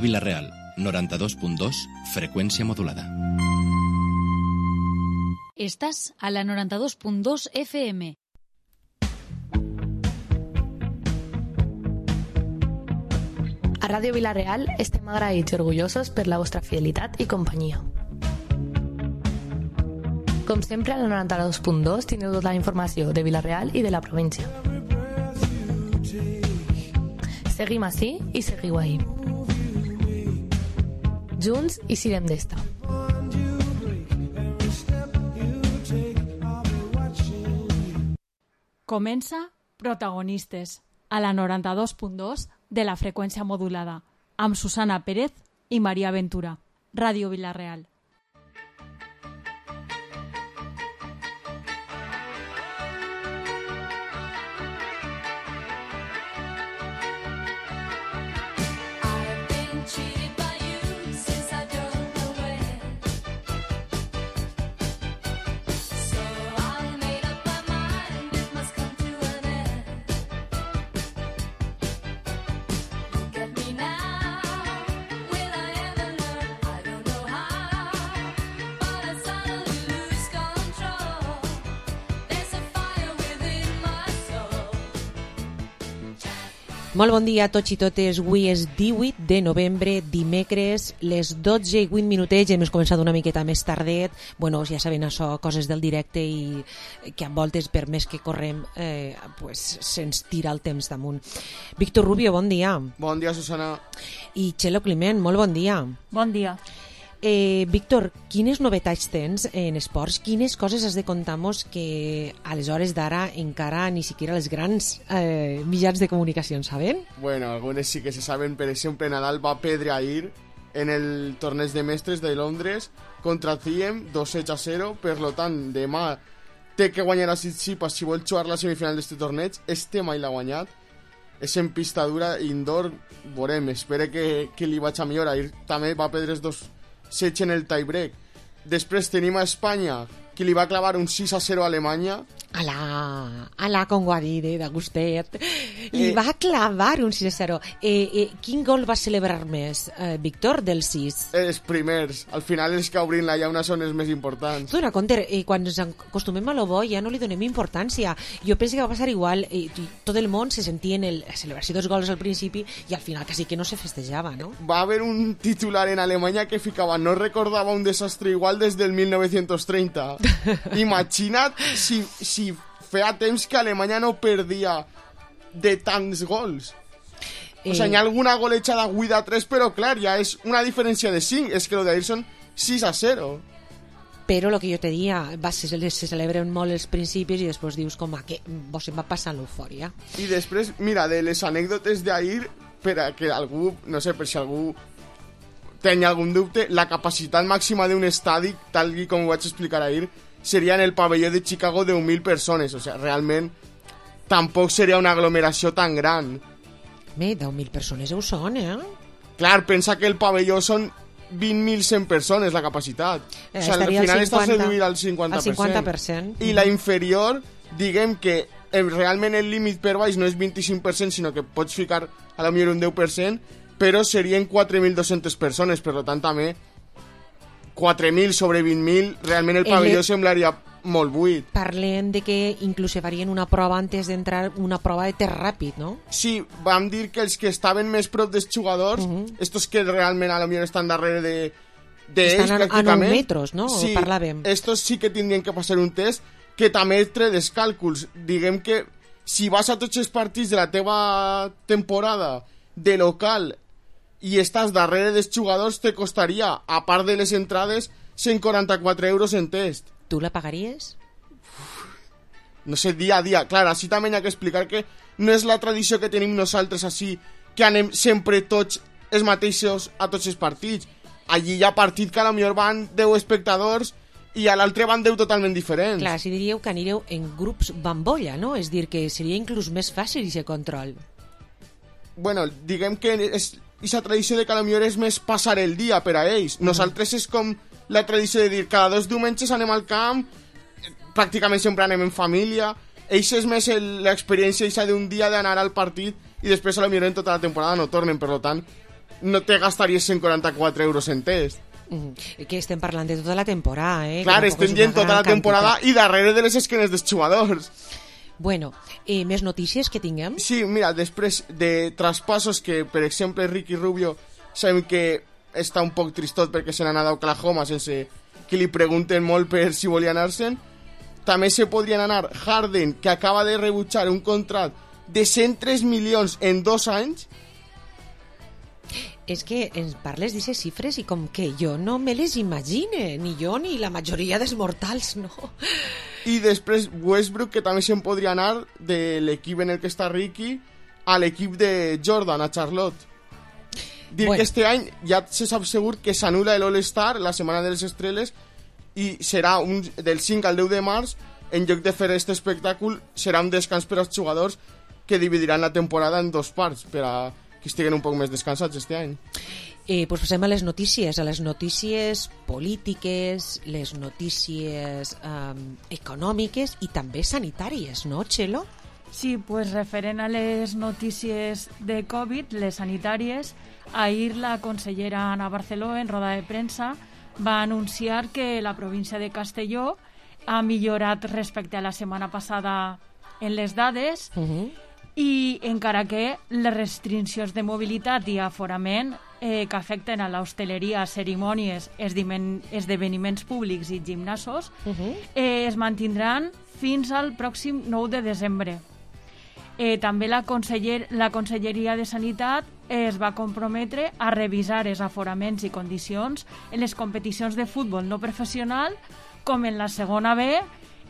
Vila-real, 92.2, freqüència modulada. Estàs a la 92.2 FM. A Ràdio Vila-real estem agraïts i orgullosos per la vostra fidelitat i companyia. Com sempre, a la 92.2 tindreu tota la informació de Vila-real i de la província. Seguim ací i seguiu ahí. Junts i sirem d'esta. Comença Protagonistes, a la 92.2 de la freqüència modulada, amb Susana Pérez i Maria Ventura. Ràdio Vila-real. Molt bon dia a tots i totes. Avui és 18 de novembre, dimecres, les 12 i 8 minutets. Hem començat una miqueta més tardet. Bueno, ja saben això, coses del directe i que a voltes, per més que correm, se'ns tira el temps damunt. Víctor Rubio, bon dia. Bon dia, Susana. I Txelo Climent, molt bon dia. Bon dia. Víctor, quines novetats tens en esports? Quines coses has de contar-nos que a les hores d'ara encara ni siquiera els grans mitjans de comunicació saben? Bueno, algunes sí que se saben. Per exemple, Nadal va perdre ahir en el torneig de mestres de Londres contra Thiem 2-0. Per lo tant, demà té que guanyar a Tsitsipas si vol jugar la semifinal d'este torneig. Este mai l'ha guanyat. És en pista dura, indoor. Veurem, espero que li vaig a millor. Ahir també va perdre els dos sets en el tiebreak. Després tenim a Espanya, que li va clavar un 6-0 a Alemanya. Alà, com ho ha dit, de gustet. Li va clavar un 6-0. Quin gol va celebrar més, Víctor, del 6? Els primers. Al final els que obrin la llauna són els més importants. Tu dona compte, quan ens acostumem a lo bo ja no li donem importància. Jo penso que va passar igual. Tot el món se sentia en la celebració dels gols al principi i al final quasi que no se festejava, no? Va haver un titular en Alemanya que ficava: no recordava un desastre igual des del 1930. Imagina't si feia temps que Alemanya no perdia de tants gols. O sigui, hi ha alguna golejada 8-3, però clar, ja és una diferència de 5. És que lo d'ahir són 6-0. Però el que jo te dia, se celebren molt els principis i després dius com que vos se'n va passant l'eufòria. I després, mira, de les anècdotes d'ahir, per a que algú, no sé, per si algú tenia algun dubte, la capacitat màxima d'un estadi, tal com ho vaig explicar ahir, seria en el pavelló de Chicago de 10.000 persones. O sigui, realment tampoc seria una aglomeració tan gran. 10.000 persones ho són, Clar, pensa que el pavelló són 20.100 persones la capacitat. O sigui, al final estàs reduït al 50%. I la inferior, diguem que realment el límit per baix no és 25%, sinó que pots ficar a la millor un 10%, però serien 4.200 persones, per tant també 4.000 sobre 20.000, realment el pavelló semblaria molt buit. Parlem de que inclús farien una prova antes d'entrar, una prova de test ràpid, no? Sí, vam dir que els que estaven més prop dels jugadors, estos que realment a lo millor estan darrere d'ells, estan a 9 metres, no? Sí, parlàvem. Estos sí que tindrien que passar un test que també tre dels càlculs. Diguem que si vas a tots els partits de la teva temporada de local i estàs darrere dels jugadors, te costaria, a part de les entrades, 144 euros en test. Tu la pagaries? No sé, dia a dia. Clar, així també hi ha que explicar que no és la tradició que tenim nosaltres així, que anem sempre tots els mateixos a tots els partits. Allí hi ha partit que a lo millor van 10 espectadors i a l'altre van 10 totalment diferents. Clar, si diríeu que anireu en grups bambolla, no? És dir, que seria inclús més fàcil aquest control. Bueno, diguem que és aquesta tradició de que potser és més passar el dia per a ells. Nosaltres és com la tradició de dir cada 2 diumenges anem al camp, pràcticament sempre anem en família. Ells és més l'experiència d'un dia d'anar al partit i després potser en tota la temporada no tornen, per tant no te gastaries 144 euros en test. Que estem parlant de tota la temporada, Clar, estem dient tota la temporada i darrere de les esquenes dels jugadors. Bueno, més notícies que tinguem? Sí, mira, després de traspassos que, per exemple, Ricky Rubio sabem que està un poc tristot perquè se n'ha anat a Oklahoma sense que li pregunten molt per si volia anar-se'n. També se podrien anar Harden, que acaba de rebutjar un contracte de 103 milions en 2 anys. És que ens parles d'aquestes xifres i com que jo no me les imagine, ni jo ni la majoria dels mortals, no? I després Westbrook, que també se'n podria anar de l'equip en el que està Ricky a l'equip de Jordan, a Charlotte. Dir que este any ja se sap segur que s'anula l'All-Star, la setmana de les estrelles, i serà del 5 al 10 de març, en lloc de fer aquest espectacle, serà un descans per als jugadors que dividiran la temporada en 2 parts, per a que estiguen un poc més descansats este any. Pues passem a les notícies polítiques, les notícies econòmiques i també sanitàries, no, Txelo? Sí, pues referent a les notícies de Covid, les sanitàries, ahir la consellera Ana Barceló, en roda de premsa, va anunciar que la província de Castelló ha millorat respecte a la setmana passada en les dades, i encara que les restriccions de mobilitat i aforament que afecten a l'hostaleria, cerimònies, esdeveniments públics i gimnasos es mantindran fins al pròxim 9 de desembre. També la Conselleria de Sanitat es va comprometre a revisar els aforaments i condicions en les competicions de futbol no professional, com en la segona B,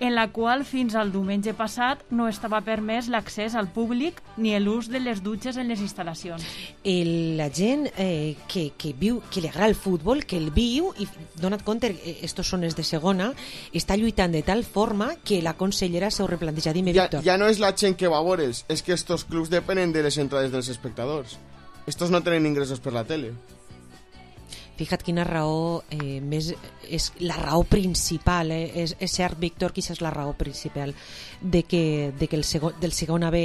en la qual fins al diumenge passat no estava permès l'accés al públic ni l'ús de les dutxes en les instal·lacions. La gent que viu, que li agrada el futbol, que el viu, i dona't compte, estos són els de segona, està lluitant de tal forma que la consellera s'ho replantejat d'immediat. Ja no és la gent que va a veure's, és que estos clubs depenen de les entrades dels espectadors. Estos no tenen ingressos per la tele. Fija't quina raó més és la raó principal, és cert, Víctor, que és la raó principal de que del segona B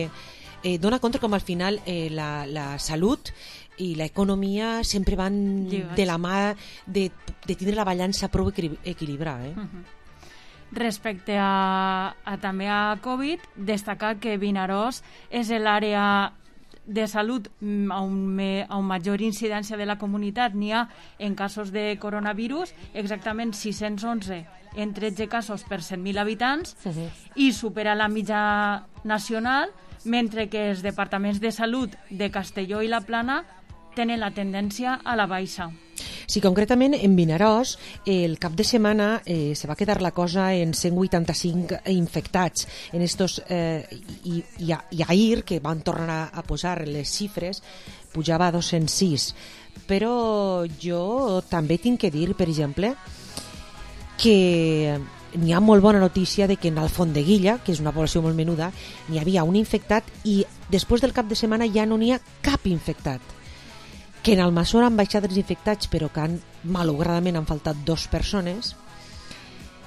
dona compte com al final la salut i l'economia sempre van de la mà de tindre la balança prou equilibrada. Respecte també a Covid, destacar que Vinaròs és l'àrea de salut on major incidència de la comunitat n'hi ha en casos de coronavirus, exactament 611 en 13 casos per 100.000 habitants, i supera la mitja nacional, mentre que els departaments de salut de Castelló i la Plana tenen la tendència a la baixa. Sí, concretament en Vinaròs el cap de setmana se va quedar la cosa en 185 infectats en estos, i ahir, que van tornar a posar les xifres, pujava a 206. Però jo també tinc que dir, per exemple, que n'hi ha molt bona notícia de que en Alfondeguilla, que és una població molt menuda, n'hi havia un infectat i després del cap de setmana ja no n'hi ha cap infectat. Que en Almassora han baixat els infectats, però que malauradament han faltat 2 persones,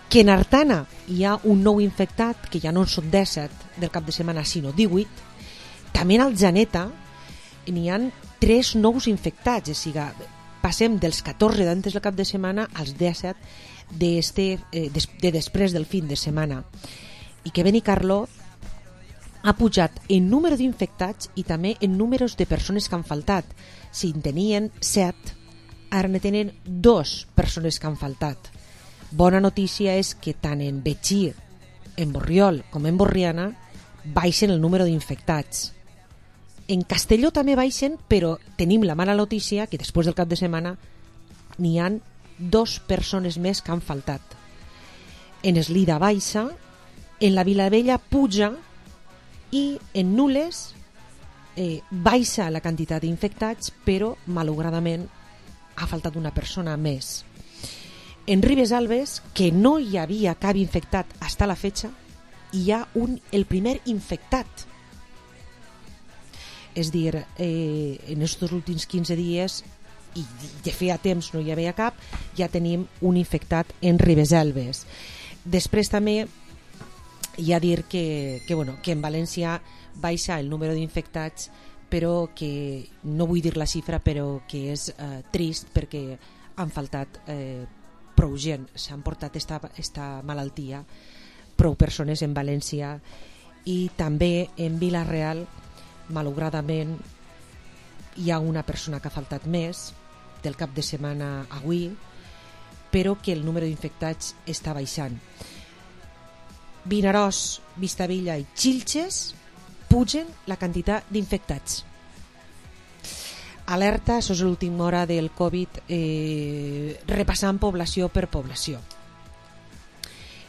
que en Artana hi ha un nou infectat, que ja no són 17 del cap de setmana, sinó 18, també en Aljaneta n'hi ha 3 nous infectats, o sigui, passem dels 14 d'antes del cap de setmana als 17 de després del fin de setmana. I que Benicarló ha pujat en número d'infectats i també en números de persones que han faltat. Si en tenien 7, ara ne tenen 2 persones que han faltat. Bona notícia és que tant en Betxí, en Borriol com en Borriana baixen el número d'infectats. En Castelló també baixen, però tenim la mala notícia que després del cap de setmana n'hi han 2 persones més que han faltat. En Eslida baixa, en la Vilavella puja i en Nules baixa la quantitat d'infectats, però malauradament ha faltat una persona més. En Ribes Alves, que no hi havia cap infectat fins a la fecha, hi ha el primer infectat. És dir, en aquests últims 15 dies, i de feia temps no hi havia cap, ja tenim un infectat en Ribes Alves. Després també hi ha a dir que en València baixa el número d'infectats però que no vull dir la xifra, però que és trist perquè han faltat prou gent, s'han portat esta malaltia prou persones en València i també en Vila-real malauradament hi ha una persona que ha faltat més del cap de setmana avui, però que el número d'infectats està baixant. Vinaròs, Vistabella i Xilxes pugen la quantitat d'infectats. Alerta, això és l'última hora del Covid, repassant població per població.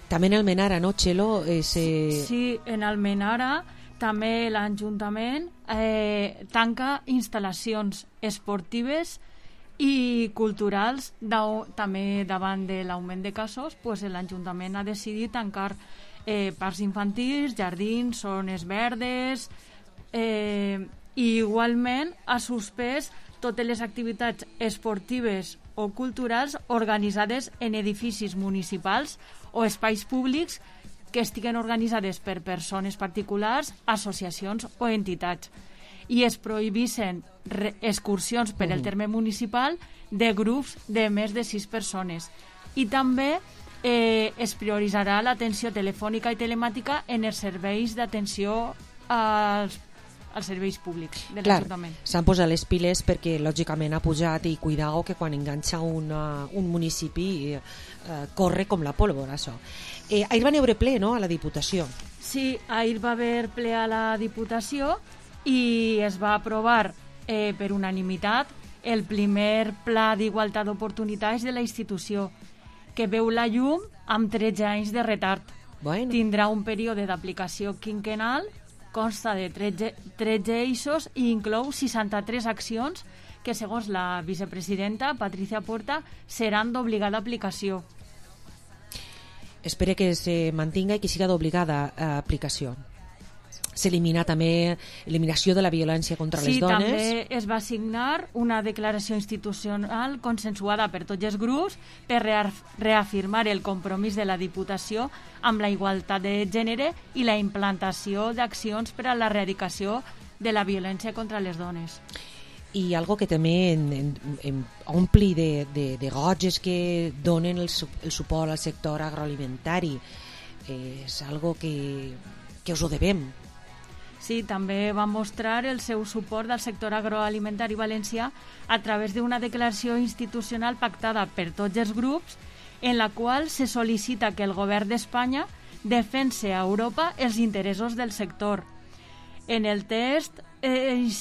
També en Almenara, no, Txelo? Sí, en Almenara també l'Ajuntament tanca instal·lacions esportives i culturals. També davant de l'augment de casos, l'Ajuntament ha decidit tancar parcs infantils, jardins, zones verdes, i igualment ha suspès totes les activitats esportives o culturals organitzades en edificis municipals o espais públics que estiguen organitzades per persones particulars, associacions o entitats. I es prohibissin excursions per el terme municipal de grups de més de 6 persones. I també es prioritzarà l'atenció telefònica i telemàtica en els serveis d'atenció als serveis públics de l'Ajuntament. S'han posat les piles perquè lògicament ha pujat i cuidao que quan enganxa un municipi corre com la pólvora, això. Ahir van haver ple, no?, a la Diputació. Sí, ahir va haver ple a la Diputació i es va aprovar per unanimitat el primer Pla d'Igualtat d'Oportunitats de la institució, que veu la llum amb 13 anys de retard. Bueno. Tindrà un període d'aplicació quinquenal, consta de 13 eixos i inclou 63 accions que, segons la vicepresidenta Patricia Puerta, seran d'obligada aplicació. Espero que se mantinga i que siga d'obligada aplicació. S'elimina també eliminació de la violència contra les dones. Sí, també es va signar una declaració institucional consensuada per tots els grups per reafirmar el compromís de la Diputació amb la igualtat de gènere i la implantació d'accions per a l'erradicació de la violència contra les dones. I algo que també ompli de goig que donen el suport al sector agroalimentari. És algo que us ho devem. Sí, també va mostrar el seu suport al sector agroalimentari valencià a través d'una declaració institucional pactada per tots els grups en la qual se sol·licita que el govern d'Espanya defense a Europa els interessos del sector. En el text, el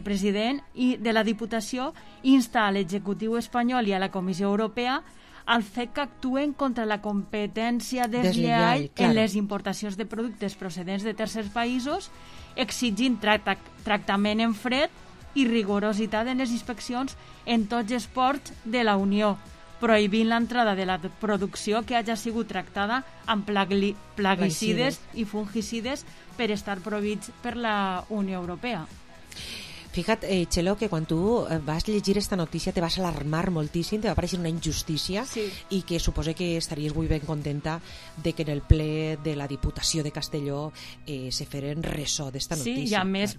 president de la Diputació insta a l'executiu espanyol i a la Comissió Europea al fet que actuen contra la competència deslleial en les importacions de productes procedents de tercers països, exigint tractament en fred i rigorositat en les inspeccions en tots els ports de la Unió, prohibint l'entrada de la producció que hagi sigut tractada amb plaguicides i fungicides per estar prohibits per la Unió Europea. Fíjate, Txelo, que quan tu vas llegir esta notícia te vas alarmar moltíssim, te va aparèixer una injustícia, sí. I que suposo que estaries molt ben contenta de que en el ple de la Diputació de Castelló se feren ressò d'esta notícia. Sí, i a més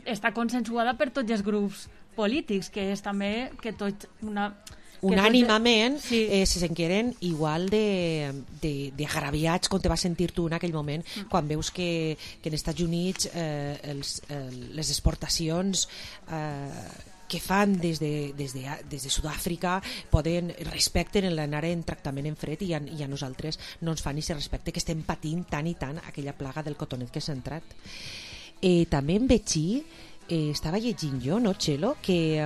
està consensuada per tots els grups polítics, que és també que tots unànimament se sentien igual de agraviats com te vas sentir tu en aquell moment quan veus que en Estats Units les exportacions que fan des de Sud-àfrica respecten l'anar en tractament en fred i a nosaltres no ens fan i se respecte, que estem patint tant i tant aquella plaga del cotonet que s'ha entrat. També en Betxí estava llegint jo, no, Txelo, que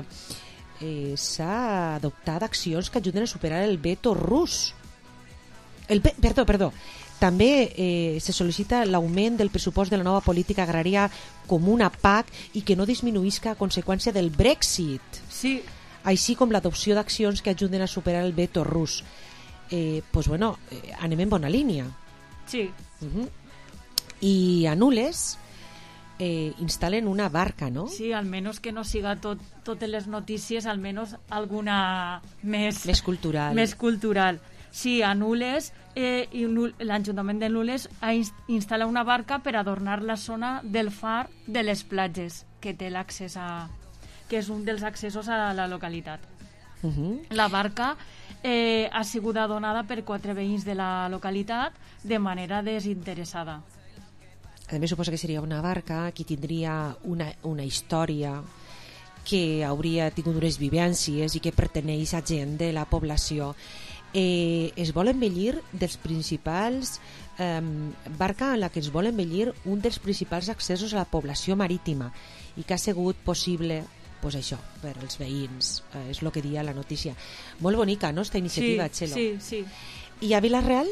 s'ha adoptat accions que ajuden a superar el veto rus. Perdó. També se sol·licita l'augment del pressupost de la nova política agrària comuna PAC i que no disminuïsca a conseqüència del Brexit. Sí. Així com l'adopció d'accions que ajuden a superar el veto rus. Anem en bona línia. Sí. I a Nules instal·len una barca, no? Sí, almenys que no siga totes les notícies, almenys alguna més cultural. Més cultural. Sí, a Nules, l'Ajuntament de Nules instal·la una barca per adornar la zona del far de les platges, que té l'accés que és un dels accessos a la localitat. La barca ha sigut adonada per 4 veïns de la localitat de manera desinteressada. A més, suposo que seria una barca que tindria una història, que hauria tingut unes vivències i que perteneix a gent de la població. Es vol embellir dels principals barca en la que es vol embellir un dels principals accessos a la població marítima i que ha sigut possible, pues això, per als veïns, és el que dia la notícia. Molt bonica, no, esta iniciativa, sí, Txelo? Sí. I a Vila-real?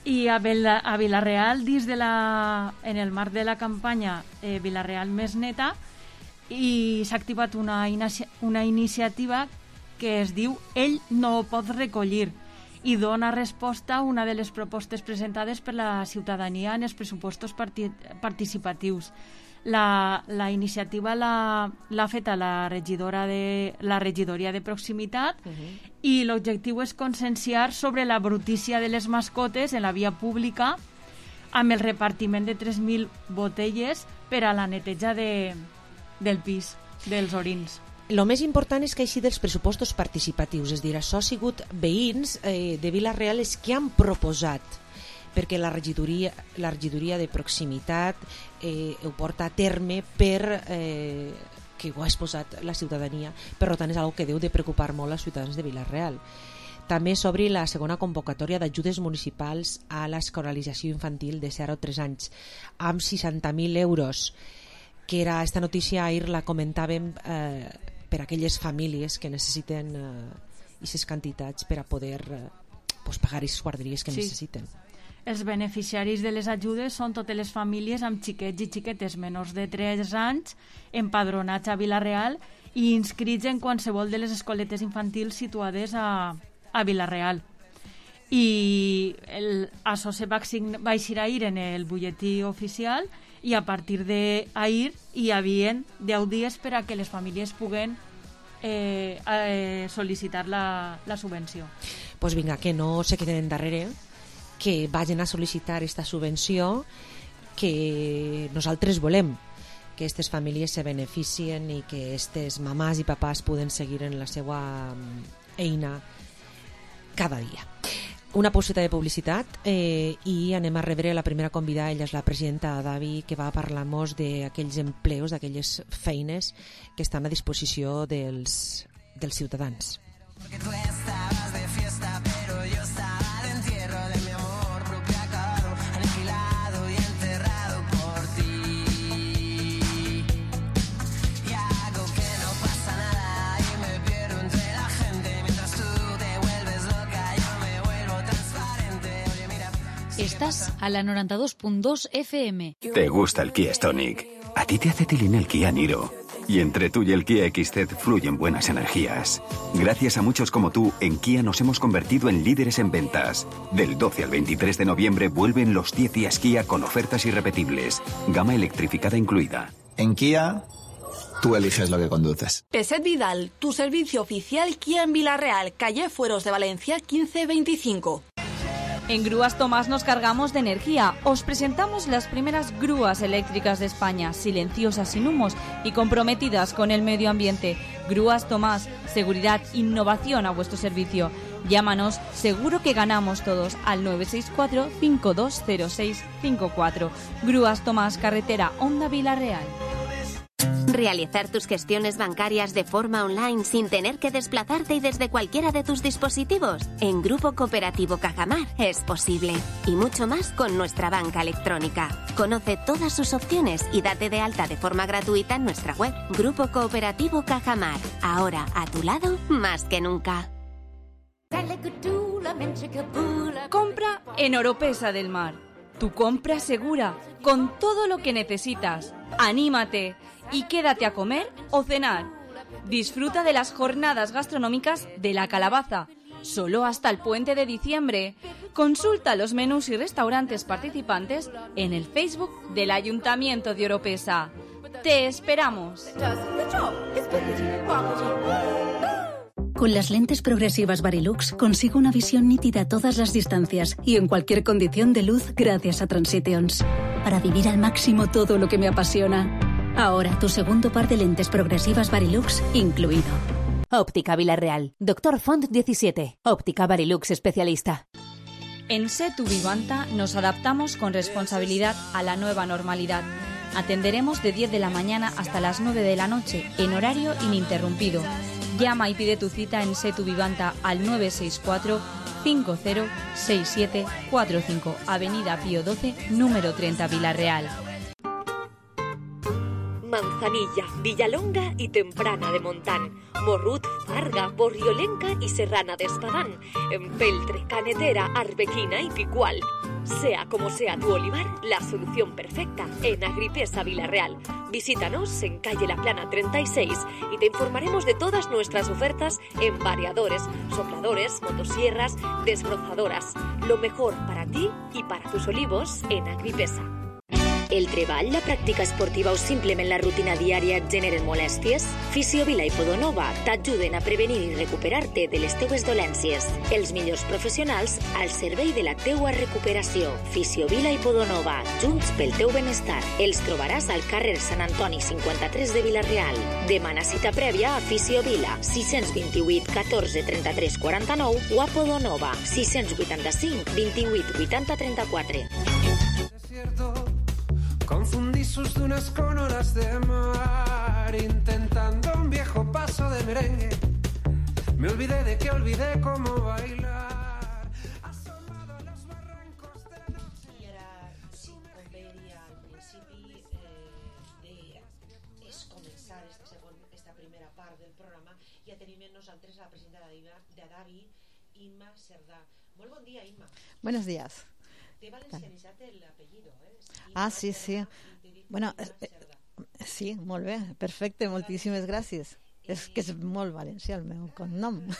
I a Vila-real, en el marc de la campanya Vila-real més neta, i s'ha activat una iniciativa que es diu Ell no ho pot recollir i dona resposta a una de les propostes presentades per la ciutadania en els pressupostos participatius. La iniciativa l'ha fet la regidoria de proximitat i l'objectiu és conscienciar sobre la brutícia de les mascotes en la via pública amb el repartiment de 3.000 botelles per a la neteja del pis, dels orins. El més important és que així dels pressupostos participatius, és a dir, això ha sigut veïns de Vila-real els que han proposat, perquè la regidoria de proximitat ho porta a terme per que ho ha exposat la ciutadania, per tant és una cosa que deu de preocupar molt als ciutadans de Vila-real. També s'obri la segona convocatòria d'ajudes municipals a l'escolarització infantil de 0 a 3 anys amb 60.000 euros, que era esta notícia, ahir la comentàvem per a aquelles famílies que necessiten aquestes quantitats per a poder pagar aquestes guarderies que necessiten. Els beneficiaris de les ajudes són totes les famílies amb xiquets i xiquetes menors de 3 anys empadronats a Vila-real i inscrits en qualsevol de les escoletes infantils situades a Vila-real. I això se va eixir ahir en el butlletí oficial i a partir d'ahir hi havia 10 dies per a que les famílies puguen sol·licitar la subvenció. Doncs vinga, que no se queden darrere, que vagin a sol·licitar aquesta subvenció, que nosaltres volem que aquestes famílies se beneficien i que aquestes mamàs i papàs poden seguir en la seva eina cada dia. Una pauseta de publicitat i anem a rebre la primera convidada. Ella és la presidenta d'AVI, que va a parlar-nos d'aquells empleos, d'aquelles feines que estan a disposició dels ciutadans. Porque tú estabas de fiesta, pero yo estaba de entierro de mi amor propio acabado, aniquilado y enterrado por ti. Y hago que no pasa nada y me pierdo entre la gente mientras tú te vuelves loca, yo me vuelvo transparente. Oye, mira. Estás a la 92.2 FM. ¿Te gusta el Kia Stonic? A ti te hace tilín el Kia Niro. Y entre tú y el Kia XZ fluyen buenas energías. Gracias a muchos como tú, en Kia nos hemos convertido en líderes en ventas. Del 12 al 23 de noviembre vuelven los 10 días Kia con ofertas irrepetibles. Gama electrificada incluida. En Kia, tú eliges lo que conduces. Peset Vidal, tu servicio oficial Kia en Vila-real, calle Fueros de Valencia 1525. En Grúas Tomás nos cargamos de energía. Os presentamos las primeras grúas eléctricas de España, silenciosas, sin humos y comprometidas con el medio ambiente. Grúas Tomás, seguridad, innovación a vuestro servicio. Llámanos, seguro que ganamos todos, al 964-520654. Grúas Tomás, carretera Honda Vila-real. Realizar tus gestiones bancarias de forma online sin tener que desplazarte y desde cualquiera de tus dispositivos. En Grupo Cooperativo Cajamar es posible. Y mucho más con nuestra banca electrónica. Conoce todas sus opciones y date de alta de forma gratuita en nuestra web. Grupo Cooperativo Cajamar. Ahora a tu lado más que nunca. Compra en Oropesa del Mar. Tu compra segura, con todo lo que necesitas. ¡Anímate! Y quédate a comer o cenar. Disfruta de las jornadas gastronómicas de La Calabaza, solo hasta el puente de diciembre. Consulta los menús y restaurantes participantes en el Facebook del Ayuntamiento de Oropesa. ¡Te esperamos! Con las lentes progresivas Varilux consigo una visión nítida a todas las distancias y en cualquier condición de luz gracias a Transitions. Para vivir al máximo todo lo que me apasiona. Ahora tu segundo par de lentes progresivas Varilux incluido. Óptica Villarreal. Dr. Font 17. Óptica Varilux especialista. En Setu Vivanta nos adaptamos con responsabilidad a la nueva normalidad. Atenderemos de 10 de la mañana hasta las 9 de la noche, en horario ininterrumpido. Llama y pide tu cita en Setu Vivanta al 964 506745, Avenida Pío XII, número 30, Villarreal. Manzanilla, Villalonga y Temprana de Montán, Morrut, Farga, Borriolenca y Serrana de Espadán, Empeltre, Canetera, Arbequina y Picual. Sea como sea tu olivar, la solución perfecta en Agripesa Villarreal. Visítanos en calle La Plana 36 y te informaremos de todas nuestras ofertas en variadores, sopladores, motosierras, desbrozadoras. Lo mejor para ti y para tus olivos en Agripesa. El treball, la pràctica esportiva o simplement la rutina diària et generen molèsties? Fisiovila i Podonova t'ajuden a prevenir i recuperar-te de les teues dolències. Els millors professionals al servei de la teua recuperació. Fisiovila i Podonova, junts pel teu benestar. Els trobaràs al carrer Sant Antoni 53 de Vila-real. Demana cita prèvia a Fisiovila 628 14 33 49 o a Podonova 685 28 80 34. Confundí sus dunas con olas de mar, intentando un viejo paso de merengue. Me olvidé de que olvidé cómo bailar. Asomado a los barrancos de noche. I ara, sí, com veia al principi, és començar esta primera part del programa. Ja tenim amb nosaltres la presidenta d'Adavi, Imma Cerdà. Molt bon dia, Imma. Buenos días. Té valencianitzat l'apellido, Sí, sí. Bueno, sí, molt bé, perfecte, moltíssimes gràcies. És que és molt valencià el meu cognom. El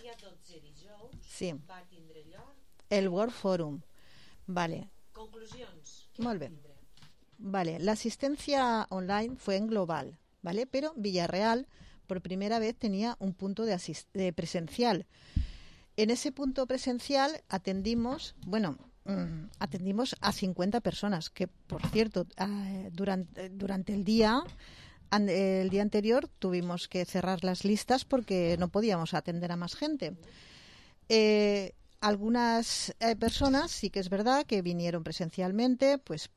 dia 12 dijous sí. Va tindre lloc el World Forum. Vale. Conclusions. Molt bé. Vale, la asistencia online fue en global, ¿vale? Pero Villarreal por primera vez tenía un punto de presencial. En ese punto presencial atendimos a 50 personas, que por cierto, durante el día anterior tuvimos que cerrar las listas porque no podíamos atender a más gente. Algunas personas sí que es verdad que vinieron presencialmente, pues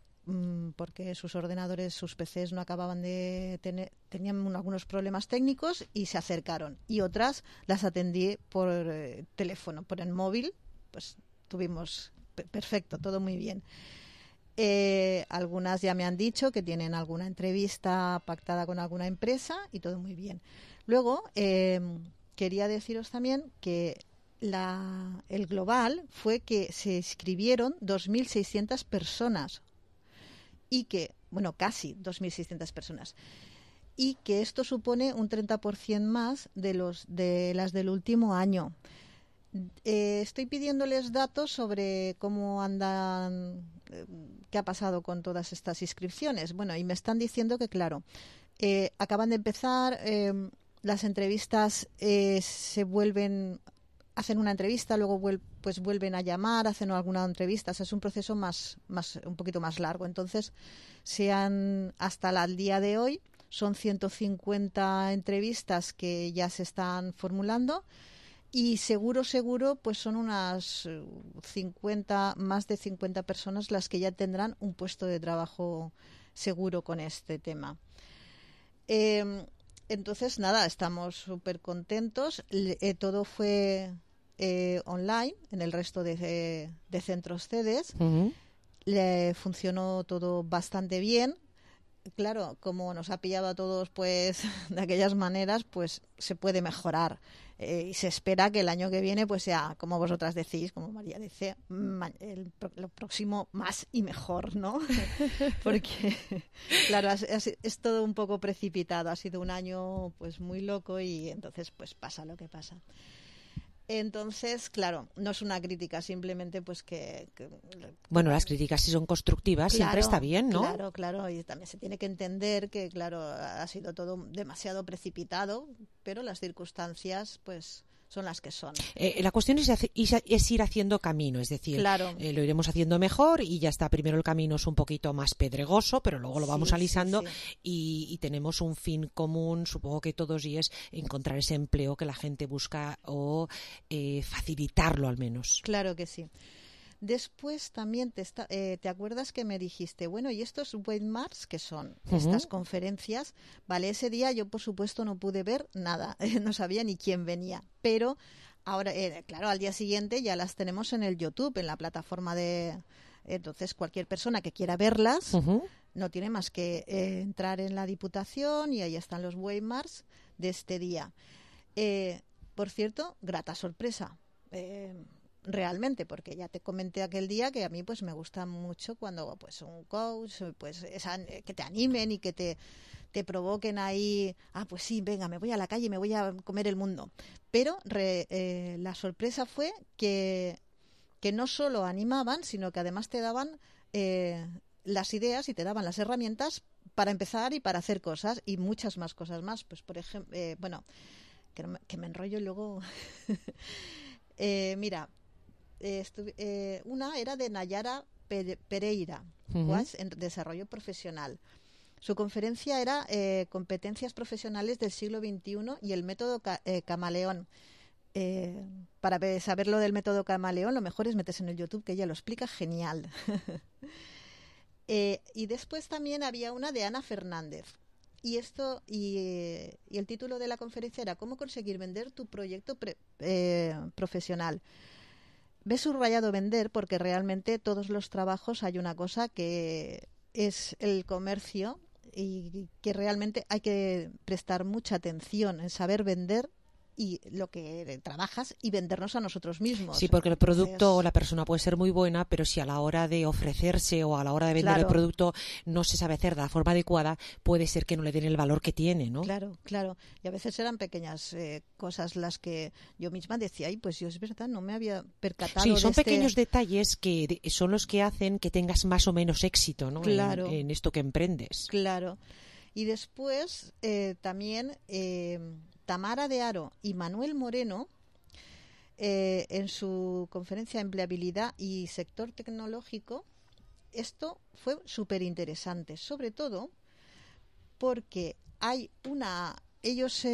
porque sus ordenadores, sus PCs no acababan de tener, tenían algunos problemas técnicos y se acercaron. Y otras las atendí por teléfono, por el móvil, pues tuvimos perfecto, todo muy bien. Algunas ya me han dicho que tienen alguna entrevista pactada con alguna empresa y todo muy bien. Luego, quería deciros también que el global fue que se inscribieron 2.600 personas y que, bueno, casi 2.600 personas, y que esto supone un 30% más de las del último año. Estoy pidiéndoles datos sobre cómo andan, qué ha pasado con todas estas inscripciones. Bueno, y me están diciendo que, claro, acaban de empezar, las entrevistas hacen una entrevista, luego pues vuelven a llamar, hacen alguna entrevista. O sea, es un proceso un poquito más largo. Entonces, hasta el día de hoy, son 150 entrevistas que ya se están formulando. Y seguro, pues son unas 50, más de 50 personas las que ya tendrán un puesto de trabajo seguro con este tema. Entonces, nada, estamos súper contentos. Todo fue online en el resto de centros sedes. Uh-huh. Le funcionó todo bastante bien. Claro, como nos ha pillado a todos pues de aquellas maneras, pues se puede mejorar. Y se espera que el año que viene pues sea, como vosotras decís, como María dice, lo próximo más y mejor, ¿no? Porque, claro, es todo un poco precipitado. Ha sido un año pues muy loco y entonces pues pasa lo que pasa. Entonces, claro, no es una crítica, simplemente pues que bueno, las críticas si son constructivas siempre está bien, ¿no? Claro, y también se tiene que entender que, claro, ha sido todo demasiado precipitado, pero las circunstancias, pues, son las que son. La cuestión es ir haciendo camino, es decir, lo iremos haciendo mejor y ya está. Primero el camino es un poquito más pedregoso, pero luego lo vamos alisando y tenemos un fin común, supongo que todos, y es encontrar ese empleo que la gente busca o facilitarlo al menos. Claro que sí. Después también te acuerdas que me dijiste, bueno, ¿y estos webinars qué son? Estas conferencias, vale, ese día yo por supuesto no pude ver nada, no sabía ni quién venía, pero ahora, claro, al día siguiente ya las tenemos en el YouTube, en la plataforma de... Entonces cualquier persona que quiera verlas no tiene más que entrar en la Diputación y ahí están los webinars de este día. Por cierto, grata sorpresa. Realmente, porque ya te comenté aquel día que a mí pues me gusta mucho cuando pues un coach pues que te animen y que te provoquen ahí, pues sí, venga, me voy a la calle y me voy a comer el mundo. Pero la sorpresa fue que no solo animaban, sino que además te daban las ideas y te daban las herramientas para empezar y para hacer cosas y muchas más cosas más. Pues por ejemplo, que me enrollo y luego mira, una era de Nayara Pereira, en desarrollo profesional. Su conferencia era competencias profesionales del siglo XXI y el método camaleón. Para saber lo del método camaleón, lo mejor es meterse en el YouTube, que ella lo explica genial. Y después también había una de Ana Fernández. Y el título de la conferencia era ¿Cómo conseguir vender tu proyecto profesional? Me he subrayado vender porque realmente todos los trabajos hay una cosa que es el comercio y que realmente hay que prestar mucha atención en saber vender y lo que trabajas y vendernos a nosotros mismos. Sí, porque el producto o la persona puede ser muy buena, pero si a la hora de ofrecerse o a la hora de vender el producto no se sabe hacer de la forma adecuada, puede ser que no le den el valor que tiene, ¿no? Claro. Y a veces eran pequeñas cosas las que yo misma decía, pues yo es verdad, no me había percatado. Sí, son pequeños detalles que son los que hacen que tengas más o menos éxito, ¿no? Claro. En esto que emprendes. Claro. Y después también... Tamara de Aro y Manuel Moreno, en su conferencia Empleabilidad y Sector Tecnológico, esto fue súper interesante, sobre todo porque ellos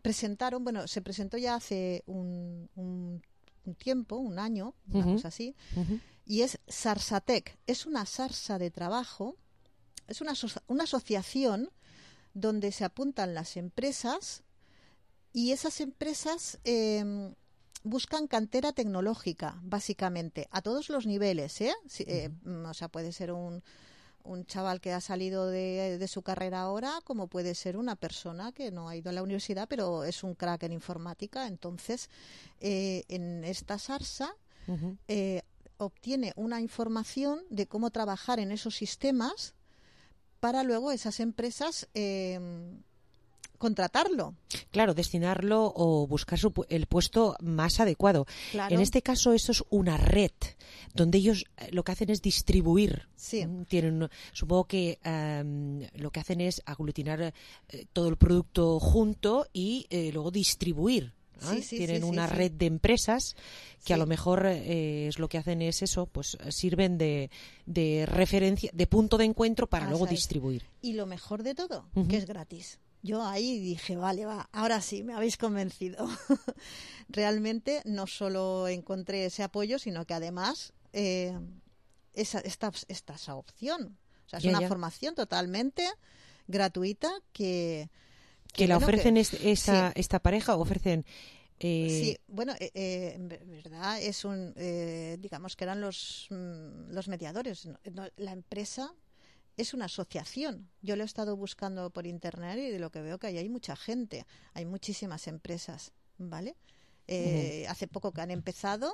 presentaron, se presentó ya hace un tiempo, un año, una cosa así, y es Sarsatec, es una sarsa de trabajo, es una asociación donde se apuntan las empresas. Y esas empresas buscan cantera tecnológica, básicamente, a todos los niveles, o sea, puede ser un chaval que ha salido de su carrera ahora, como puede ser una persona que no ha ido a la universidad, pero es un crack en informática. Entonces, en esta sarsa obtiene una información de cómo trabajar en esos sistemas para luego esas empresas... contratarlo. Claro, destinarlo o buscar el puesto más adecuado. Claro. En este caso, esto es una red donde ellos lo que hacen es distribuir. Sí. Supongo que lo que hacen es aglutinar todo el producto junto y luego distribuir. Tienen una red de empresas que a lo mejor es lo que hacen es eso, pues sirven de referencia, de punto de encuentro para luego distribuir. Y lo mejor de todo, que es gratis. Yo ahí dije, vale, ahora sí, me habéis convencido. Realmente no solo encontré ese apoyo, sino que además esa opción. O sea, es una formación totalmente gratuita que la ofrecen esta pareja o ofrecen... Sí, bueno, en verdad es digamos que eran los mediadores. La empresa... es una asociación. Yo lo he estado buscando por internet y de lo que veo que hay mucha gente, hay muchísimas empresas, ¿vale? Hace poco que han empezado,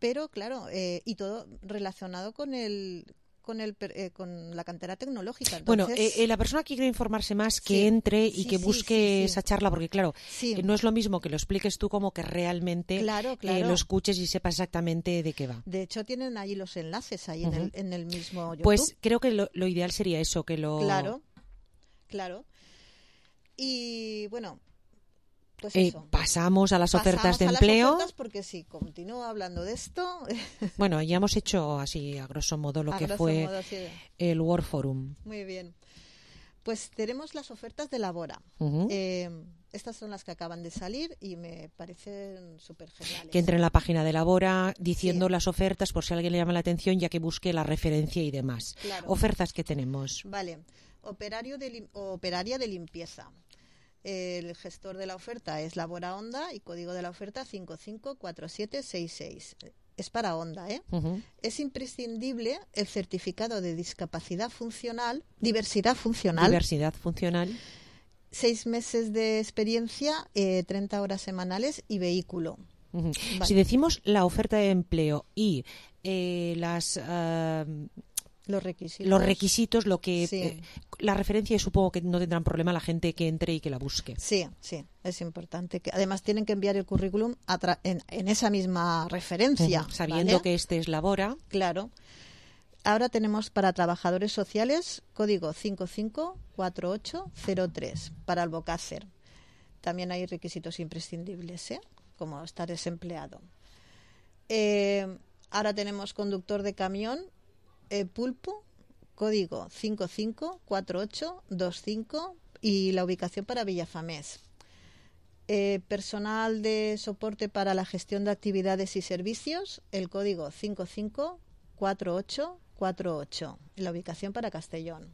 pero claro, y todo relacionado con con la cantera tecnológica. Entonces, bueno, la persona que quiere informarse más, que entre y que busque esa charla, porque claro, no es lo mismo que lo expliques tú como que realmente lo escuches y sepas exactamente de qué va. De hecho, tienen allí los enlaces ahí en el mismo YouTube. Pues creo que lo ideal sería eso, que lo... Claro. Y bueno... Pues eso. Pasamos a las ofertas de empleo. Las ofertas porque si continúo hablando de esto... Bueno, ya hemos hecho así a grosso modo lo que fue el World Forum. Muy bien. Pues tenemos las ofertas de Labora. Estas son las que acaban de salir y me parecen súper geniales. Que entre en la página de Labora diciendo las ofertas por si a alguien le llama la atención, ya que busque la referencia y demás. Claro. Ofertas que tenemos. Vale. Operaria de limpieza. El gestor de la oferta es Labora Onda y código de la oferta 554766. Es para Onda, ¿eh? Es imprescindible el certificado de diversidad funcional. 6 meses de experiencia, 30 horas semanales y vehículo. Vale. Si decimos la oferta de empleo y los requisitos, lo que la referencia, supongo que no tendrán problema la gente que entre y que la busque. Sí, es importante. Además tienen que enviar el currículum en esa misma referencia. Sabiendo que este es Labora. Claro. Ahora tenemos para trabajadores sociales código 554803 para Albocácer. También hay requisitos imprescindibles, como estar desempleado. Ahora tenemos conductor de camión, Pulpo, código 554825 y la ubicación para Villafamés. Personal de soporte para la gestión de actividades y servicios, el código 554848 y la ubicación para Castellón.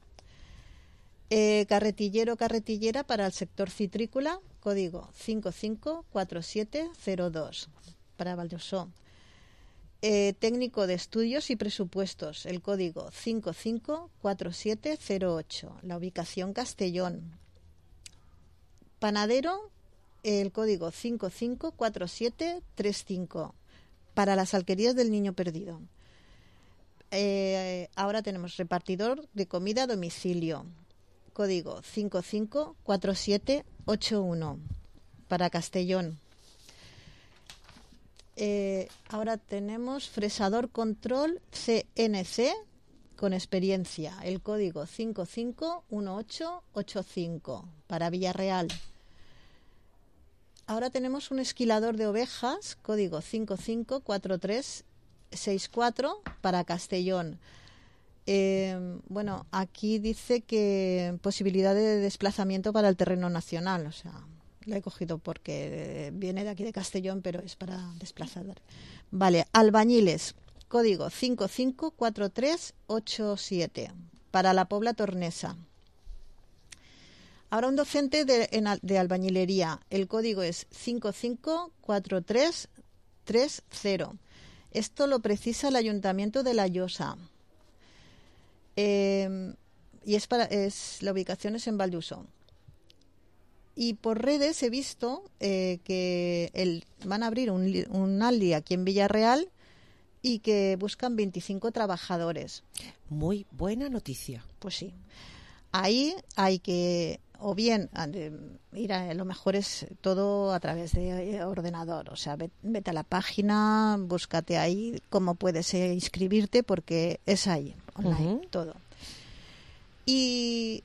Carretillera para el sector citrícola, código 554702 para Valdosó. Técnico de estudios y presupuestos, el código 554708, la ubicación Castellón. Panadero, el código 554735 para las alquerías del Niño Perdido. Ahora tenemos repartidor de comida a domicilio, código 554781 para Castellón. Ahora tenemos fresador control CNC con experiencia, el código 551885 para Villarreal. Ahora tenemos un esquilador de ovejas, código 554364 para Castellón. Bueno, aquí dice que posibilidad de desplazamiento para el terreno nacional, o sea, lo he cogido porque viene de aquí de Castellón, pero es para desplazar. Vale, albañiles, código 554387 para la Pobla Tornesa. Ahora un docente de albañilería, el código es 554330. Esto lo precisa el Ayuntamiento de La Llosa. Y la ubicación es en Valduso. Y por redes he visto que van a abrir un Aldi aquí en Villarreal y que buscan 25 trabajadores. Muy buena noticia. Pues sí. Ahí hay que, o bien, ir lo mejor es todo a través de ordenador. O sea, vete a la página, búscate ahí cómo puedes inscribirte, porque es ahí, online, todo. Y...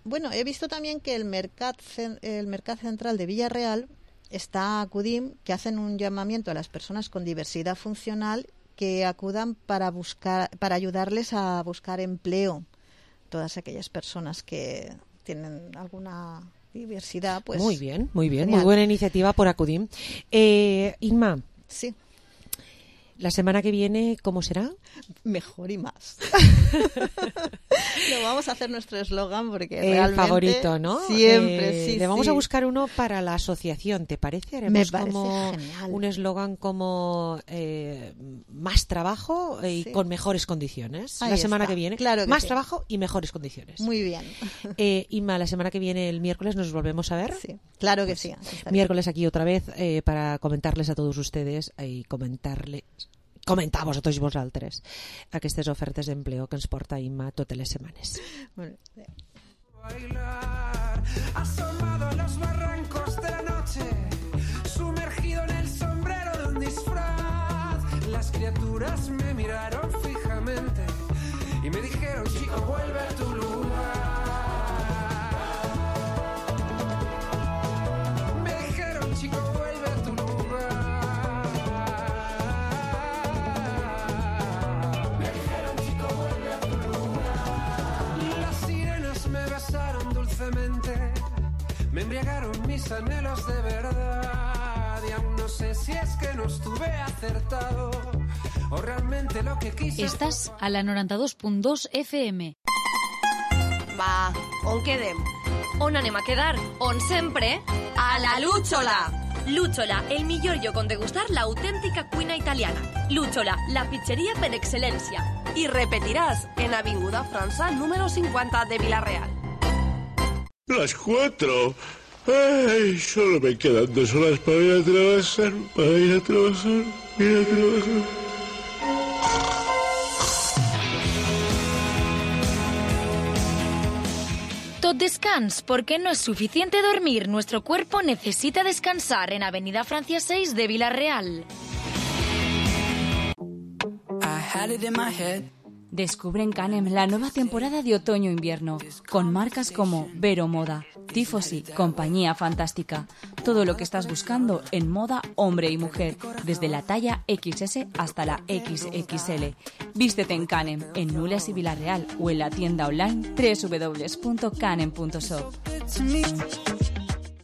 bueno, he visto también que el Mercat Central de Villarreal está acudim, que hacen un llamamiento a las personas con diversidad funcional que acudan para ayudarles a buscar empleo. Todas aquellas personas que tienen alguna diversidad, pues... Muy bien, muy buena iniciativa por acudim. Inma. Sí. ¿La semana que viene cómo será? Mejor y más. Lo vamos a hacer nuestro eslogan porque realmente... favorito, ¿no? Siempre, sí. Le vamos a buscar uno para la asociación, ¿te parece? Haremos Me parece como genial. un eslogan como más trabajo y con mejores condiciones. Ahí la semana está. que viene. Claro que más sí. trabajo y mejores condiciones. Muy bien. Inma, la semana que viene, el miércoles, nos volvemos a ver. Sí, claro que sí. Miércoles aquí otra vez para comentarles a todos ustedes y comentarles comentar a tots vosaltres aquestes ofertes d'empleo que ens porta Imma totes les setmanes. Bailar, asomado a los barrancos de la noche, sumergido en el sombrero de un disfraz. Las criaturas me miraron fijamente y me dijeron, chico, vuelve a tu lugar. Me dijeron, chico, vuelve a tu lugar. Me dijeron, chico, vuelve a tu lugar. Las sirenas me besaron dulcemente, me embriagaron mis anhelos de verdad. Y aún no sé si es que no estuve acertado o realmente lo que quise. Estàs a la 92.2 FM. Va, on quedem? On anem a quedar? On sempre? A la Lúchola! Lúchola, el millor lloc on degustar l'autèntica cuina italiana. Lúchola, la pizzeria per excel·lència. I repetiràs en Avinguda França, número 50 de Vila-real. Las 4. Ay, solo me quedan 2 horas para ir a trabajar. Tot descans, porque no es suficiente dormir. Nuestro cuerpo necesita descansar en Avenida Francia 6 de Vila-real. Descubre en Canem la nueva temporada de otoño-invierno, con marcas como Vero Moda, Tifosi, Compañía Fantástica. Todo lo que estás buscando en moda hombre y mujer, desde la talla XS hasta la XXL. Vístete en Canem, en Nules y Vila-real, o en la tienda online www.canem.shop.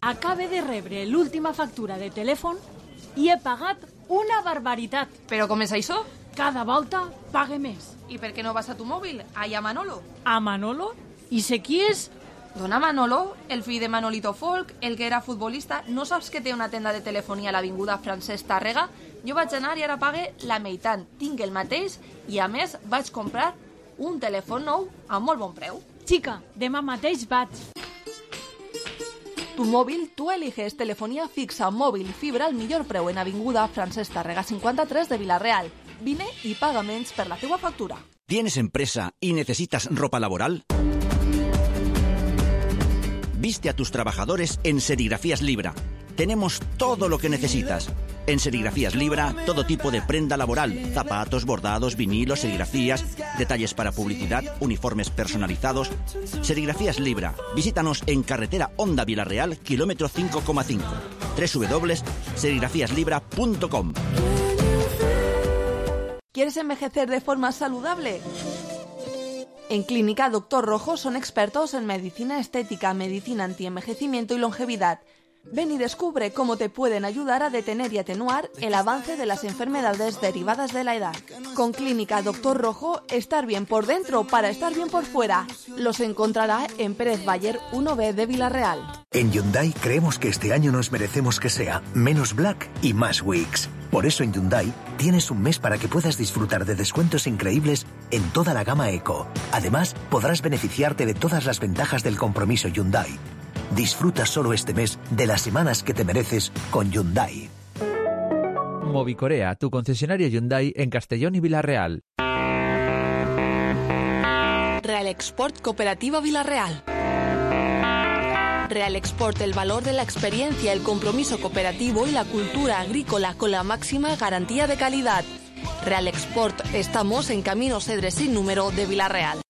Acabe de rebre l'última factura de telèfon i he pagat una barbaritat. Però com és això? Cada volta pague més. I per què no vas a tu mòbil? Allà a Manolo. A Manolo? I sé qui és? Dona Manolo, el fill de Manolito Folk, el que era futbolista. No saps que té una tenda de telefonia a l'avinguda Francesc Tàrrega? Jo vaig anar i ara pague la meitat. Tinc el mateix i, a més, vaig comprar un telèfon nou a molt bon preu. Xica, demà mateix vaig. Tu mòbil, tu eliges telefonia fixa, mòbil i fibra al millor preu en avinguda Francesc Tàrrega 53 de Vila-real. Vine y paga menys per la teua factura. ¿Tienes empresa y necesitas ropa laboral? Viste a tus trabajadores en Serigrafías Libra. Tenemos todo lo que necesitas. En Serigrafías Libra, todo tipo de prenda laboral, zapatos, bordados, vinilos, serigrafías, detalles para publicidad, uniformes personalizados. Serigrafías Libra. Visítanos en carretera Honda Vila-real, kilómetro 5,5. www.serigrafíaslibra.com. ¿Quieres envejecer de forma saludable? En Clínica Doctor Rojo son expertos en medicina estética, medicina antienvejecimiento y longevidad. Ven y descubre cómo te pueden ayudar a detener y atenuar el avance de las enfermedades derivadas de la edad. Con Clínica Doctor Rojo, estar bien por dentro para estar bien por fuera. Los encontrará en Pérez Bayer 1B de Vila-real. En Hyundai creemos que este año nos merecemos que sea menos Black y más Weeks. Por eso en Hyundai tienes un mes para que puedas disfrutar de descuentos increíbles en toda la gama Eco. Además, podrás beneficiarte de todas las ventajas del compromiso Hyundai. Disfruta solo este mes de las semanas que te mereces con Hyundai. Movicorea, tu concesionario Hyundai en Castellón y Vila-real. Real Export Cooperativa Vila-real. Real Export, el valor de la experiencia, el compromiso cooperativo y la cultura agrícola con la máxima garantía de calidad. Real Export, estamos en Camino Cedres sin número de Vila-real.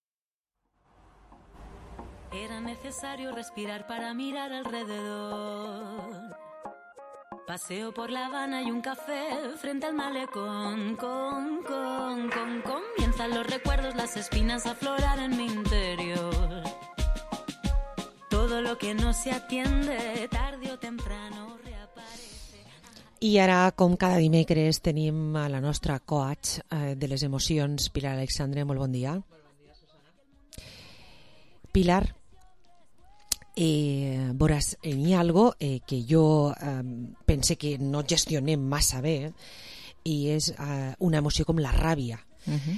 Era necesario respirar para mirar alrededor. Paseo por La Habana y un café frente al malecón. Comienzan los recuerdos, las espinas a aflorar en mi interior. Todo lo que no se atiende, tarde o temprano reaparece. I ara, com cada dimecres, tenim a la nostra coach de les emocions, Pilar Alexandre. Molt bon dia. Pilar, veuràs, hi ha algo que jo pense que no gestionem massa bé, i és una emoció com la ràbia,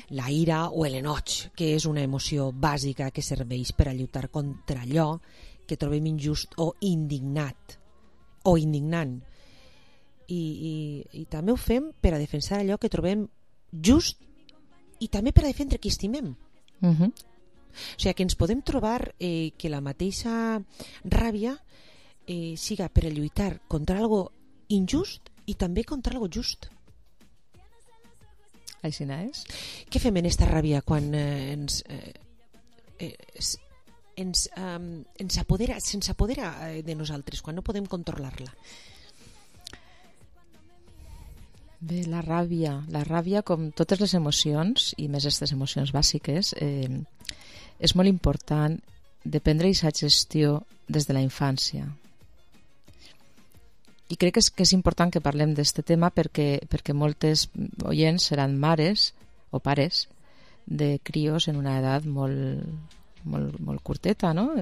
la ira o l'enoig, que és una emoció bàsica que serveix per a lluitar contra allò que trobem injust o indignat o indignant, i també ho fem per a defensar allò que trobem just i també per a defendre qui estimem. O sigui, que ens podem trobar que la mateixa ràbia siga per a lluitar contra algo injust i també contra algo just. Així és. Què fem en esta ràbia quan se'ns apodera de nosaltres, quan no podem controlar-la? Bé, la ràbia, com totes les emocions, i més aquestes emocions bàsiques, és molt important de prendre aquesta gestió des de la infància. I crec que és important que parlem d'aquest tema perquè moltes oients seran mares o pares de crios en una edat molt curteta, no?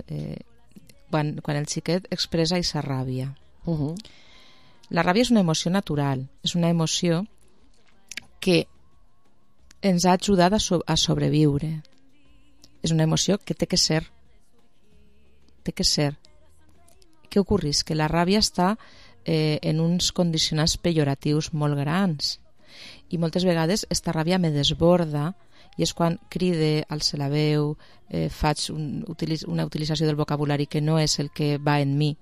Quan el xiquet expressa aquesta ràbia. La ràbia és una emoció natural, és una emoció que ens ha ajudat a sobreviure. És una emoció que té que ser. Què ocorreix? Que la ràbia està en uns condicionants pejoratius molt grans i moltes vegades esta ràbia me desborda i és quan cride, alce la veu, faig una utilització del vocabulari que no és el que va en mi,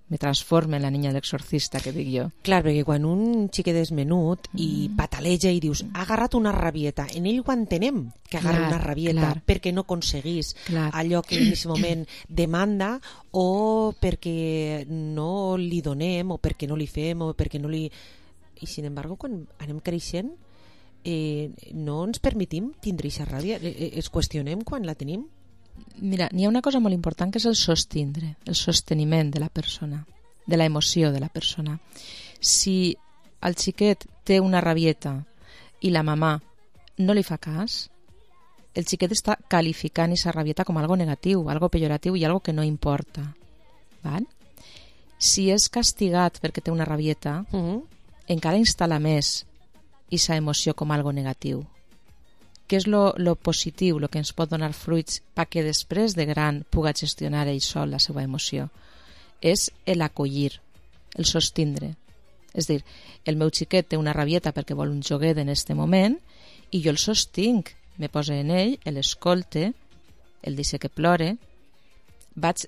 me transforma en la niña de l'exorcista, que dic jo. Clar, perquè quan un xiquet és menut i pataleja i dius, ha agarrat una rabieta, en ell ho entenem que agarra una rabieta perquè no aconseguís allò que en aquest moment demanda o perquè no li donem o perquè no li fem o perquè no li... I sin embargo, quan anem creixent no ens permetim tindre aquesta ràbia, es qüestionem quan la tenim. Mira, n'hi ha una cosa molt important que és el sostindre, el sosteniment de la persona, de la emoció de la persona. Si el xiquet té una rabieta i la mamà no li fa cas, el xiquet està qualificant aquesta rabieta com algo negatiu, algo pejoratiu i algo que no importa. Val? Si és castigat perquè té una rabieta, encara instal·la més aquesta emoció com algo negatiu. Què és lo positiu, el que ens pot donar fruits perquè després de gran puga gestionar ell sol la seva emoció? És l'acollir, el sostindre. És dir, el meu xiquet té una rabieta perquè vol un joguet en aquest moment i jo el sostinc, me poso en ell, l'escolte, el deixo que plore, vaig,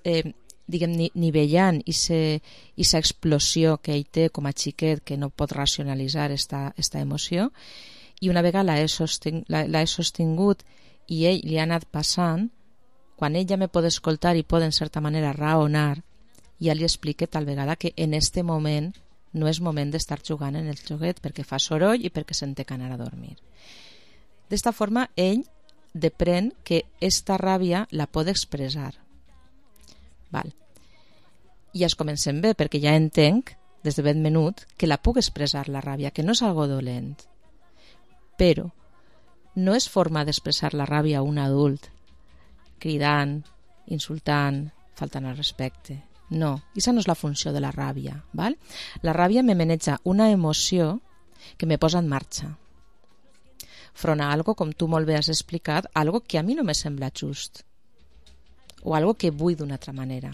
nivellant aquesta explosió que ell té com a xiquet que no pot racionalitzar esta emoció. I una vegada l'he sostingut i ell li ha anat passant, quan ell ja me pot escoltar i pot en certa manera raonar, ja li explique tal vegada que en este moment no és moment d'estar jugant en el joguet perquè fa soroll i perquè se'n té que anar a dormir. D'esta forma ell deprèn que esta ràbia la pot expressar. Val. I ja es comencem bé perquè ja entenc des de ben menut que la puc expressar la ràbia, que no és algo dolent. Però no és forma d'expressar la ràbia a un adult cridant, insultant, faltant al respecte. No, aquesta no és la funció de la ràbia. Val? La ràbia me maneja una emoció que me posa en marxa. Front a algo, com tu molt bé has explicat, algo que a mi no me sembla just o algo que vull d'una altra manera.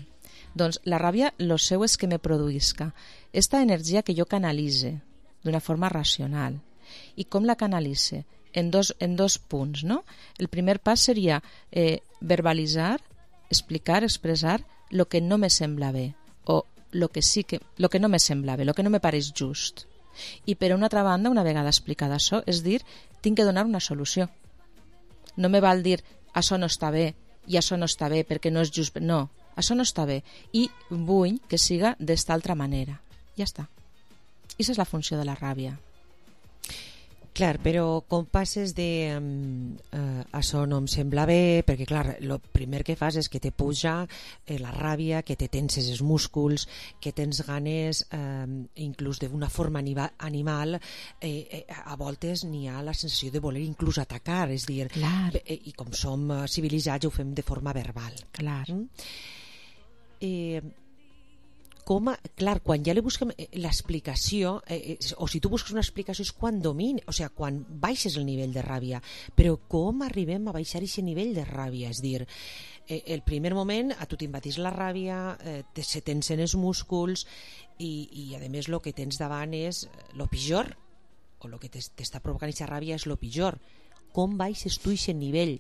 Doncs la ràbia, lo seu és que me produïsca esta energia que jo canalitze d'una forma racional. I com la canalitze? En dos punts, no? El primer pas seria verbalitzar, explicar, expressar lo que no me sembla bé o lo que no me sembla bé, lo que no me pareix just. I per una altra banda, una vegada explicada això, és dir, tinc que donar una solució. No me val dir, això no està bé i això no està bé perquè no és just. No, això no està bé i vull que siga d'esta altra manera. Ja està. Aquesta és la funció de la ràbia. Clar, però com passes de això no em sembla bé, perquè clar, el primer que fas és que te puja la ràbia, que te tenses els músculs, que tens ganes, inclús d'una forma animal, a voltes n'hi ha la sensació de voler inclús atacar, és dir, i com som civilitzats ho fem de forma verbal. Clar. Clar, quan ja li busquem l'explicació, o si tu busques una explicació és quan domini, o sigui, quan baixes el nivell de ràbia, però com arribem a baixar aquest nivell de ràbia? És dir, el primer moment a tu t'invadís la ràbia, se tensen els músculs i a més el que tens davant és el pitjor, o el que t'està provocant aquesta ràbia és el pitjor. Com baixes tu aquest nivell?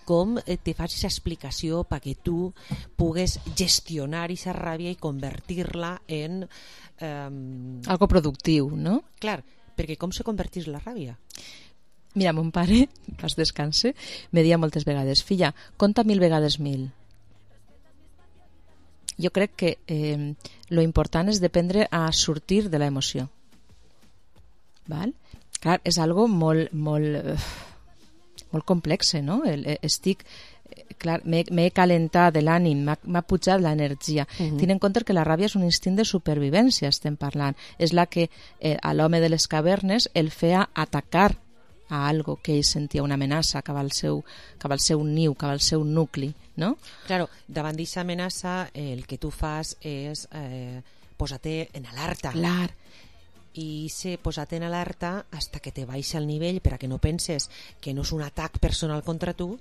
Com te fas aquesta explicació perquè tu pugues gestionar aquesta ràbia i convertir-la en... algo productiu, no? Clar, perquè com se convertís la ràbia? Mira, mon pare, pas descanse, me dia moltes vegades: filla, conta 1000 vegades 1000. Jo crec que lo important és aprendre a sortir de l'emoció. Val? Clar, és algo molt complex, no? Clar, m'he calentat de l'ànim, m'ha pujat l'energia. Tenint en compte que la ràbia és un instint de supervivència, estem parlant. És la que a l'home de les cavernes el feia atacar a algo que ell sentia una amenaça cap al seu niu, cap al seu nucli, no? Claro, davant d'aquesta amenaça el que tu fas és posar-te en alerta. Clar. I se posar-te en alerta hasta que te baixa el nivell per a que no penses que no és un atac personal contra tu.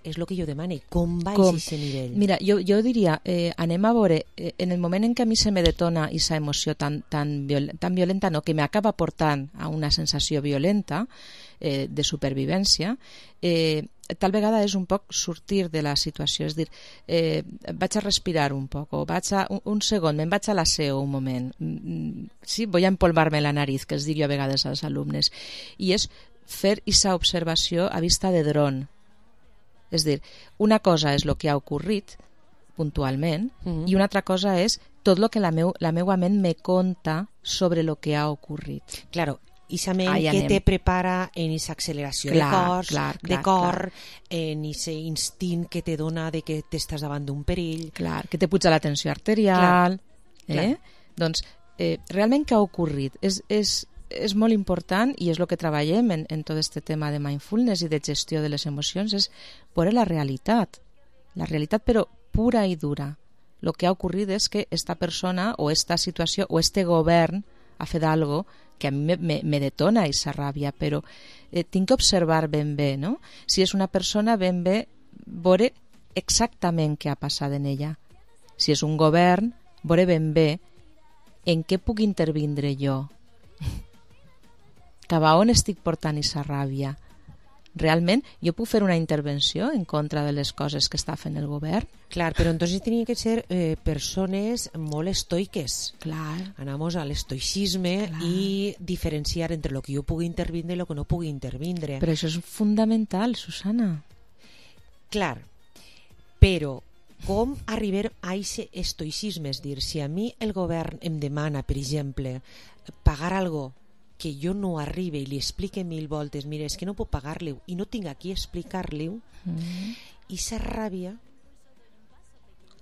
És el que jo demane, com baixi aquest nivell? Mira, jo diria, anem a veure, en el moment en què a mi se me detona aquesta emoció tan violenta, no, que m'acaba portant a una sensació violenta de supervivència, tal vegada és un poc sortir de la situació, és dir, vaig a respirar un poc, o un segon, me'n vaig a l'aseo un moment, sí, voy a empolvar-me la nariz, que els dic jo a vegades als alumnes, i és fer aquesta observació a vista de dron. És dir, una cosa és el que ha ocorrit puntualment i una altra cosa és tot el que la meua ment me conta sobre el que ha ocorrit. Claro, esa ment que te prepara en esa acceleració de cor, en ese instint que te dona de que t'estàs davant d'un perill. Clar, que te puja la tensió arterial. Doncs, realment què ha ocorrit? És molt important, i és el que treballem en tot aquest tema de mindfulness i de gestió de les emocions, és veure la realitat però pura i dura. El que ha ocorrit és que esta persona o esta situació o este govern ha fet algo que a mi me detona aquesta ràbia, però tinc que observar ben bé, no? Si és una persona, ben bé veure exactament què ha passat en ella. Si és un govern, veure ben bé en què puc intervindre jo. Cap a on estic portant aquesta ràbia? Realment, jo puc fer una intervenció en contra de les coses que està fent el govern? Clar, però entonces tenien que ser persones molt estoiques. Clar. Anamos al estoicisme i diferenciar entre el que jo pugui intervindre i el que no pugui intervindre. Però això és fundamental, Susana. Clar, però com arribar a aquest estoicisme? És dir, si a mi el govern em demana, per exemple, pagar algo que jo no arribe i li explique 1000 voltes, mira, és que no puc pagar-li i no tinc aquí explicar-li, i sa ràbia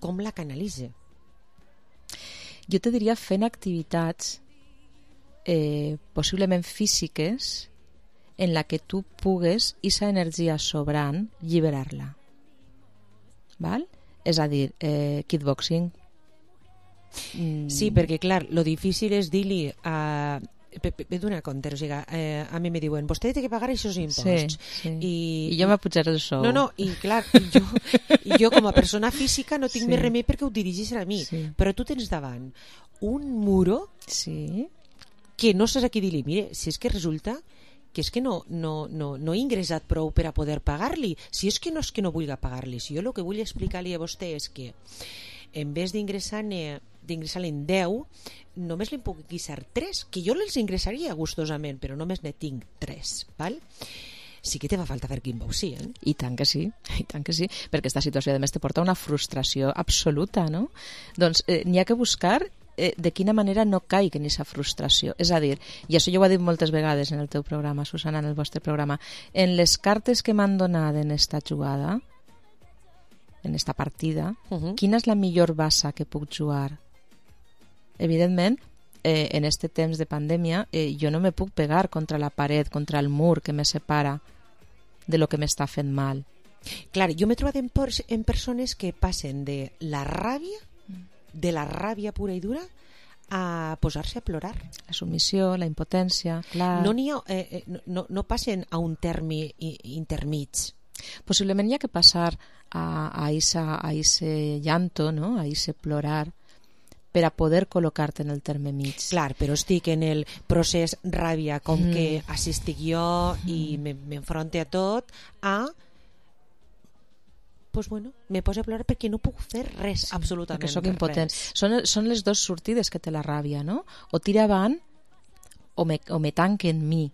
com la canalitza? Jo te diria fent activitats possiblement físiques en la que tu pugues aquesta energia sobrant alliberar-la. Val? És a dir, kickboxing. Sí, perquè clar, lo difícil és dir-li a... Ve d'una compte, o sigui, a mi me diuen, vostè té que pagar aquests imposts. I jo m'ha pujat el sou. No, i clar, jo com a persona física no tinc més remei perquè ho dirigeixen a mi. Però tu tens davant un muro que no saps a qui dir-li, mire, si és que resulta que és que no he ingressat prou per a poder pagar-li. Si és que no vulgui pagar-li. Si jo el que vull explicar-li a vostè és que en vez d'ingressar-ne en 10, només li puc guisar 3, que jo els ingressaria gustosament, però només ne tinc 3, val? Sí que te fa falta fer kickboxing, I tant que sí, perquè aquesta situació a més te porta una frustració absoluta, no? Doncs n'hi ha que buscar de quina manera no caigui en aquesta frustració. És a dir, i això jo ho he dit moltes vegades en el teu programa, Susana, en el vostre programa, en les cartes que m'han donat en esta jugada, en esta partida, quina és la millor bassa que puc jugar? Evidentment, en este temps de pandèmia, jo no me puc pegar contra la paret, contra el mur que me separa de lo que m'està fent mal. Clar, jo m'he trobat en persones que passen de la ràbia pura i dura, a posar-se a plorar. La submissió, la impotència, clar. No passen a un terme intermig. Possiblement hi ha que passar a ese llanto, no? A ese plorar, per a poder col·locar-te en el terme mig. Clar, però estic en el procés ràbia, com que així estic jo i m'enfronte a tot, pues bueno, me poso a plorar perquè no puc fer res, absolutament perquè sóc impotent. res. Són les dues sortides que té la ràbia, no? O tira avant o me tanque en mi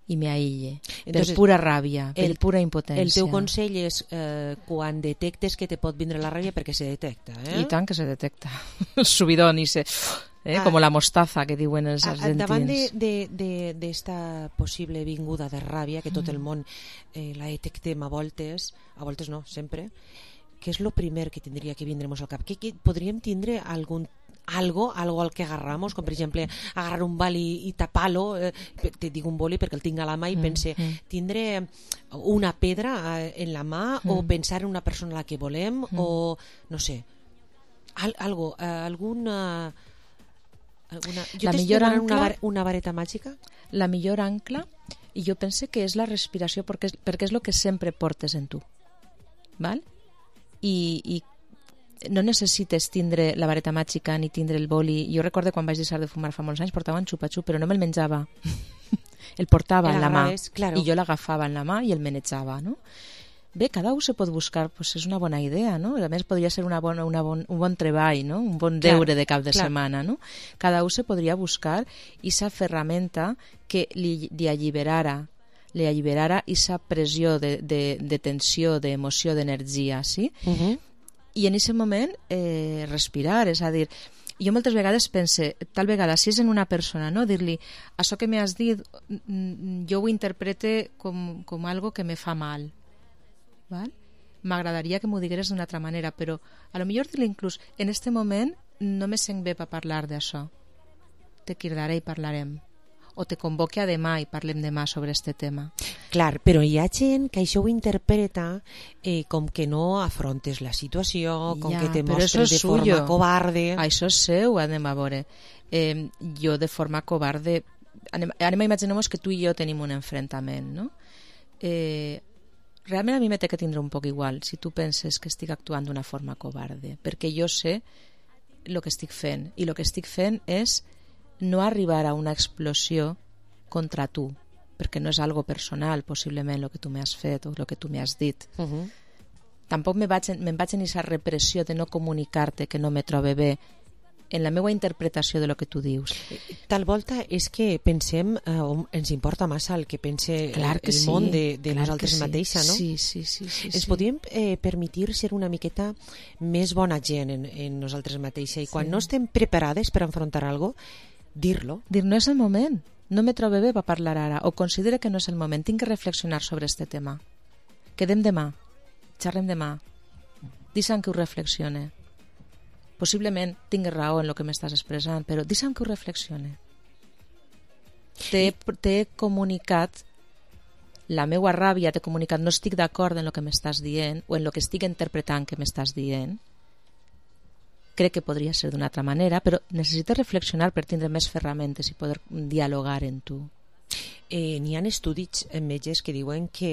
i me aïlle. Per pura ràbia, per pura impotència. El teu consell és quan detectes que te pot vindre la ràbia, perquè se detecta, I tant que se detecta. El subidón, com la mostaza que diuen els argentins. Davant d'esta possible vinguda de ràbia, que tot el món la detectem a voltes no, sempre, què és el primer que tindria que vindre-nos al cap? Que podríem tindre algo al que agarramos, com per exemple agarrar un boli i tapar-lo, te dic un boli perquè el tinc a la mà i pense, tindre una pedra en la mà o pensar en una persona a la que volem o no sé, alguna... Jo t'estic una vareta màgica? La millor ancla, i jo pense que és la respiració, perquè és el que sempre portes en tu, val? I no necessites tindre la vareta màgica ni tindre el boli. Jo recordo quan vaig deixar de fumar fa molts anys, portava un xupa-xup, però no me'l menjava. El portava en la mà, i jo l'agafava en la mà i el menjava, no? Bé, cada un se pot buscar, pues és una bona idea, no? A més, podria ser un bon treball, no? Un bon deure de cap de setmana, no? Cada un se podria buscar esa ferramenta que li alliberara esa pressió de tensió, d'emoció, d'energia, sí? I en aquest moment respirar, és a dir, jo moltes vegades pense, tal vegada si és en una persona, no? Dir-li, això que m'has dit jo ho interprete com algo que me fa mal, val? M'agradaria que m'ho digueres d'una altra manera, però a lo millor dir-li inclús, en este moment no me sent bé per parlar d'això, te cridaré i parlarem, o te convoque a demà i parlem demà sobre este tema. Clar, però hi ha gent que això ho interpreta com que no afrontes la situació, com que te mostres de forma covarde. Això és seu, anem a veure. Jo de forma covarde... Anem a imaginar-nos que tu i jo tenim un enfrontament, no? Realment a mi me té que tindre un poc igual si tu penses que estic actuant d'una forma covarde, perquè jo sé el que estic fent, i el que estic fent és no arribar a una explosió contra tu, perquè no és algo personal, possiblement, el que tu m'has fet o el que tu m'has dit. Tampoc me'n vaig en aquesta repressió de no comunicar-te que no me trobe bé en la meva interpretació de lo que tu dius. Tal volta és que pensem, ens importa massa el que pense el món de nosaltres mateixa, no? Sí. Ens podríem permetir ser una miqueta més bona gent en nosaltres mateixa, i quan no estem preparades per enfrontar alguna cosa, dir-lo. Dir, no és el moment, no me trobe bé per parlar ara, o considere que no és el moment, tinc que reflexionar sobre este tema. Quedem demà, xerrem demà, deixa'm que ho reflexione. Possiblement tingues raó en el que m'estàs expressant, però deixa'm que ho reflexione. T'he comunicat la meua ràbia, t'he comunicat no estic d'acord en el que m'estàs dient o en el que estic interpretant que m'estàs dient. Crec que podria ser d'una altra manera, però necessites reflexionar per tindre més ferramentes i poder dialogar en tu. N'hi ha estudis metges que diuen que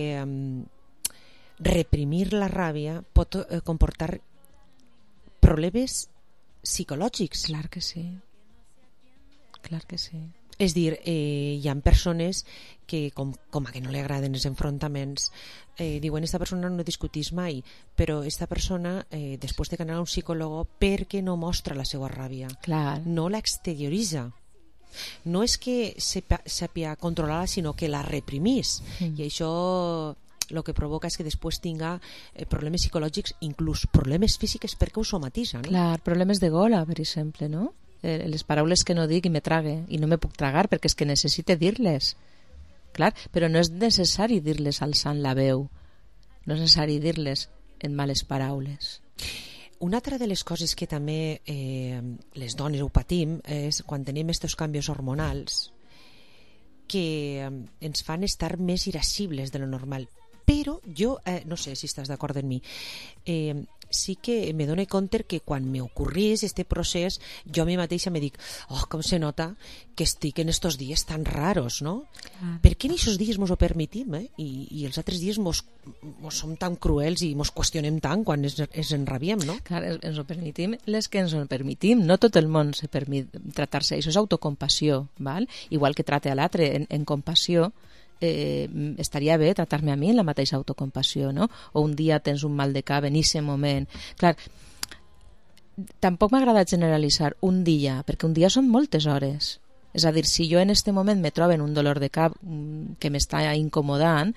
reprimir la ràbia pot comportar problemes psicològics. Clar que sí. Clar que sí. És dir, hi ha persones que, com a que no li agraden els enfrontaments, diuen, esta persona no discutís mai, però esta persona després té que anar a un psicòleg perquè no mostra la seva ràbia. Clar. No l'exterioritza. No és que sàpia controlar-la, sinó que la reprimís. I això el que provoca és que després tinga problemes psicològics, inclús problemes físics, perquè ho somatitza, no? Clar, problemes de gola, per exemple, no? Les paraules que no dic i me trague, i no me puc tragar perquè és que necessite dir-les. Clar, però no és necessari dir-les alçant la veu, no és necessari dir-les en males paraules. Una altra de les coses que també les dones ho patim és quan tenim aquests canvis hormonals que ens fan estar més irascibles de lo normal. Però jo, no sé si estàs d'acord amb mi, sí que me dono compte que quan m'ocorrís este procés, jo a mi mateixa me dic, com se nota que estic en estos dies tan raros, no? Perquè en aquests dies mos ho permetim, i els altres dies mos som tan cruels i mos qüestionem tant quan ens enrabiem, no? Clar, ens ho permetim les que ens ho permetim. No tot el món se permet tractar-se. Això és autocompassió, val? Igual que trate a l'altre en compassió, estaria bé tractar-me a mi en la mateixa autocompassió, no? O un dia tens un mal de cap en aquest moment. Clar, tampoc m'agrada generalitzar un dia, perquè un dia són moltes hores. És a dir, si jo en aquest moment me trobo en un dolor de cap que m'està incomodant,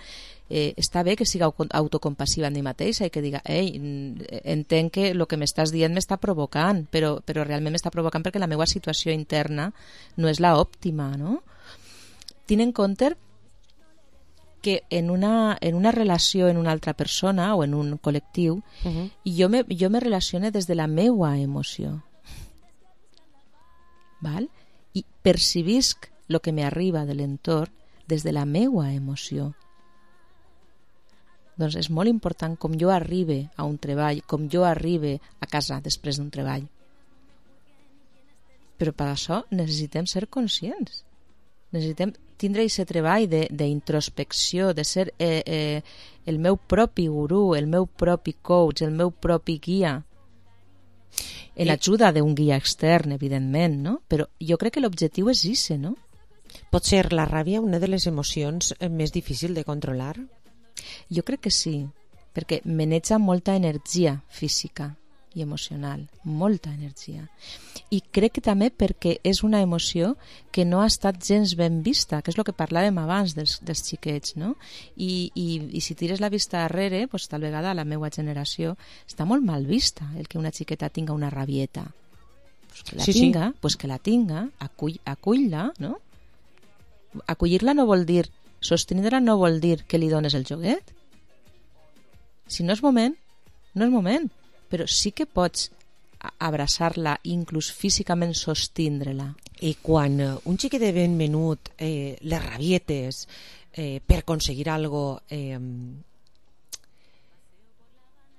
està bé que siga autocompassiva en mi mateixa i que diga, entenc que el que m'estàs dient m'està provocant, però realment m'està provocant perquè la meva situació interna no és la òptima, no? Tinc en compte que en una relació en una altra persona o en un col·lectiu, jo me relacione des de la meua emoció. Val? I percibisc el que m'arriba de l'entorn des de la meua emoció. Doncs és molt important com jo arribe a un treball, com jo arribe a casa després d'un treball. Però per això necessitem ser conscients. Necessitem tindre aquest treball d'introspecció, de ser el meu propi gurú, el meu propi coach, el meu propi guia, en l'ajuda d'un guia extern, evidentment, no? Però jo crec que l'objectiu és ese, no? Pot ser la ràbia una de les emocions més difícils de controlar? Jo crec que sí, perquè maneja molta energia física i emocional, molta energia. I crec que també perquè és una emoció que no ha estat gens ben vista, que és el que parlàvem abans dels xiquets, no? I si tires la vista darrere, pues, tal vegada a la meva generació està molt mal vista el que una xiqueta tinga una rabieta. Pues que la tinga, pues que la tinga, acull-la, no? Acollir-la no vol dir, sostindre-la no vol dir que li dones el joguet. Si no és moment, no és moment. Però sí que pots abraçar-la, inclús físicament sostindre-la. I quan un xiquet de ben menut, les rabietes per aconseguir alguna cosa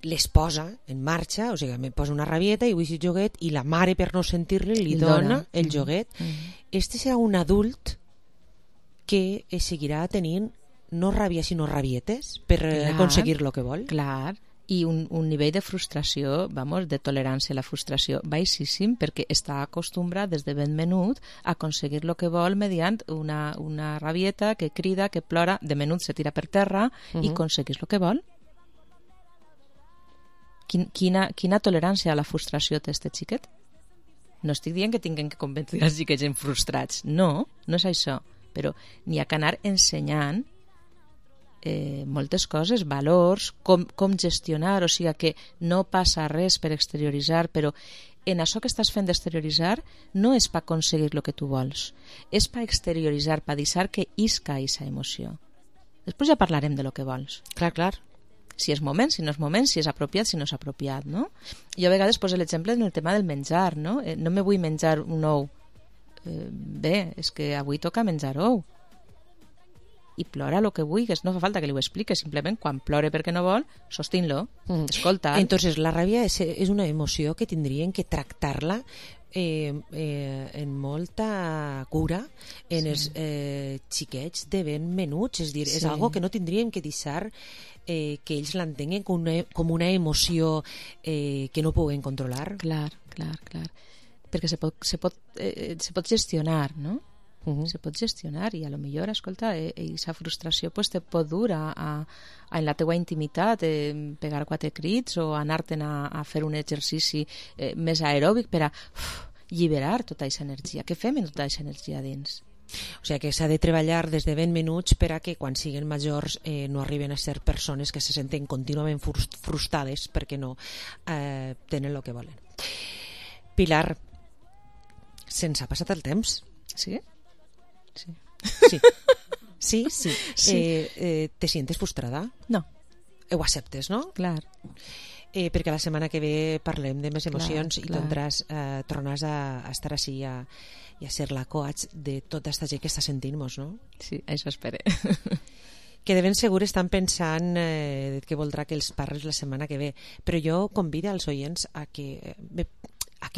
les posa en marxa, o sigui, me posa una rabieta i vull el joguet, i la mare, per no sentir-li, li dona el joguet. Este serà un adult que seguirà tenint no ràbia, sinó rabietes per aconseguir el que vol. Clar, i un nivell de frustració, de tolerància a la frustració baixíssim, perquè està acostumbrat des de ben menut a aconseguir el que vol mediant una rabieta que crida, que plora, de menut se tira per terra i aconseguís el que vol. Quina tolerància a la frustració té este xiquet? No estic dient que tinguem que convertir els xiquets en frustrats, no és això, però n'hi ha que anar ensenyant moltes coses, valors, com gestionar, o sigui que no passa res per exterioritzar, però en això que estàs fent d'exterioritzar no és per aconseguir el que tu vols, és per exterioritzar, per deixar que isca aquesta emoció. Després ja parlarem de lo que vols. Clar. Si és moment, si no és moment, si és apropiat, si no és apropiat, no? Jo a vegades poso l'exemple en el tema del menjar, no? No me vull menjar un ou. Bé, és que avui toca menjar ou. I plora el que vulguis, no fa falta que li ho expliqui, simplement quan plore perquè no vol, sostint-lo, escolta. Entonces la ràbia és una emoció que tindrien que tractar-la en molta cura en els xiquets de ben menuts, és dir, és algo que no tindríem que deixar que ells l'entenguen com una emoció que no poden controlar. Clar, perquè se pot gestionar, no? Se pot gestionar i a lo millor, escolta, aquesta frustració pues, te pot dur en la teua intimitat, pegar 4 crits o anar-te'n a fer un exercici més aeròbic per a alliberar tota aquesta energia. Què fem amb tota aquesta energia dins? O sigui que s'ha de treballar des de ben menuts per a que quan siguin majors no arriben a ser persones que se senten contínuament frustrades perquè no tenen el que volen. Pilar, se'ns ha passat el temps? Sí? Sí. ¿Te sientes frustrada? No. Ho acceptes, no? Clar. Perquè la setmana que ve parlem de més emocions i tornaràs a estar així i a ser la coach de tota aquesta gent que està sentint-nos, no? Sí, això espero. Que de ben segur estan pensant que voldrà que els parles la setmana que ve, però jo convido als oients a que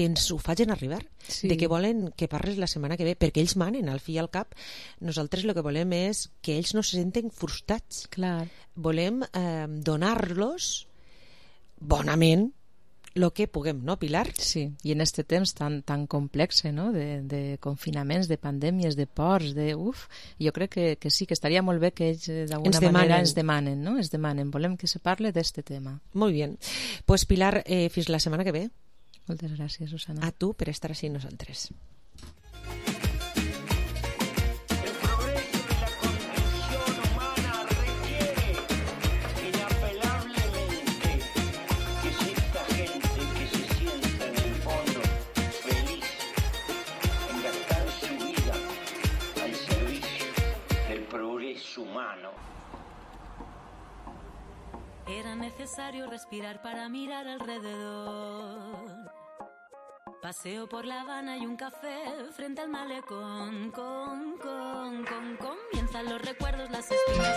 ens ho facin arribar, de que volen que parles la setmana que ve, perquè ells manen al fi i al cap. Nosaltres el que volem és que ells no se senten frustrats. Clar. Volem donar-los bonament el que puguem, no, Pilar? Sí, i en este temps tan complex, no?, de confinaments, de pandèmies, de ports, jo crec que sí, que estaria molt bé que ells d'alguna manera ens demanen, no? Volem que se parle d'este tema. Molt bé. Pues Pilar, fins la setmana que ve. Moltes gràcies, Susana. A tu per estar així amb nosaltres. Era necesario respirar para mirar alrededor. Paseo por La Habana y un café frente al malecón. Comienzan los recuerdos, las espinas.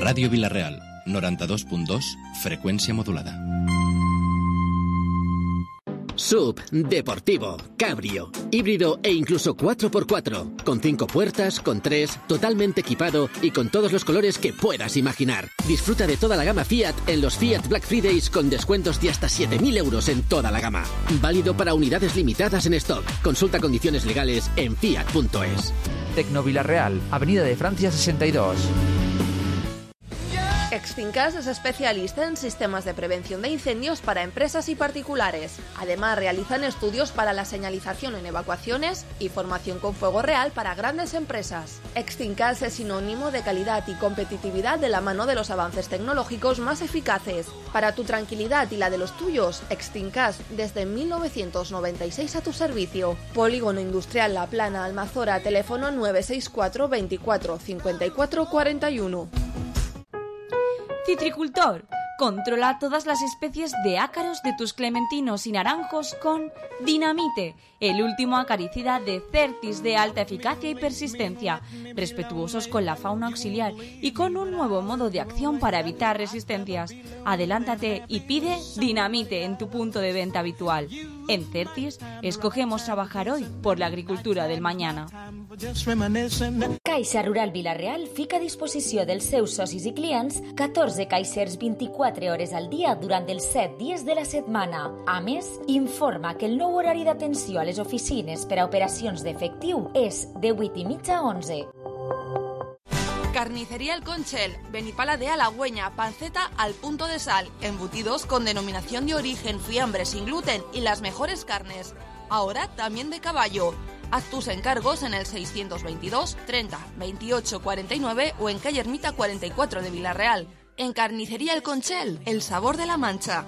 Radio Vila-real, 92.2, frecuencia modulada. SUV, deportivo, cabrio, híbrido e incluso 4x4, con 5 puertas, con 3, totalmente equipado y con todos los colores que puedas imaginar. Disfruta de toda la gama Fiat en los Fiat Black Fridays con descuentos de hasta 7.000 euros en toda la gama. Válido para unidades limitadas en stock. Consulta condiciones legales en fiat.es. Tecno Vila-real, Avenida de Francia 62. Extincas es especialista en sistemas de prevención de incendios para empresas y particulares. Además, realizan estudios para la señalización en evacuaciones y formación con fuego real para grandes empresas. Extincas es sinónimo de calidad y competitividad de la mano de los avances tecnológicos más eficaces. Para tu tranquilidad y la de los tuyos, Extincas desde 1996 a tu servicio. Polígono Industrial La Plana, Almazora, teléfono 964 24 54 41. Citricultor, controla todas las especies de ácaros de tus clementinos y naranjos con Dinamite, el último acaricida de Certis de alta eficacia y persistencia, respetuosos con la fauna auxiliar y con un nuevo modo de acción para evitar resistencias. Adelántate y pide Dinamite en tu punto de venta habitual. En Certis, escogemos trabajar hoy por la agricultura del mañana. Caixa Rural Vila-real fica a disposició dels seus socis i clients 14 caixers 24 hores al dia durant els 7 dies de la setmana. A més, informa que el nou horari d'atenció a les oficines per a operacions d'efectiu és de 8:30 a 11. Carnicería El Conchel, Benipala de Halagüeña, panceta al punto de sal, embutidos con denominación de origen, fiambre sin gluten y las mejores carnes. Ahora también de caballo. Haz tus encargos en el 622 30 28 49 o en calle Ermita 44 de Vila-real. En Carnicería El Conchel, el sabor de la Mancha.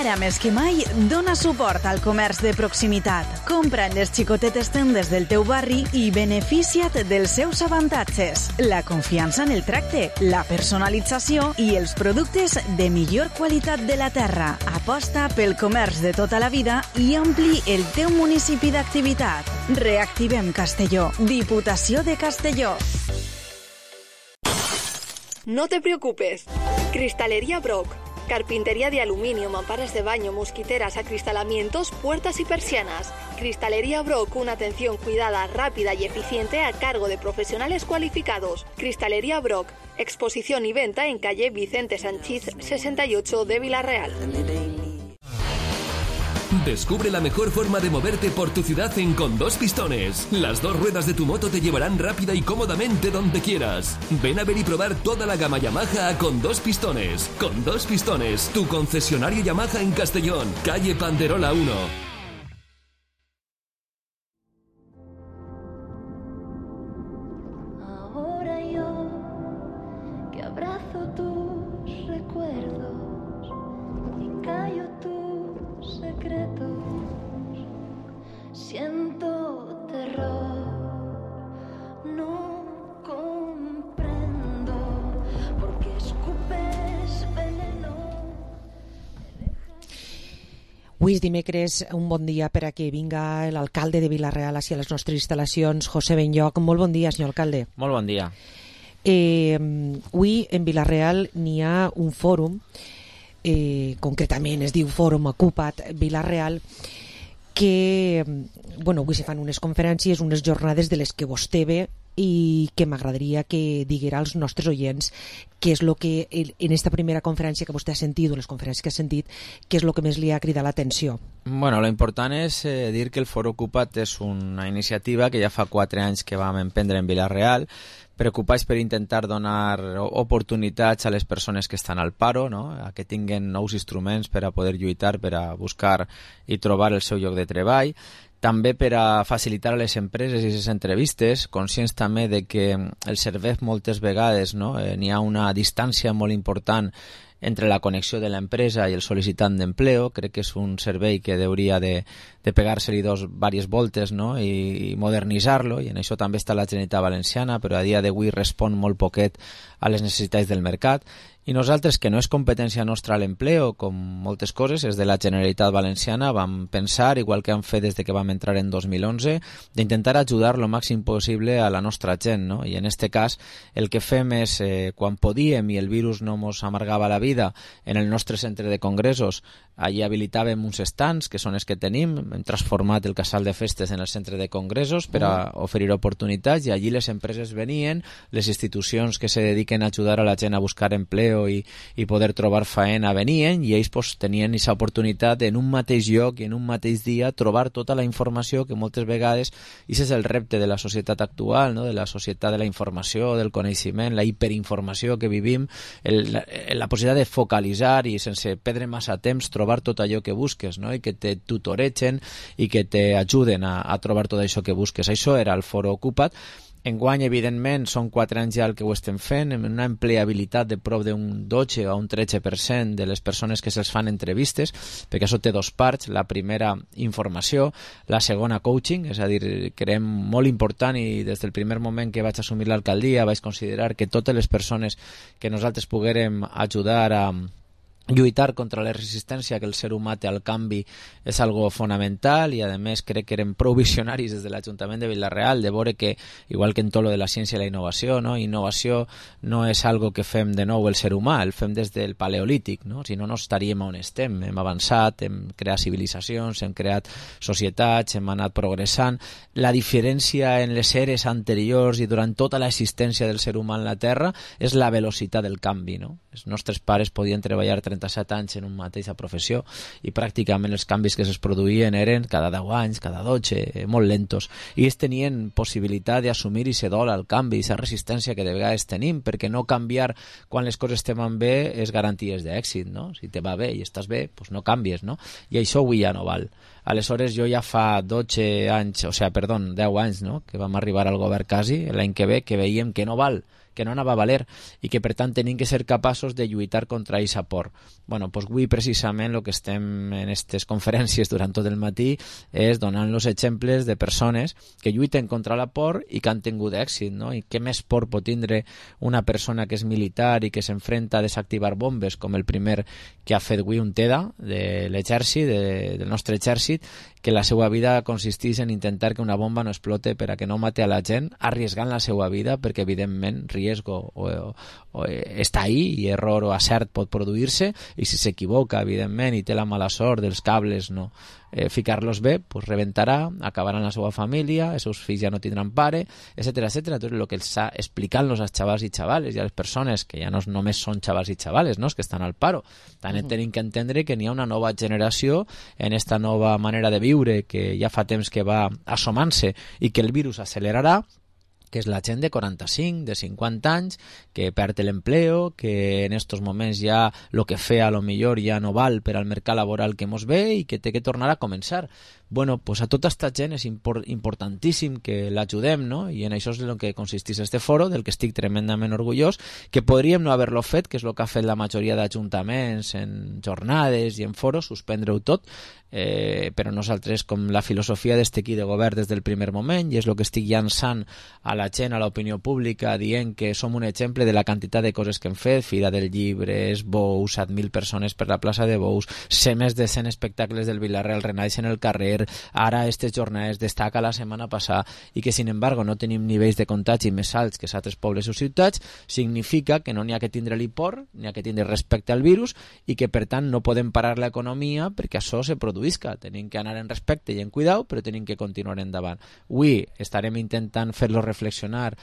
Ara més que mai, dona suport al comerç de proximitat. Compra en les xicotetes tendes del teu barri i beneficia't dels seus avantatges. La confiança en el tracte, la personalització i els productes de millor qualitat de la terra. Aposta pel comerç de tota la vida i ampli el teu municipi d'activitat. Reactivem Castelló. Diputació de Castelló. No te preocupes. Cristalería Brock. Carpintería de aluminio, mamparas de baño, mosquiteras, acristalamientos, puertas y persianas. Cristalería Brock, una atención cuidada, rápida y eficiente a cargo de profesionales cualificados. Cristalería Brock, exposición y venta en calle Vicente Sanchís 68 de Vila-real. Descubre la mejor forma de moverte por tu ciudad en Con Dos Pistones. Las dos ruedas de tu moto te llevarán rápida y cómodamente donde quieras. Ven a ver y probar toda la gama Yamaha a Con Dos Pistones. Con Dos Pistones, tu concesionario Yamaha en Castellón, calle Panderola 1. Ahora yo que abrazo tus recuerdos y callo tus secretos, siento terror, no comprendo por qué escupes veneno. Avui és dimecres, un bon dia per a que vinga l'alcalde de Vila-real hacia les nostres instal·lacions, José Benlloc. Molt bon dia, senyor alcalde. Molt bon dia. Avui en Vila-real n'hi ha un fòrum, concretament es diu Fòrum Ocupa't Vila-real, que avui se fan unes conferències, unes jornades de les que vostè ve i que m'agradaria que diguera als nostres oients què és el que en esta primera conferència que vostè ha sentit o les conferències que ha sentit, què és el que més li ha cridat l'atenció. Bueno, lo important és dir que el Fòrum Ocupa't és una iniciativa que ja fa 4 anys que vam emprendre en Vila-real, preocupats per intentar donar oportunitats a les persones que estan al paro, no? A que tinguen nous instruments per a poder lluitar, per a buscar i trobar el seu lloc de treball. També per a facilitar a les empreses i les entrevistes, conscients també de que el servei moltes vegades n'hi ha una distància molt important entre la connexió de l'empresa i el sol·licitant d'empleo. Crec que és un servei que hauria de pegar-se-li diverses voltes i modernitzar-lo, i en això també està la Generalitat Valenciana, però a dia d'avui respon molt poquet a les necessitats del mercat. I nosaltres, que no és competència nostra l'empleo, com moltes coses, és de la Generalitat Valenciana, vam pensar, igual que hem fet des que vam entrar en 2011, d'intentar ajudar lo màxim possible a la nostra gent, no? I en este cas el que fem és, quan podíem i el virus no mos amargava la vida, en el nostre centre de congressos, allí habilitàvem uns stands, que són els que tenim, hem transformat el casal de festes en el centre de congressos per a oferir oportunitats, i allí les empreses venien, les institucions que se dediquen a ajudar a la gent a buscar empleo i poder trobar faena venien, i ells tenien aquesta oportunitat en un mateix lloc i en un mateix dia trobar tota la informació que moltes vegades, i aquest és el repte de la societat actual, de la societat de la informació, del coneixement, la hiperinformació que vivim, la possibilitat de focalitzar i sense perdre massa temps trobar tot allò que busques, i que te tutoregen i que te ajuden a trobar tot això que busques. Això era el Fòrum Ocupa't. Enguany, evidentment, són 4 anys ja el que ho estem fent, amb una empleabilitat de prop d'un 12 o un 13% de les persones que se'ls fan entrevistes, perquè això té 2 parts. La primera, informació, la segona, coaching, és a dir, creiem molt important, i des del primer moment que vaig assumir l'alcaldia vaig considerar que totes les persones que nosaltres poguérem ajudar a lluitar contra la resistència que el ser humà té al canvi és algo fonamental, i a més crec que érem prou visionaris des de l'Ajuntament de Vila-real de veure que, igual que en tot lo de la ciència i la innovació, innovació no és algo que fem de nou el ser humà, el fem des del paleolític, si no estaríem on estem. Hem avançat, hem creat civilitzacions, hem creat societats, hem anat progressant. La diferència en les eres anteriors i durant tota l'existència del ser humà en la Terra és la velocitat del canvi, Els nostres pares podien treballar 37 anys en una mateixa professió i pràcticament els canvis que es produïen eren cada 10 anys, cada 12, molt lentos, i ells tenien possibilitat d'assumir i ser dol al canvi, i aquesta resistència que de vegades tenim, perquè no canviar quan les coses te van bé és garanties d'èxit, Si te va bé i estàs bé, doncs no canvies, I això avui ja no val. Aleshores, jo ja fa 10 anys, que vam arribar al govern quasi, l'any que ve, que veiem que no val, que no anava a valer, i que per tant tenim que ser capaços de lluitar contra aquesta por. Doncs avui precisament el que estem en aquestes conferències durant tot el matí és donant-los exemples de persones que lluiten contra la por i que han tingut èxit, I què més por pot tindre una persona que és militar i que s'enfrenta a desactivar bombes, com el primer que ha fet avui un TEDA de l'exèrcit, del nostre exèrcit, que la seva vida consisteix en intentar que una bomba no explote per a que no mate a la gent, arriesgant la seva vida, perquè evidentment riesgo o està ahí, i error o acert pot produir-se, i si s'equivoca evidentment i té la mala sort dels cables ficar-los bé, doncs rebentarà, acabaran la seva família, els seus fills ja no tindran pare, etcètera, etcètera. Entonces, el que està explicant-los als xavals i xavales i a les persones, que ja no només són xavals i xavales, que estan al paro, també tenim que entendre que n'hi ha una nova generació en esta nova manera de viure que ja fa temps que va assomant-se i que el virus accelerarà, que és la gent de 45, de 50 anys, que perd l'empleo, que en estos moments ja el que feia a lo millor ja no val per al mercat laboral que mos ve i que té que tornar a començar. Bueno, pues a tota aquesta gent és importantíssim que l'ajudem, I en això és el que consisteix este foro, del que estic tremendament orgullós, que podríem no haver-lo fet, que és el que ha fet la majoria d'ajuntaments en jornades i en foros, suspendre-ho tot, però nosaltres, com la filosofia d'este equip de govern des del primer moment, i és el que estic llançant a la gent, a l'opinió pública, dient que som un exemple de la quantitat de coses que hem fet, Fira del Llibre, Bous, 7.000 persones per la plaça de Bous, ser més de 100 espectacles del Vila-real, renaix en el carrer, ara aquestes jornades destaca la setmana passada, i que, sin embargo, no tenim nivells de contagi més alts que altres pobles o ciutats, significa que no n'hi ha que tindre-li por, n'hi ha que tindre respecte al virus, i que, per tant, no podem parar l'economia perquè això se produïsca. Tenim que anar en respecte i en cuidau, però tenim que continuar endavant. Avui estarem intentant fer-lo reflexionar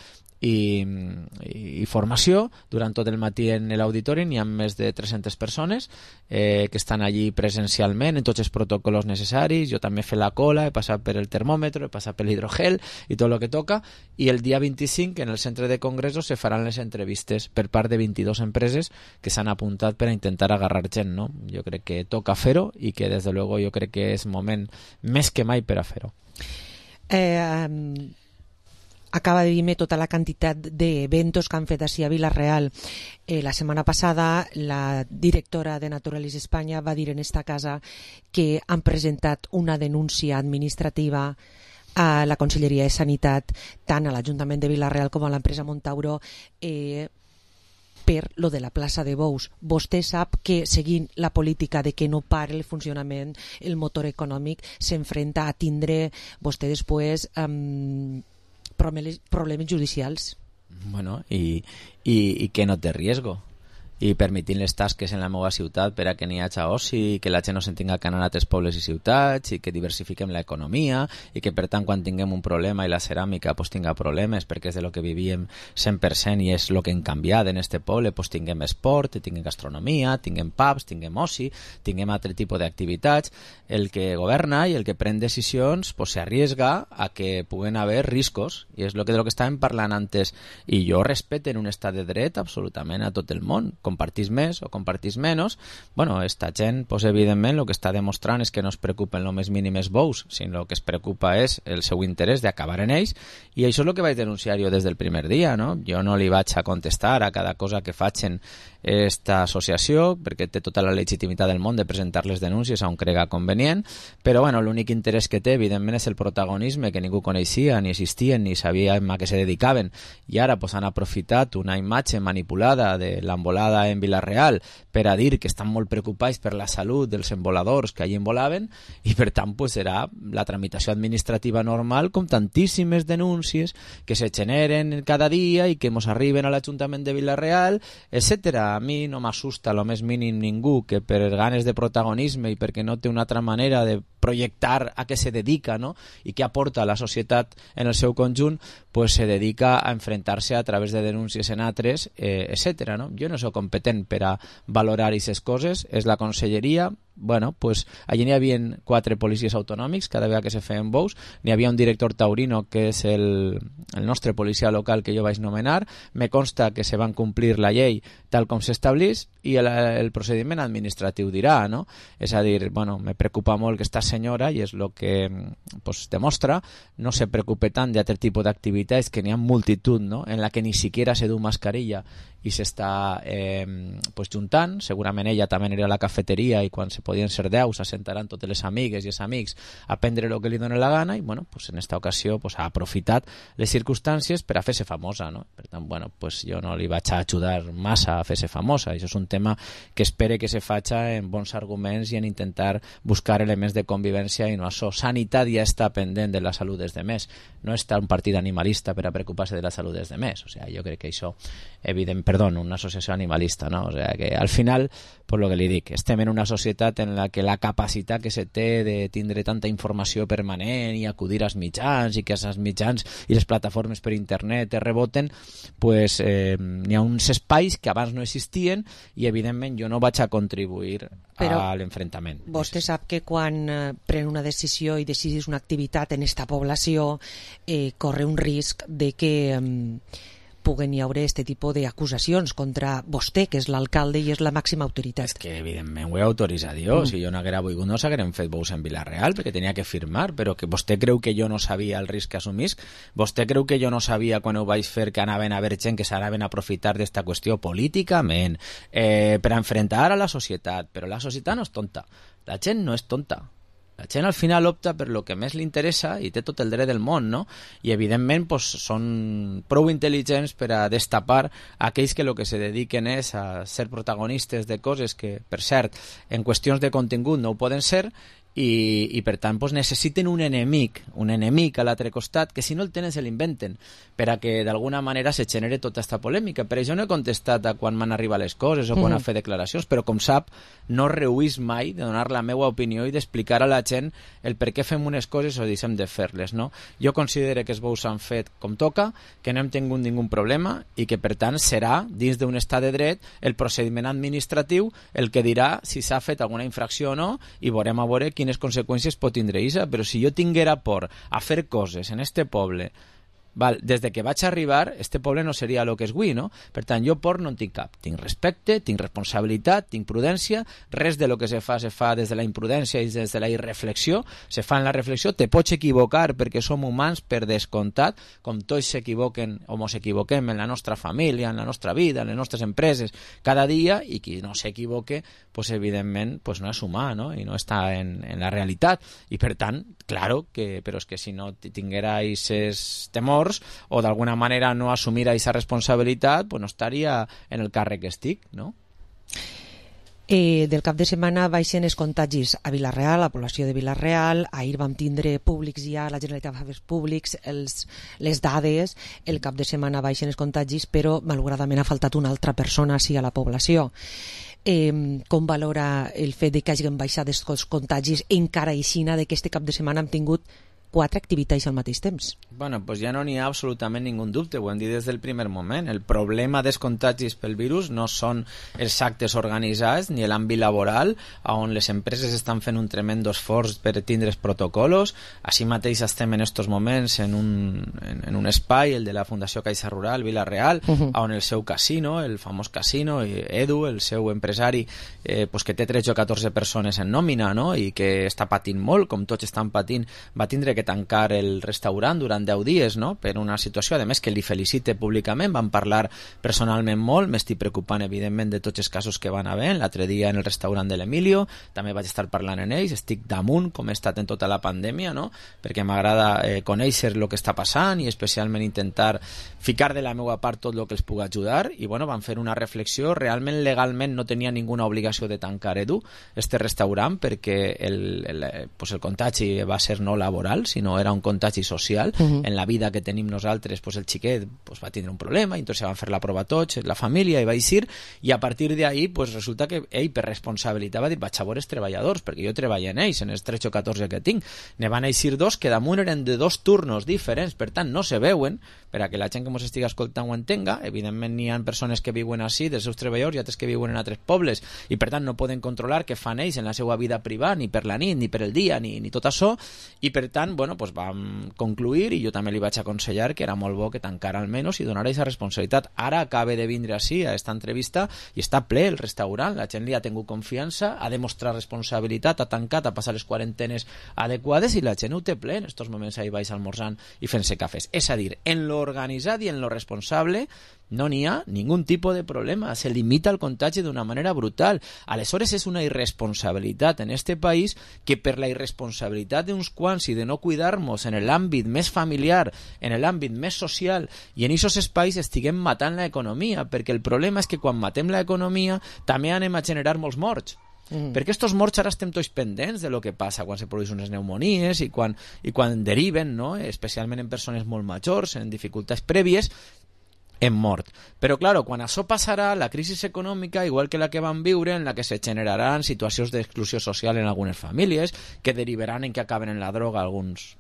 i formació durant tot el matí en l'auditori. N'hi ha més de 300 persones que estan allí presencialment en tots els protocols necessaris. Jo també he fet la cola, he passat per el termòmetre, he passat per l'hidrogel i tot el que toca, i el dia 25 en el centre de congressos se faran les entrevistes per part de 22 empreses que s'han apuntat per a intentar agarrar gent, no? Jo crec que toca fer-ho i que des de luego jo crec que és moment més que mai per a fer-ho. Acaba de dir-me tota la quantitat d'eventos que han fet així a Vila-real. La setmana passada la directora de Naturalis Espanya va dir en esta casa que han presentat una denúncia administrativa a la Conselleria de Sanitat, tant a l'Ajuntament de Vila-real com a l'empresa Montauro, per lo de la plaça de Bous. Vostè sap que, seguint la política de que no pare el funcionament, el motor econòmic s'enfrenta a tindre vostè després problemes judicials. Bueno, i que no té riesgo, i permitint les tasques en la meva ciutat per a que n'hi hagi oci, que la gent no se'n tinga que anar a altres pobles i ciutats, i que diversifiquem l'economia, i que per tant quan tinguem un problema i la ceràmica pues, tinga problemes, perquè és de lo que vivíem 100% i és lo que hem canviat en este poble, pues, tinguem esport, tinguem gastronomia, tinguem pubs, tinguem oci, tinguem altre tipus d'activitats. El que governa i el que pren decisions pues, s'arriesga a que puguen haver riscos, i és de lo que estàvem parlant antes, i jo respecte en un estat de dret absolutament a tot el món. Compartís més o compartís menys, bueno, esta gent, pues, evidentment, el que està demostrant és que no es preocupen lo més mínim els bous, sinó el que es preocupa és el seu interès d'acabar en ells, i això és el que vaig denunciar jo des del primer dia, no? Jo no li vaig a contestar a cada cosa que facin esta associació, perquè té tota la legitimitat del món de presentar les denúncies on crega convenient, però bueno, l'únic interès que té, evidentment, és el protagonisme que ningú coneixia, ni existien, ni sabien a què se dedicaven, i ara pues, han aprofitat una imatge manipulada de l'embolada en Vila-real per a dir que estan molt preocupats per la salut dels emboladors que allí embolaven, i per tant pues, serà la tramitació administrativa normal, com tantíssimes denúncies que se generen cada dia i que ens arriben a l'Ajuntament de Vila-real, etcètera. A mi no m'assusta lo més mínim ningú que per ganes de protagonisme i perquè no té una altra manera de projectar a què se dedica, no? I què aporta a la societat en el seu conjunt, pues se dedica a enfrentar-se a través de denúncies en altres, etcètera, no? Jo no soc competent per a valorar aquestes coses, és la conselleria. Bueno, pues allí n'hi havia 4 policies autonòmics cada vegada que se feien bous, n'hi havia un director taurino que és el nostre policia local que jo vaig nomenar, me consta que se van complir la llei tal com s'establís i el procediment administratiu dirà, no? És a dir, bueno, me preocupa molt que esta senyora, i és el que pues, demostra, no se preocupe tant d'altre tipus d'activitats que n'hi ha multitud, no? En la que ni siquiera se du mascarilla i s'està pues, juntant. Segurament ella també anirà a la cafeteria i quan se podien ser 10 s'assentaran totes les amigues i els amics a prendre el que li dona la gana, i bueno, pues, en esta ocasió pues, ha aprofitat les circumstàncies per a fer-se famosa, no? Per tant, bueno, pues, jo no li vaig a ajudar massa a fer-se famosa. Això és un tema que espere que se faci en bons arguments i en intentar buscar elements de convivència i no això. Sanitat ja està pendent de la salut dels demés, no està un partit animalista per a preocupar-se de la salut dels demés. O sea, jo crec que això, una associació animalista, no? O sea, que al final, per lo que li dic, estem en una societat en la que la capacitat que se té de tindre tanta informació permanent i acudir als mitjans i que els mitjans i les plataformes per internet es reboten, pues n'hi ha uns espais que abans no existien i evidentment jo no vaig a contribuir a l'enfrontament. Vostè sap que quan pren una decisió i decidís una activitat en esta població corre un risc de que puguen hi haure este tipus d'acusacions contra vostè, que és l'alcalde i és la màxima autoritat. És que evidentment ho he autoritzat jo, si jo no haguera volgut no s'hagueren fet bous en Vila-real perquè tenia que firmar, però que vostè creu que jo no sabia el risc que assumisc? Vostè creu que jo no sabia quan ho vaig fer que anaven a haver gent que s'anaven a aprofitar d'esta qüestió políticament per a enfrontar a la societat? Però la societat no és tonta, la gent no és tonta. La gent al final opta per lo que més li interessa i té tot el dret del món, no? I evidentment pues, són prou intel·ligents per a destapar aquells que el que se dediquen és a ser protagonistes de coses que, per cert, en qüestions de contingut no ho poden ser, i per tant pues, necessiten un enemic a l'altre costat, que si no el tenen se l'inventen, per a que d'alguna manera se genere tota aquesta polèmica. Per això no he contestat a quan m'han arribat les coses o quan he fet declaracions, però com sap no rehuís mai de donar la meva opinió i d'explicar a la gent el per què fem unes coses o deixem de fer-les, no? Jo considero que els bous s'han fet com toca, que no hem tingut ningun problema i que per tant serà, dins d'un estat de dret, el procediment administratiu el que dirà si s'ha fet alguna infracció o no, i veurem a veure quines conseqüències pot tindre això. Però si jo tinguera por a fer coses en este poble, des de que vaig arribar, este poble no seria el que és avui, no? Per tant, jo por no en tinc cap. Tinc respecte, tinc responsabilitat, tinc prudència, res de lo que se fa des de la imprudència i des de la irreflexió, se fa en la reflexió. Te pots equivocar perquè som humans per descomptat, com tots s'equivoquen o mos equivoquem en la nostra família, en la nostra vida, en les nostres empreses, cada dia, i qui no s'equivoque, pues evidentment pues no és humà, no? I no està en la realitat. I per tant, claro, però és que si no tinguera aquests temors o d'alguna manera no assumir aquesta responsabilitat, pues no estaria en el càrrec que estic, no? Del cap de setmana baixen els contagis a Vila-real, a la població de Vila-real. Ahir vam tindre públics ja, la Generalitat va fer públics les dades. El cap de setmana baixen els contagis, però malauradament ha faltat una altra persona així a la població. Com valora el fet de que hagin baixat els contagis encara aixina de que este cap de setmana hem tingut 4 activitats al mateix temps? Bueno, pues ja no n'hi ha absolutament ningú dubte, ho hem dit des del primer moment. El problema dels contagis pel virus no són els actes organitzats ni l'àmbit laboral, on les empreses estan fent un tremendo esforç per tindre els protocolos. Així mateix estem en estos moments en un espai, el de la Fundació Caixa Rural Vila-real, on el seu casino, el famós casino, Edu, el seu empresari, pues que té 13 o 14 persones en nòmina, no? I que està patint molt, com tots estan patint, va tindre que tancar el restaurant durant 10 dies, no? Per una situació, a més, que li felicite públicament. Van parlar personalment molt, m'estic preocupant evidentment de tots els casos que van haver. L'altre dia en el restaurant de l'Emilio també vaig estar parlant en ells, estic damunt com he estat en tota la pandèmia, no? Perquè m'agrada conèixer el que està passant i especialment intentar ficar de la meva part tot el que els puc ajudar. I bueno, van fer una reflexió. Realment legalment no tenia ninguna obligació de tancar Edu, este restaurant, perquè el contagi va ser no laboral, sinó era un contagi social. En la vida que tenim nosaltres, pues el xiquet va tindre un problema, i entonces van fer la prova tots, la família, i va eixir, i a partir d'ahí pues resulta que ell per responsabilitat va dir, vaig a veure els treballadors, perquè jo treballo en ells, en els 13 o 14 que tinc. Ne van eixir 2 que damunt eren de 2 turnos diferents, per tant no se veuen, per a que la gent que ens estigui escoltant ho entenga. Evidentment n'hi ha persones que viuen així, dels seus treballadors, i altres que viuen en altres pobles, i per tant no poden controlar què fan ells en la seva vida privada, ni per la nit, ni per el dia, ni tot això, i per tant, bueno, pues vam concluir, i jo també li vaig aconsellar que era molt bo que tancara almenys i donara aquesta responsabilitat. Ara acaba de vindre així a esta entrevista i està ple el restaurant, la gent li ha tingut confiança, ha demostrat responsabilitat, ha tancat, ha passat les quarantenes adequades, i la gent ho té ple en estos moments ahí baix almorzant i fent-se cafès. És a dir, en lo organitzat i en lo responsable no n'hi ha ningun tipus de problema, se limita el contagi d'una manera brutal. Aleshores és una irresponsabilitat en este país que per la irresponsabilitat d'uns quants i de no cuidar-nos en l'àmbit més familiar, en l'àmbit més social i en aquests espais estiguem matant l'economia, perquè el problema és que quan matem l'economia també anem a generar molts morts. Perquè estos morts ara estem tots pendents de lo que passa quan se produeixen unes pneumonies i quan deriven, no? Especialment en persones molt majors, en dificultats prèvies, en mort. Però, claro, quan això passarà, la crisi econòmica, igual que la que van viure, en la que se generaran situacions d'exclusió social en algunes famílies, que derivaran en que acaben en la droga algunes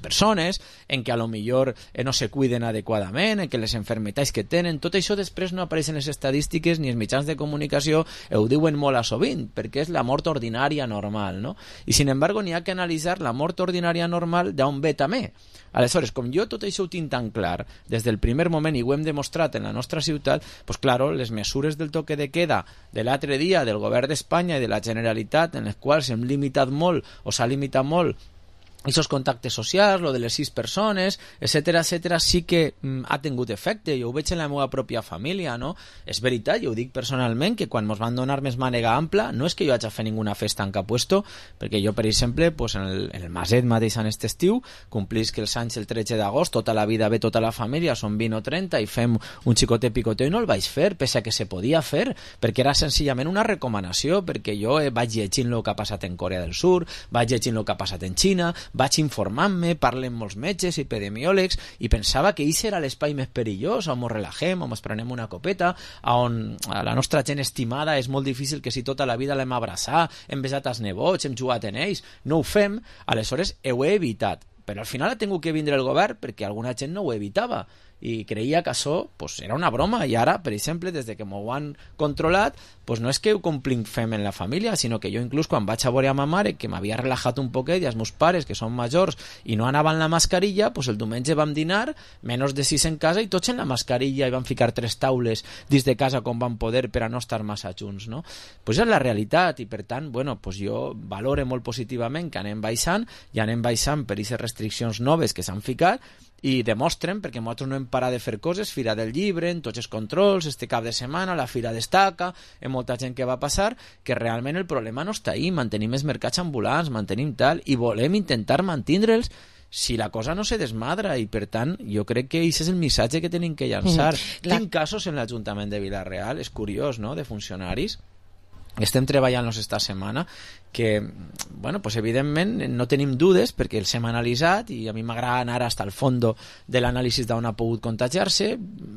persones, en que a lo millor no se cuiden adequadament, en que les enfermetats que tenen, tot això després no apareix en les estadístiques ni els mitjans de comunicació, ho diuen molt a sovint, perquè és la mort ordinària normal, no? I sin embargo n'hi ha que analitzar la mort ordinària normal d'on ve també. Aleshores, com jo tot això ho tinc tan clar des del primer moment i ho hem demostrat en la nostra ciutat, pues claro, les mesures del toque de queda de l'altre dia del govern d'Espanya i de la Generalitat, en les quals hem limitat molt o s'ha limitat molt aquests contactes socials, lo de les 6 persones, etcètera, sí que ha tingut efecte. Jo ho veig en la meva pròpia família, no? És veritat, jo ho dic personalment, que quan ens van donar més mànega ampla, no és que jo hagi de fer ninguna festa en cap puesto, perquè jo, per exemple, pues en el Maset mateix en aquest estiu, complisc els anys el 13 d'agost, tota la vida ve tota la família, són 20 o 30, i fem un xicotet picoteo, i no el vaig fer, pese a que se podia fer, perquè era senzillament una recomanació, perquè jo vaig llegint el que ha passat en Corea del Sur, vaig llegint el que ha passat en Xina, vaig informant-me, parlo amb molts metges, epidemiòlegs, i pensava que això era l'espai més perillós, on ens relaxem, on ens prenem una copeta, on a la nostra gent estimada és molt difícil que si tota la vida l'hem abraçat, hem besat els nebots, hem jugat en ells, no ho fem, aleshores ho he evitat. Però al final ha tingut que vindre el govern perquè alguna gent no ho evitava i creia que això pues, era una broma, i ara, per exemple, des de que m'ho han controlat, pues, no és que ho complint fem en la família, sinó que jo inclús quan vaig a veure a ma mare, que m'havia relaxat un poquet, i els meus pares, que són majors i no anaven la mascarilla, pues, el diumenge vam dinar, menys de 6 en casa, i tots en la mascarilla, i vam ficar 3 taules dins de casa com vam poder per a no estar massa junts, no? Pues és la realitat, i per tant, bueno, pues jo valore molt positivament que anem baixant, i anem baixant per aquestes restriccions noves que s'han ficat, i demostren, perquè nosaltres no hem parat de fer coses, Fira del Llibre, en tots els controls, este cap de setmana, la Fira d'Estaca, en molta gent que va passar, que realment el problema no està ahí, mantenim els mercats ambulants, mantenim tal, i volem intentar mantindre'ls si la cosa no se desmadra, i per tant jo crec que aquest és el missatge que tenim que llançar. Tinc casos en l'Ajuntament de Vila-real, és curiós, no?, de funcionaris, estem treballant-los esta setmana, que, bueno, pues evidentment no tenim dudes perquè els hem analitzat, i a mi m'agrada anar hasta el fondo de l'anàlisi d'on ha pogut contagiar-se.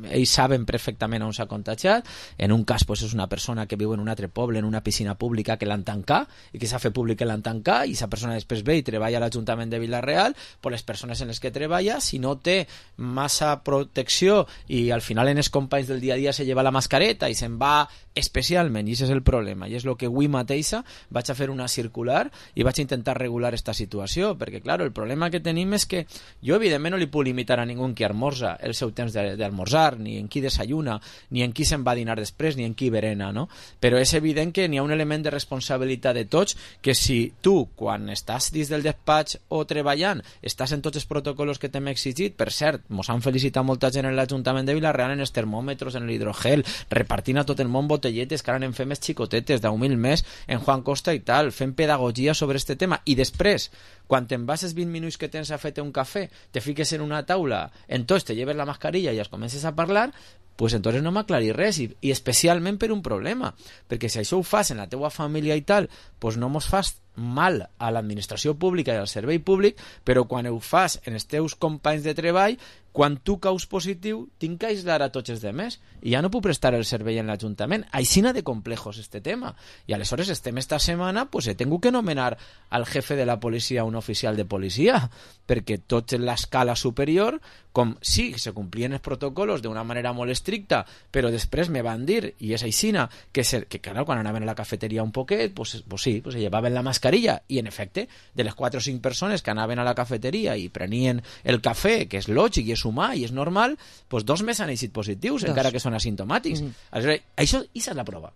Ells saben perfectament on s'ha contagiat. En un cas pues, és una persona que viu en un altre poble, en una piscina pública, que l'han tancat, i que s'ha fet públic que l'han tancat, i aquesta persona després ve i treballa a l'Ajuntament de Vila-real, pues les persones en les que treballa, si no té massa protecció i al final en els companys del dia a dia se lleva la mascareta i se'n va especialment, i això és el problema, i és el que avui mateixa vaig a fer una circular i vaig intentar regular esta situació, perquè clar, el problema que tenim és que jo evidentment no li puc limitar a ningú qui almorza el seu temps d'almorzar, ni en qui desayuna, ni en qui se'n va a dinar després, ni en qui berena, no? Però és evident que n'hi ha un element de responsabilitat de tots, que si tu, quan estàs dins del despatx o treballant, estàs en tots els protocols que t'hem exigit, per cert, mos han felicitat molta gent en l'Ajuntament de Vila-real en els termòmetres, en l'hidrogel, repartint a tot el món botelletes, que ara n'en fem més xicotetes, d'1.000 més, en Juan Costa i tal, fent pedagogia sobre este tema, i després, quan te'n vas els 20 minuts que tens a fer-te un cafè, te fiques en una taula, entonces te lleves la mascarilla i es comences a parlar, pues entonces no m'aclarir res, i especialment per un problema, perquè si això ho fas en la teua família i tal, pues no mos fas mal a l'administració pública i al servei públic, però quan ho fas en els teus companys de treball, quan tu caus positiu, tinc que aislar a tots els demés, i ja no puc prestar el servei en l'Ajuntament. Aixina de complejos este tema. I aleshores estem esta setmana, pues he tingut que nomenar al jefe de la policia un oficial de policia, perquè tots en l'escala superior, com sí, se complien els protocols d'una manera molt estricta, però després me van dir, i és aixina, que clar, quan anaven a la cafeteria un poquet, pues sí, pues se llevaven la mascarilla, i en efecte, de les 4 o 5 persones que anaven a la cafeteria i prenien el cafè, que és lògic i és humà i és normal, pues 2 més han eixit positius, encara que són asimptomàtics. Aleshores, això és la prova,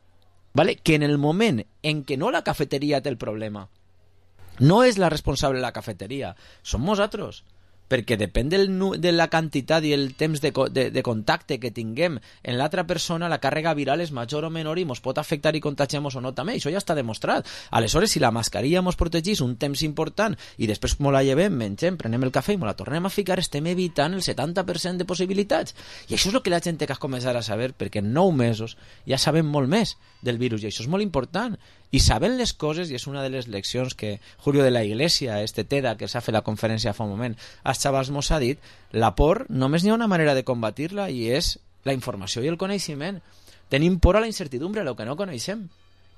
¿vale? Que en el moment en què no la cafeteria té el problema, no és la responsable de la cafeteria, som nosaltres, perquè depèn de la quantitat i el temps de contacte que tinguem en l'altra persona, la càrrega viral és major o menor i mos pot afectar i contagiar-nos o no també, això ja està demostrat. Aleshores, si la mascarilla mos protegís un temps important i després mos la llevem, mengem, prenem el cafè i mos la tornem a ficar, estem evitant el 70% de possibilitats. I això és el que la gent té que començar a saber, perquè en 9 mesos ja sabem molt més del virus, i això és molt important. I saben les coses, i és una de les leccions que Julio de la Iglesia, TEDA, que s'ha fet la conferència fa un moment, als xavals mos ha dit, la por només n'hi ha una manera de combatir-la, i és la informació i el coneixement. Tenim por a la incertidumbre, a lo que no coneixem.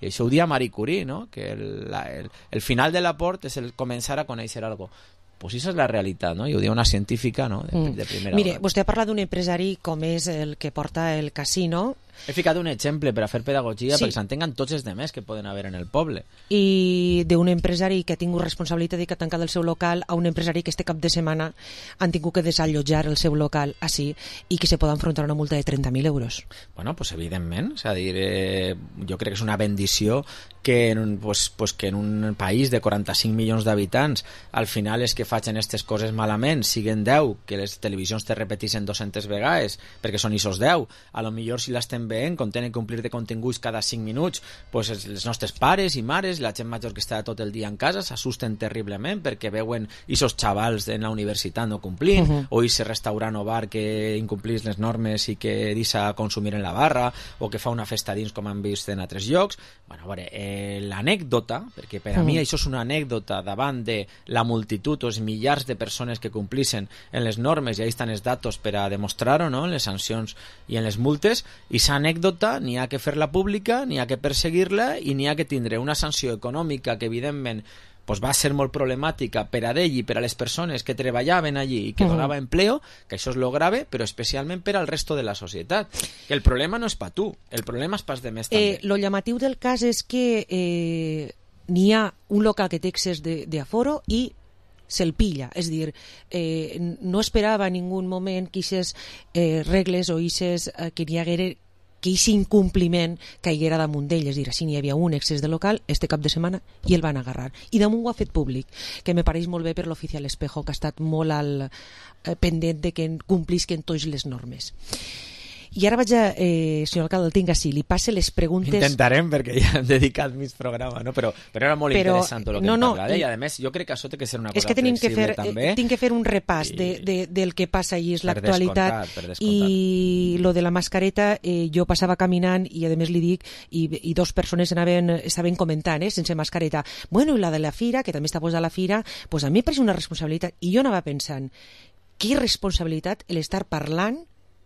I això ho dia Marie Curie, no? Que el final de la por és el començar a conèixer alguna cosa. Pues això és la realitat, no? I ho diu una científica, no? De primera Mire, hora. vostè ha parlat d'un empresari com és el que porta el casino, He ficat un exemple per a fer pedagogia Sí. perquè s'entenguen tots els demés que poden haver en el poble. I d'un empresari que ha tingut responsabilitat i que ha tancat el seu local a un empresari que este cap de setmana han tingut que desallotjar el seu local així i que se pot enfrontar a una multa de 30.000 euros. Bueno, pues evidentment, és a dir, jo crec que és una bendició que en un país de 45 milions d'habitants al final és que facin aquestes coses malament, siguen 10, que les televisions te repetissin 200 vegades perquè són isos 10, a lo millor si l'estem veient, com tenen que omplir de continguts cada 5 minuts, pues els nostres pares i mares, la gent major que està tot el dia en casa s'assusten terriblement perquè veuen isos xavals en la universitat no complint, o ese restaurant o bar que incomplís les normes i que deixa consumir en la barra, o que fa una festa dins com han vist en altres llocs. Bueno, a veure, l'anècdota, perquè per a mi això és una anècdota davant de la multitud o els milers de persones que complissen en les normes, i ahí estan els datos per a demostrar-ho, no?, en les sancions i en les multes, i aquesta anècdota n'hi ha que fer-la pública, n'hi ha que perseguir-la i n'hi ha que tindre una sanció econòmica que evidentment pues va ser molt problemàtica per a ell i per a les persones que treballaven allí i que donava empleo, que això és lo grave, però especialment per al resto de la societat. Que el problema no és pa tu, el problema és pas de més també. Lo llamatiu del cas és que n'hi ha un local que té excés d'aforo i se'l pilla, és a dir, no esperava en ningú moment que aquestes regles o que n'hi haguera que aquest incompliment caiguera damunt d'ell, és a dir, si n'hi havia un excés de local este cap de setmana i el van agarrar, i damunt ho ha fet públic, que me pareix molt bé per l'oficial Espejo, que ha estat molt pendent de que complisquen totes les normes. I ara vaig a, senyor alcalde, el tinc així, li passe les preguntes... Intentarem, perquè ja hem dedicat mig programa, no? Però era molt interessant el que em parla. I a més, jo crec que això té que ser una cosa flexible també. Tinc que fer un repàs del que passa allí, és l'actualitat. I lo de la mascareta, jo passava caminant i a més li dic, i dos persones estaven comentant, sense mascareta, bueno, i la de la fira, que també està posada a la fira, pues a mi em pareix una responsabilitat, i jo anava pensant, que irresponsabilitat l'estar parlant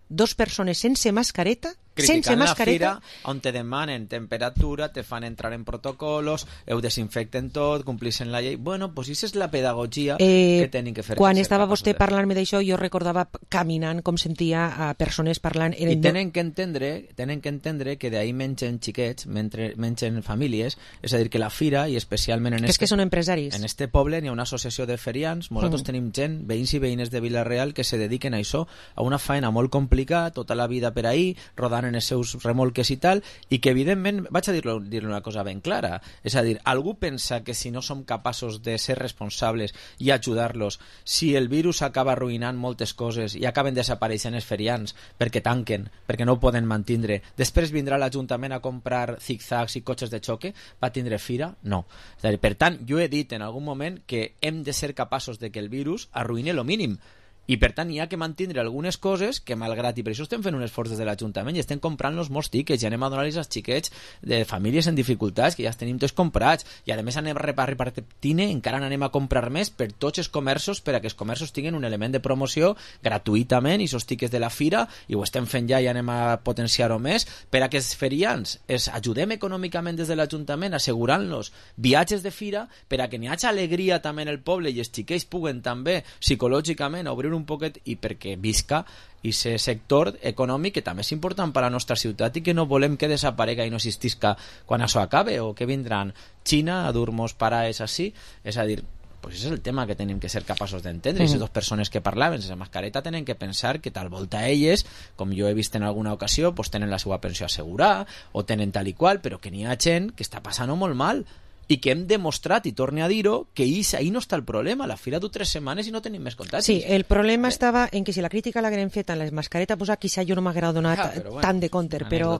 dos persones sense mascareta, criticant la fira on te demanen temperatura, te fan entrar en protocolos, ho desinfecten tot, complixen la llei. Bueno, pues això és la pedagogia que tenen que fer. Quan estava vostè parlant-me d'això, jo recordava caminant com sentia a persones parlant. I tenen que entendre que d'ahir mengen xiquets, mengen famílies, és a dir, que la fira, i especialment és que són empresaris. En este poble n'hi ha una associació de ferians, nosaltres tenim gent, veïns i veïnes de Vila-real, que se dediquen a això, a una faena molt complicada, tota la vida per ahir, rodant en els seus remolques i tal, i que evidentment, vaig a dir-li una cosa ben clara, és a dir, algú pensa que si no som capaços de ser responsables i ajudar-los, si el virus acaba arruïnant moltes coses i acaben desapareixent els ferians perquè tanquen, perquè no ho poden mantindre, després vindrà l'Ajuntament a comprar zigzags i cotxes de xoque, va tindre fira? No. És a dir, per tant, jo he dit en algun moment que hem de ser capaços de que el virus arruïni lo mínim, i per tant hi ha que mantindre algunes coses que malgrat, i per això estem fent un esforç des de l'Ajuntament i estem comprant-los molts tiquets i anem a donar-los als xiquets de famílies en dificultats que ja els tenim tots comprats, i a més anem a repartir, encara anem a comprar més per tots els comerços, per a que els comerços tinguin un element de promoció gratuïtament, i els tiquets de la fira, i ho estem fent ja i anem a potenciar-ho més, per a que els ferians els ajudem econòmicament des de l'Ajuntament assegurant-los viatges de fira, per a que n'hi hagi alegria també en el poble i els xiquets puguen també psicològicament obrir un poquet, i perquè visca aquest sector econòmic que també és important per a la nostra ciutat i que no volem que desaparega i no existisca quan això acabe, o que vindran Xina a dur-nos pares així. És a dir, pues és el tema que tenim que ser capaços d'entendre. I les dues persones que parlaven sense mascareta tenen que pensar que tal volta elles, com jo he vist en alguna ocasió, pues tenen la seva pensió assegurada o tenen tal i qual, però que n'hi ha gent que està passant-ho molt mal i que hem demostrat, i torne a dir-ho, que ahí no està el problema. La fira du 3 setmanes i no tenim més contagis. Sí, el problema estava en que si la crítica l'haguem fet en les mascaretes, pues quizá jo no m'haguera donat tant de compte, però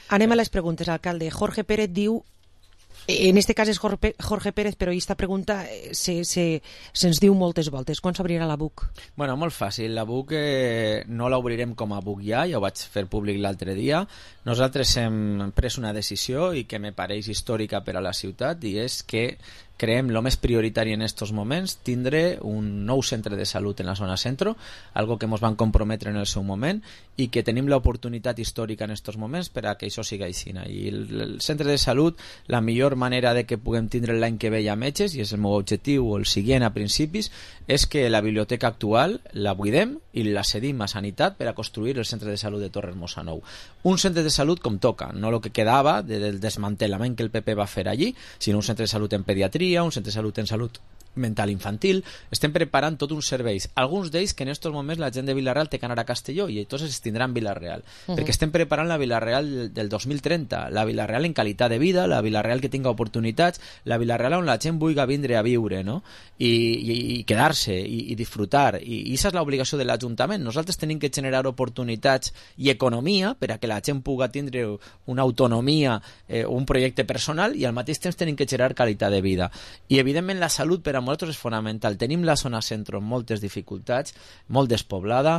anem a les preguntes, alcalde. Jorge Pérez diu, en este cas és Jorge Pérez, però aquesta pregunta se'ns diu moltes voltes. Quan s'obrirà la BUC? Bueno, molt fàcil. La BUC no l'obrirem com a BUC ja ho vaig fer públic l'altre dia. Nosaltres hem pres una decisió i que me pareix històrica per a la ciutat, i és que creem lo més prioritari en estos moments tindre un nou centre de salut en la zona centro, algo que ens van comprometre en el seu moment i que tenim l'oportunitat històrica en estos moments per a que això siga així. I el centre de salut, la millor manera de que puguem tindre l'any que ve ja metges, i és el meu objectiu o el següent a principis, és que la biblioteca actual la buidem i la cedim a Sanitat per a construir el centre de salut de Torres Nou. Un centre de salut com toca, no el que quedava del desmantellament que el PP va fer allí, sinó un centre de salut en pediatria, un centre de salut en salut mental infantil. Estem preparant tot uns serveis, alguns d'ells que en aquests moments la gent de Vila-real té que anar a Castelló i entonces es tindran Vila-real, perquè estem preparant la Vila-real del 2030, la Vila-real en qualitat de vida, la Vila-real que tinga oportunitats, la Vila-real on la gent vulgui vindre a viure, no? I quedar-se i disfrutar, i aquesta és l'obligació de l'Ajuntament. Nosaltres tenim que generar oportunitats i economia per a que la gent pugui tindre una autonomia, un projecte personal, i al mateix temps tenim que generar qualitat de vida. I evidentment la salut per a nosaltres és fonamental. Tenim la zona centro amb moltes dificultats, molt despoblada,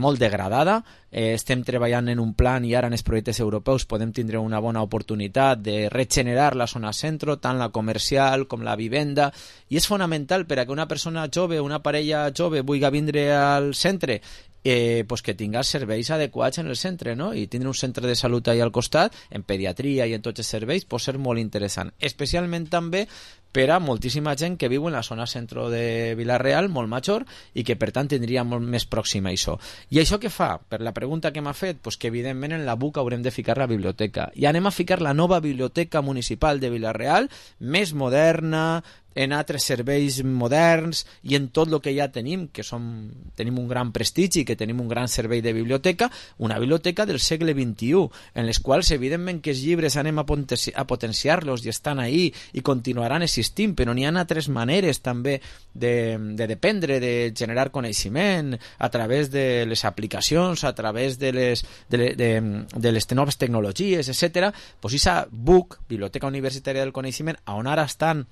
molt degradada. Estem treballant en un plan i ara en els projectes europeus podem tindre una bona oportunitat de regenerar la zona centro, tant la comercial com la vivenda, i és fonamental per a que una persona jove, una parella jove vulgui vindre al centre, pues que tinga serveis adequats en el centre, no? I tindre un centre de salut allà al costat, en pediatria i en tots els serveis, pot ser molt interessant, especialment també per a moltíssima gent que viu en la zona centro de Vila-real, molt major, i que per tant tindria molt més pròxima a això. I això què fa? Per la pregunta que m'ha fet, pues que evidentment en la BUC haurem de ficar la biblioteca, i anem a ficar la nova biblioteca municipal de Vila-real, més moderna, en altres serveis moderns i en tot el que ja tenim, que tenim un gran prestigi, que tenim un gran servei de biblioteca, una biblioteca del segle XXI, en les quals evidentment que els llibres anem a potenciar-los i estan ahí i continuaran existint, però n'hi ha altres maneres també de dependre, de generar coneixement a través de les aplicacions, a través de les noves tecnologies, etc. Pues aquesta BUC, Biblioteca Universitària del Coneixement, on ara estan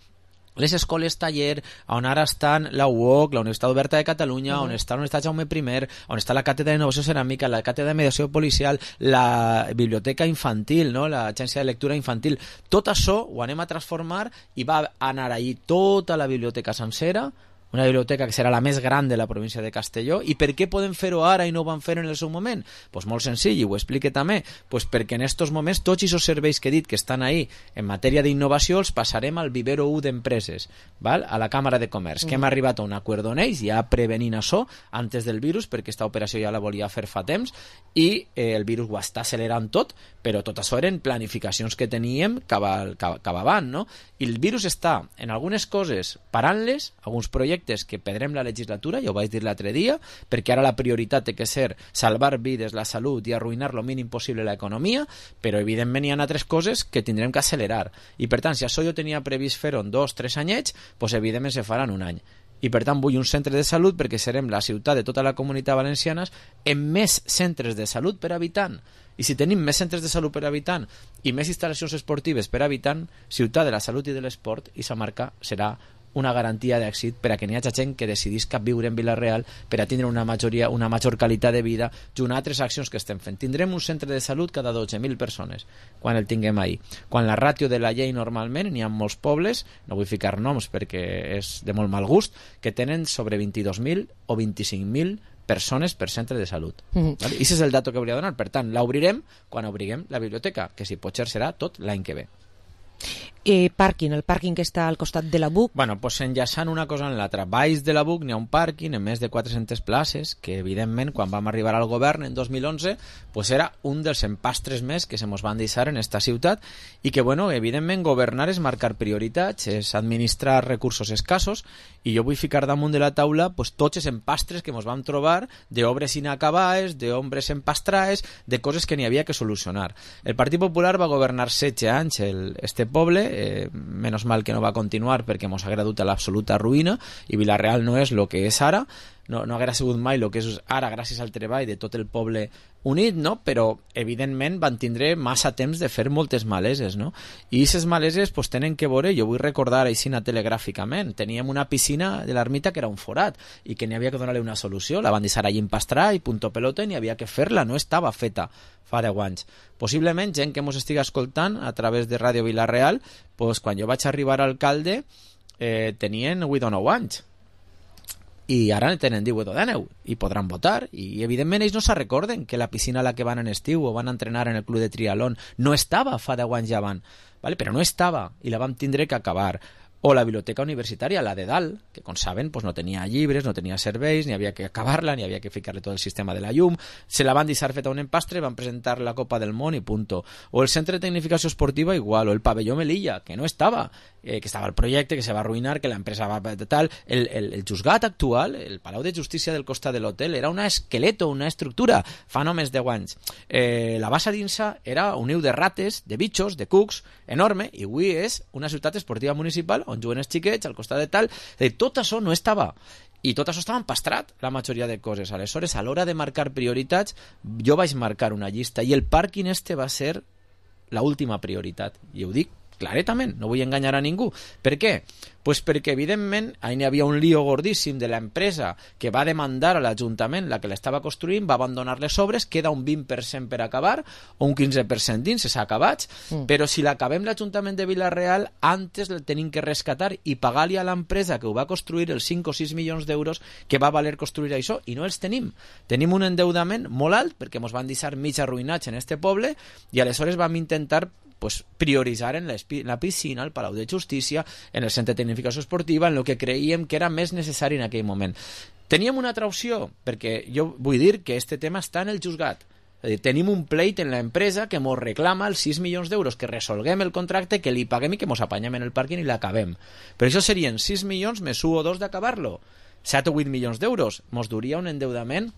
les escoles taller, on ara estan la UOC, la Universitat Oberta de Catalunya, on està la Universitat Jaume I, on està la Càtedra d'Innovació Ceràmica, la Càtedra de Mediació Policial, la Biblioteca Infantil, no? L'Agència de Lectura Infantil. Tot això ho anem a transformar i va anar allí tota la biblioteca sencera, una biblioteca que serà la més gran de la província de Castelló. I per què podem fer-ho ara i no ho van fer en el seu moment? Pues molt senzill, i ho explique també, pues perquè en estos moments tots aquests serveis que he dit que estan ahí en matèria d'innovació els passarem al vivero 1 d'empreses, val? A la Càmera de Comerç, que hem arribat a un acord on ells, ja prevenint això antes del virus, perquè aquesta operació ja la volia fer fa temps, i el virus ho està accelerant tot, però tot això eren planificacions que teníem cap avant, no? I el virus està en algunes coses parant-les, alguns projectes que perdrem la legislatura, ja ho vaig dir l'altre dia, perquè ara la prioritat té que ser salvar vides, la salut i arruïnar lo mínim possible l'economia, però evidentment hi ha altres coses que tindrem que accelerar. I per tant, si això jo tenia previst fer-ho en 2-3 anyets, doncs evidentment se farà en un any. I per tant vull un centre de salut perquè serem la ciutat de tota la comunitat valenciana amb més centres de salut per habitant. I si tenim més centres de salut per habitant i més instal·lacions esportives per habitant, ciutat de la salut i de l'esport, i sa marca serà una garantia d'èxit per a que n'hi hagi gent que decidisca viure en Vila-real per a tindre una major qualitat de vida junt a altres accions que estem fent. Tindrem un centre de salut cada 12.000 persones quan el tinguem ahí. Quan la ràtio de la llei normalment n'hi ha molts pobles, no vull ficar noms perquè és de molt mal gust, que tenen sobre 22.000 o 25.000 persones per centre de salut. I aquest és el dato que hauria de donar. Per tant, l'obrirem quan obriguem la biblioteca, que si potser serà tot l'any que ve. El pàrquing que està al costat de la BUC. Bueno, pues enllaçant una cosa en l'altra. Baix de la BUC n'hi ha un pàrquing en més de 400 places, que evidentment quan vam arribar al govern en 2011 pues era un dels empastres més que se mos van deixar en esta ciutat, i que bueno, evidentment governar és marcar prioritats, és administrar recursos escassos, i jo vull ficar damunt de la taula pues tots els empastres que mos vam trobar d'obres inacabades, d'obres empastrades, de coses que n'hi havia que solucionar. El Partit Popular va governar 16 anys este poble, menos mal que no va continuar perquè mos haguera dut a l'absoluta ruïna, i Vila-real no és el que és ara, no haguera sigut mai el que és ara gràcies al treball de tot el poble unit, no? Però evidentment van tindre massa temps de fer moltes maleses, no? I aquestes maleses pues, tenen que veure, jo vull recordar així telegràficament, teníem una piscina de l'ermita que era un forat i que n'hi havia que donar-li una solució, la van deixar allí empastrar i punto pelota, i n'hi havia que fer-la, no estava feta fa 10 anys. Possiblement gent que ens estigui escoltant a través de Ràdio Vila-real, pues, quan jo vaig arribar a alcalde tenien 8 o 9 anys, i ara tenen 18 o 19 i podran votar, i evidentment ells no se recorden que la piscina a la que van en estiu o van a entrenar en el club de triatlón no estava fa 10 anys ja van, ¿vale? Però no estava i la vam tindre que acabar. o la biblioteca universitària, la de dalt, que com saben no tenia llibres, no tenia serveis, ni havia que acabar-la, ni havia que ficar-li tot el sistema de la llum, se la van deixar feta un empastre, van presentar la Copa del Món i punto. O el centre de tecnificació esportiva igual, o el pavelló Melilla, que no estava, que estava el projecte, que se va arruïnar, que l'empresa va tal. El juzgat actual, el Palau de Justícia del costat de l'hotel, era un esqueleto, una estructura, fa només 10 anys. La bassa d'Insa era un niu de rates, de bitxos, de cucs, enorme, i avui és una ciutat esportiva municipal on juguen els xiquets al costat de tal. Tot això no estava, i tot això estava empastrat, la majoria de coses. Aleshores, a l'hora de marcar prioritats, jo vaig marcar una llista, i el pàrquing va ser l'última prioritat, i ho dic claretament, no vull enganyar a ningú. Per què? Pues perquè, evidentment, ahí n'hi havia un lío gordíssim de l'empresa que va demandar a l'Ajuntament, la que l'estava construint, va abandonar les obres, queda un 20% per acabar, o un 15% dins, s'ha acabat, però si l'acabem l'Ajuntament de Vila-real, antes el tenim que rescatar i pagar-li a l'empresa que ho va construir els 5 o 6 milions d'euros que va valer construir això, i no els tenim. Tenim un endeudament molt alt, perquè ens van deixar mig arruïnats en este poble, i aleshores vam intentar prioritzar en la piscina, al Palau de Justícia, en el centre de tecnificació esportiva, en el que creiem que era més necessari en aquell moment. Teníem una altra opció, perquè jo vull dir que este tema està en el juzgat. És a dir, tenim un pleit en l'empresa que ens reclama els 6 milions d'euros, que resolguem el contracte, que li paguem i que ens apanyem en el pàrquing i l'acabem. Però això serien 6 milions més 1 o 2 d'acabar-lo. 7 o 8 milions d'euros. Ens duria un endeudament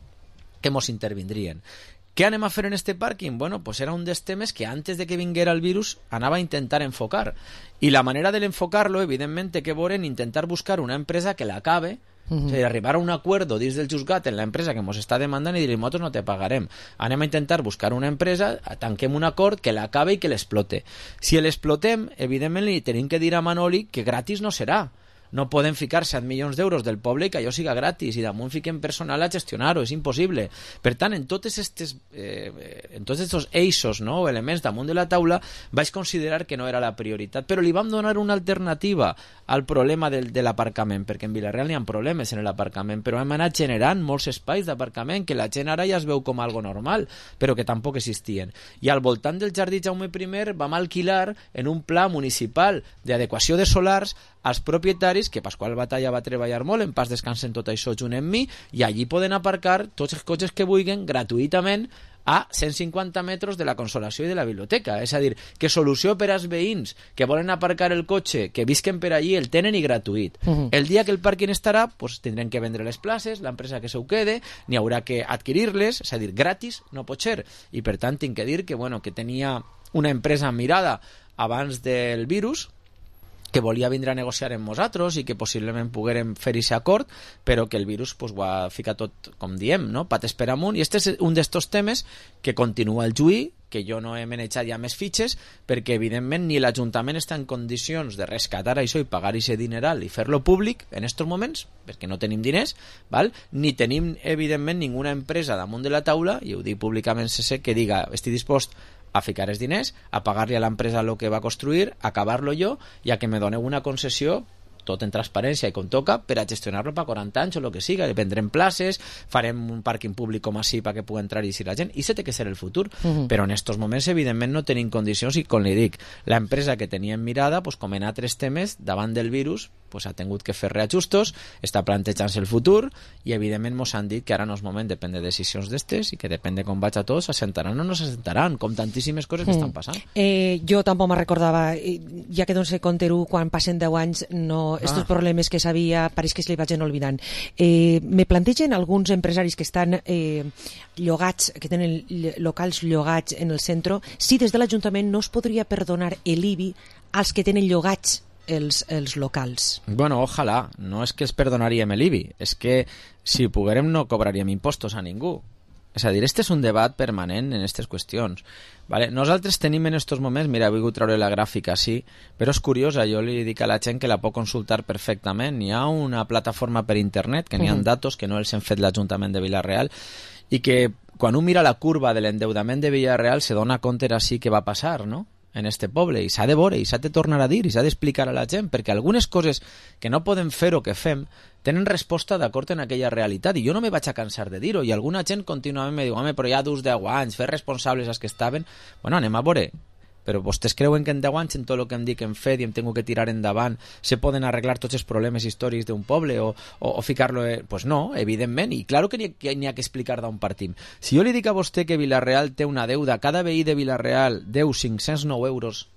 que ens intervindrien. Què anem a fer en este pàrquing? Bueno, pues era un dels temes que antes de que vinguera el virus anava a intentar enfocar. I la manera de l'enfocar-lo, evidentment, té que veure en intentar buscar una empresa que l'acabe, o sigui, arribar a un acuerdo dins del juzgat en l'empresa que ens està demandant i dir, nosaltres no te pagarem. Anem a intentar buscar una empresa, tanquem un acord que l'acabe i que l'explote. Si l'explotem, evidentment li tenim que dir a Manoli que gratis no serà. No podem ficar 7 milions d'euros del poble i que allò siga gratis, i damunt fiquem personal a gestionar-ho, és impossible. Per tant, en tots aquests eixos, no, elements damunt de la taula, vaig considerar que no era la prioritat, però li vam donar una alternativa al problema de l'aparcament, perquè en Vila-real n'hi ha problemes en l'aparcament, però hem anat generant molts espais d'aparcament que la gent ara ja es veu com algo normal, però que tampoc existien. I al voltant del Jardí Jaume I vam alquilar en un pla municipal d'adequació de solars als propietaris, que Pasqual Batalla va treballar molt, en pas descansen tot això junt amb mi, i allí poden aparcar tots els cotxes que vulguin gratuïtament a 150 metres de la Consolació i de la biblioteca. És a dir, que solució per als veïns que volen aparcar el cotxe, que visquen per allí, el tenen i gratuït. El dia que el pàrquing estarà, pues, tindrem que vendre les places, l'empresa que se ho quede, n'hi haurà que adquirir-les, és a dir, gratis no pot ser. I per tant tinc que dir que, bueno, que tenia una empresa mirada abans del virus, que volia vindre a negociar amb nosaltres i que possiblement poguérem fer aquest acord, però que el virus pues, ho ha ficat tot, com diem, no? Pates per amunt, i este és un d'estos temes que continua el juí, que jo no he manejat ja més fitxes, perquè evidentment ni l'Ajuntament està en condicions de rescatar això i pagar aquest dineral i fer-lo públic en aquests moments, perquè no tenim diners, val? Ni tenim evidentment ninguna empresa damunt de la taula, i ho dic públicament que diga, estic dispost a ficar els diners, a pagar-li a l'empresa el que va construir, a acabar-lo jo i a que me doneu una concessió tot en transparència i com toca per a gestionar-lo per 40 anys o el que siga, vendrem places, farem un pàrquing públic com així perquè pugui entrar i dir la gent, i això té que ser el futur, però en aquests moments evidentment no tenim condicions, i com li dic, l'empresa que teníem mirada, pues, com en altres temes davant del virus, pues, ha tingut que fer reajustos, està plantejant-se el futur, i evidentment ens han dit que ara no és moment, depèn de decisions d'estes, i que depèn de com vaig a tots, s'assentaran o no s'assentaran, com tantíssimes coses que estan passant. Jo tampoc me recordava, ja que doncs Conterú, quan passen 10 anys, no estos problemes que sabia, pareix que se li vagin oblidant. Me plantegen alguns empresaris que estan llogats, que tenen locals llogats en el centre, si des de l'Ajuntament no es podria perdonar l'IBI als que tenen llogats els locals. Bueno, ojalà, no és que els perdonaríem l'IBI, és que si poguérem no cobraríem impostos a ningú. És a dir, este és un debat permanent en aquestes qüestions. Vale? Nosaltres tenim en aquests moments, mira, he volgut treure la gràfica així, però és curiosa, jo li dic a la gent que la pot consultar perfectament. Hi ha una plataforma per internet, que n'hi ha datos que no els hem fet l'Ajuntament de Vila-real, i que quan un mira la curva de l'endeudament de Vila-real se dona compte així que va passar, no?, en este poble, i s'ha de veure, i s'ha de tornar a dir, i s'ha d'explicar a la gent, perquè algunes coses que no podem fer o que fem tenen resposta d'acord en aquella realitat, i jo no me vaig a cansar de dir-ho, i alguna gent contínuament me diu, home, però ja dus 10 anys, fer responsables els que estaven. Bueno, anem a veure però vostès creuen que en 10 anys en tot el que em dic hem fet i em tengo que tirar endavant se poden arreglar tots els problemes històrics d'un poble o ficar-lo... Pues no, evidentment, i claro que n'hi ha que explicar d'on partim. Si jo li dic a vostè que Vila-real té una deuda, cada veí de Vila-real deu 509 euros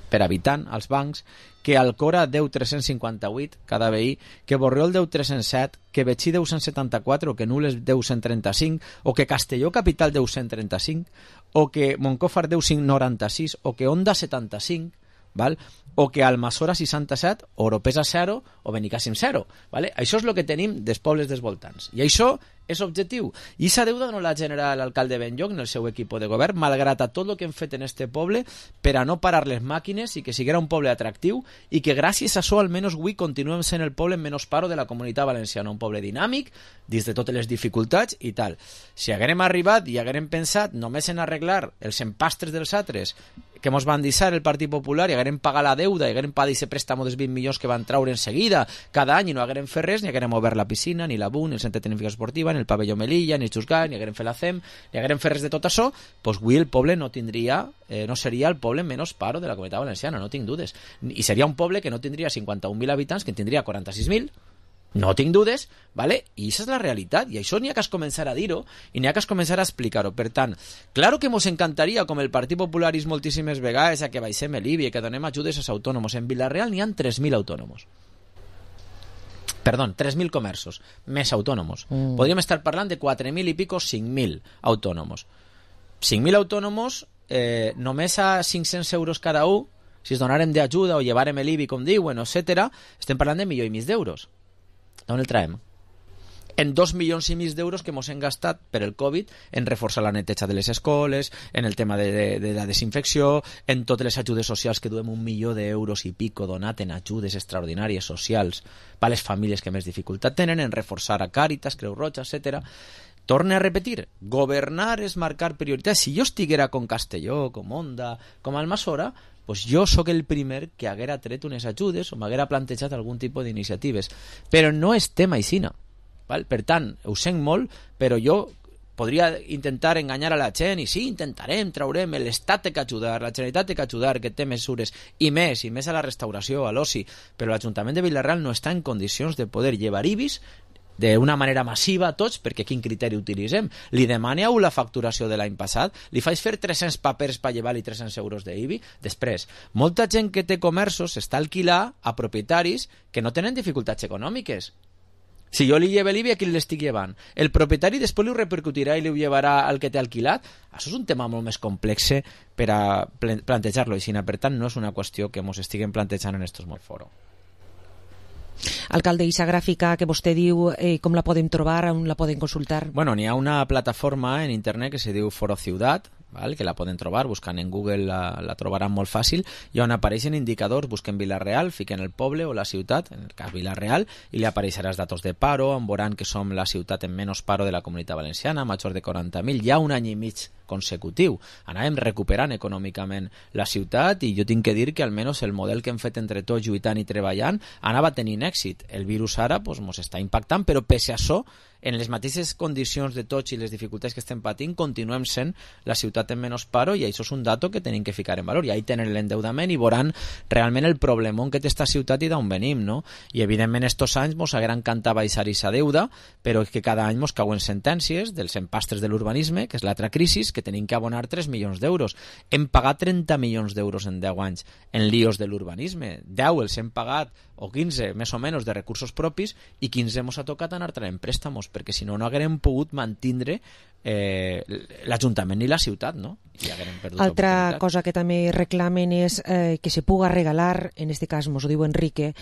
per habitant als bancs, que Alcora deu 358 cada veí, que Borriol deu 307, que Betxí deu 174, o que Nules deu 135, o que Castelló Capital deu 135, o que Montcòfar deu 596, o que Onda 75, val? O que Almassora 67, o Oropesa 0, o Benicàssim 0. Vale? Això és el que tenim dels pobles dels voltants. I això és objectiu. I aquesta deuda no la genera l'alcalde Benlloc en el seu equip de govern, malgrat a tot el que hem fet en este poble per a no parar les màquines i que siguera un poble atractiu i que gràcies a això almenys avui continuem sent el poble menys paro de la Comunitat Valenciana, un poble dinàmic, dins de totes les dificultats i tal. Si haguérem arribat i haguérem pensat només en arreglar els empastres dels altres que mos van deixar el Partit Popular i haguérem pagat la deuda i haguérem pagat aquest préstamo dels 20 milions que van traure en seguida cada any i no haguérem fet res, ni haguérem obert la piscina, ni la BUN, ni el centre de tecnificació esportiva, ni el pavelló Melilla, ni el Xusgai, ni haguérem fet la CEM, ni haguérem fet res de tot això, doncs avui el poble no tindria, no seria el poble menys paro de la Comunitat Valenciana, no tinc dudes. I seria un poble que no tindria 51.000 habitants, que en tindria 46.000, no tinc dudes, ¿vale? I això és la realitat, i això n'hi ha que començar a dir-ho i n'hi ha que començar a explicar-ho. Per tant, claro que mos encantaria, com el Partit Popular és moltíssimes vegades, a que baixem l'IBI i que donem ajudes als autònoms. En Vila-real n'hi ha 3.000 autònoms. Perdó, 3.000 comerços, més autònoms. Podríem estar parlant de 4.000 i pico, 5.000 autònoms. 5.000 autònoms, només a 500 euros cada un, si es donarem d'ajuda o llevarem l'IBI, com diuen, etc., estem parlant de 1,5 milió d'euros. D'on el traiem? En 2,5 milions d'euros que ens hem gastat per el Covid en reforçar la neteja de les escoles, en el tema de la desinfecció, en totes les ajudes socials que duem 1 milió d'euros i pico donat en ajudes extraordinàries socials per a les famílies que més dificultat tenen, en reforçar a Càritas, Creu Roja, etc. Torne a repetir, governar és marcar prioritats. Si jo estiguera com Castelló, com Onda, com Almassora, pues jo sóc el primer que haguera tret unes ajudes o m'haguera plantejat algun tipus d'iniciatives. Però no estem aixina. Val? Per tant, ho sent molt, però jo podria intentar enganyar a la gent i sí, intentarem, traurem, l'Estat té que ajudar, la Generalitat té que ajudar, que té mesures, i més a la restauració, a l'oci, però l'Ajuntament de Vila-real no està en condicions de poder llevar IBIs d'una manera massiva a tots, perquè quin criteri utilitzem? Li demaneu la facturació de l'any passat? Li faig fer 300 papers per llevar-li 300 euros d'IBI? Després, molta gent que té comerços està alquilar a propietaris que no tenen dificultats econòmiques. Si jo li llevo l'IBI, a qui l'estic llevant? El propietari després li ho repercutirà i li ho llevarà al que té alquilat? Això és un tema molt més complex per a plantejar-lo així. Per tant, no és una qüestió que ens estiguem plantejant en estos molt foro. Alcalde, aquesta gràfica que vostè diu, com la podem trobar, on la poden consultar? Bueno, n'hi ha una plataforma en internet que se diu Foro Ciutat, val? Que la poden trobar, buscant en Google la trobaran molt fàcil, i on apareixen indicadors, busquen Vila-real, fiquen el poble o la ciutat, en el cas Vila-real, i li apareixerà els datos de paro, on veuran que som la ciutat en menys paro de la Comunitat Valenciana, major de 40.000, ja un any i mig consecutiu. Anàvem recuperant econòmicament la ciutat i jo tinc que dir que almenys el model que hem fet entre tots lluitant i treballant anava tenint èxit. El virus ara ens està impactant, però pese a això, en les mateixes condicions de tots i les dificultats que estem patint, continuem sent la ciutat en menys paro, i això és un dato que tenim que ficar en valor. I ahí tenen l'endeudament i veuran realment el problemón que té esta ciutat i d'on venim, no? I evidentment estos anys ens haguera encantat baixar aquesta deuda, però és que cada any ens cauen sentències dels empastres de l'urbanisme, que és l'altra crisi, que tenim que abonar 3 milions d'euros. Hem pagat 30 milions d'euros en 10 anys en líos de l'urbanisme. 10 els hem pagat, o 15 més o menys de recursos propis, i 15 ens ha tocat anar traient préstamos, perquè si no, no haguérem pogut mantindre l'Ajuntament ni la ciutat, no? I haguérem perdut altra cosa que també reclamen és que se puga regalar, en este cas mos ho diu Enrique,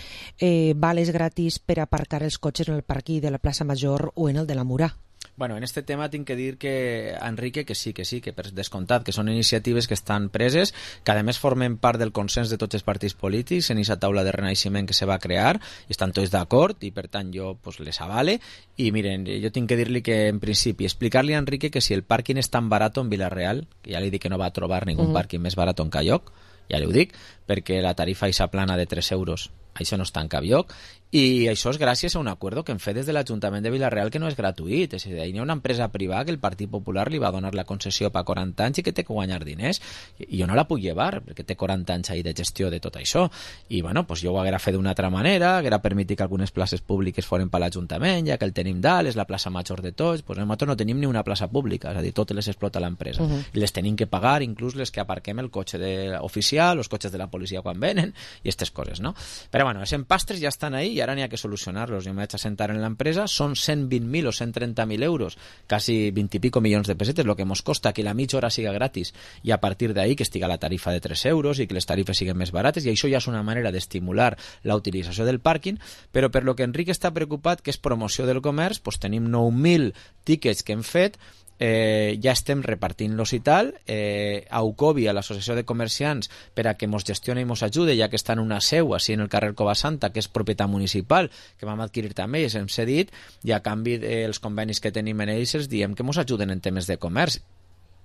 vales gratis per aparcar els cotxes en el parquí de la plaça Major o en el de la Murà. Bueno, en este tema tinc que dir que Enrique que sí, que per descomptat, que són iniciatives que estan preses, que a més formen part del consens de tots els partits polítics en aquesta taula de renaixement que se va crear, i estan tots d'acord, i per tant jo les avale. I miren, jo tinc que dir-li que en principi explicar-li a Enrique que si el pàrquing és tan barat en Vila-real, que ja li dic que no va trobar ningú pàrquing més barat en cap lloc, ja li ho dic, perquè la tarifa eixa plana de 3 euros, això no està en cap lloc, i això és gràcies a un acord que hem fet des de l'Ajuntament de Vila-real que no és gratuït, és a dir, hi ha una empresa privada que el Partit Popular li va donar la concessió per 40 anys i que té que guanyar diners, i jo no la puc llevar perquè té 40 anys ahir de gestió de tot això, i bueno, pues jo ho haguera fet d'una altra manera, haguera permitit que algunes places públiques foren per l'Ajuntament, ja que el tenim dalt, és la plaça major de tots, pues nosaltres no tenim ni una plaça pública, és a dir, totes les explota l'empresa, i les tenim que pagar, inclús les que aparquem el cotxe oficial, els cotxes de la policia quan venen, i aquestes coses, no? Però bueno, els empastres ja estan ahí i ara n'hi ha que solucionar-los. Jo em vaig a sentar en l'empresa, són 120.000 o 130.000 euros, quasi 20 i pico milions de pessetes, el que ens costa que la mitja hora siga gratis i a partir d'ahí que estiga la tarifa de 3 euros i que les tarifes siguin més barates, i això ja és una manera d'estimular la utilització del pàrquing, però per lo que Enric està preocupat, que és promoció del comerç, doncs tenim 9.000 tíquets que hem fet, ja estem repartint-los i tal, a UCOBI, a l'Associació de Comerciants, per a que mos gestioni i mos ajude, ja que està en una seu així en el carrer Covasanta, que és propietat municipal, que vam adquirir també i hem cedit, i a canvi dels convenis que tenim en ells els diem que mos ajuden en temes de comerç.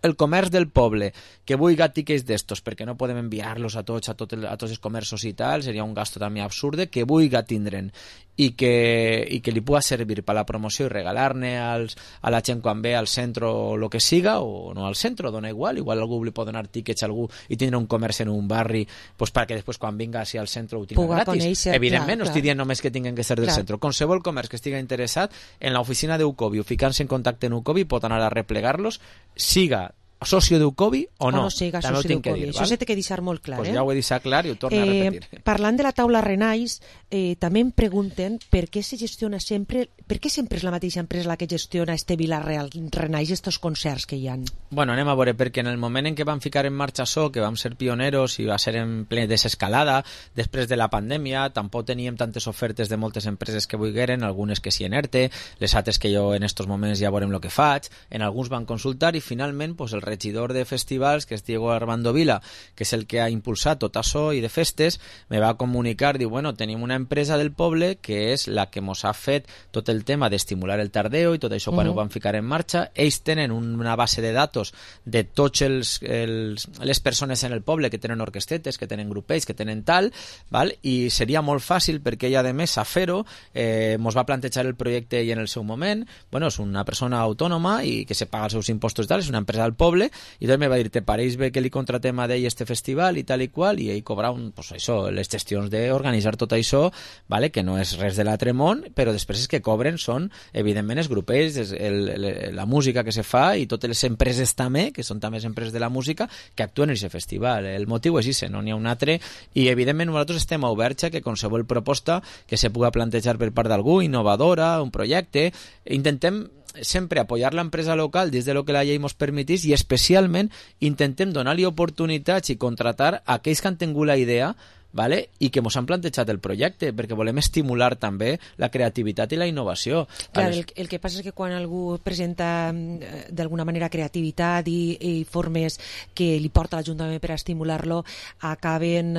El comerç del poble que vulgui tiquets d'estos perquè no podem enviar-los a tots els comerços i tal, seria un gasto també absurde, que vulgui tindre'n i que li pugui servir per la promoció i regalar-ne a la gent quan ve al centre o el que siga, o no al centre, dona igual algú li pot donar tíquets a algú i tindre un comerç en un barri pues, perquè després quan vinga al centre ho tingui gratis. Conèixer, evidentment, no estic dient només que tinguen que ser del centre. Qualsevol comerç que estigui interessat en l'oficina d'Ucobi o ficant-se en contacte en Ucobi pot anar a replegar-los, siga socio d'Ucobi o no. Siga socio d'Ucobi. Això s'ha de deixar molt clar. Pues ja ho he deixat clar i ho torno a repetir. Parlant de la taula Renais, també em pregunten per què se gestiona sempre, per què sempre és la mateixa empresa la que gestiona este Vila-real Renais, estos concerts que hi ha? Bueno, anem a veure, perquè en el moment en què vam ficar en marxa això, que vam ser pioneros i va ser en ple desescalada, després de la pandèmia, tampoc teníem tantes ofertes de moltes empreses que volgueren, algunes que s'hi enerte, les altres que jo en estos moments ja veurem el que faig, en alguns van consultar i finalment pues, el regidor de festivals, que és Diego Armando Vila, que és el que ha impulsat tot això i de festes, me va comunicar, diu, bueno, tenim una empresa del poble que és la que mos ha fet tot el tema d'estimular el tardeo i tot això quan ho van ficar en marxa. Ells tenen una base de datos de tots les persones en el poble que tenen orquestetes, que tenen grupells, que tenen tal, val? I seria molt fàcil perquè ella, a més, a fer-ho, mos va plantejar el projecte i en el seu moment, bueno, és una persona autònoma i que se paga els seus impostos i tal, és una empresa del poble, i doncs me va dir, te pareix bé que li contratem a ell este festival i tal i qual, i ell cobra pues això, les gestions d'organitzar tot això, vale? Que no és res de l'altre món, però després els que cobren són, evidentment, els grupells, la música que se fa i totes les empreses també, que són també les empreses de la música, que actuen en aquest festival. El motiu és ese, no n'hi ha un altre, i evidentment nosaltres estem oberts a que qualsevol proposta que se pugui plantejar per part d'algú, innovadora, un projecte, intentem sempre apoyar l'empresa local des de lo que la llei ens permetís i especialment intentem donar-li oportunitats i contratar a aquells que han tingut la idea, vale? I que ens han plantejat el projecte, perquè volem estimular també la creativitat i la innovació. Clar, el que passa és que quan algú presenta d'alguna manera creativitat i formes que li porta l'Ajuntament per a estimular-lo, acaben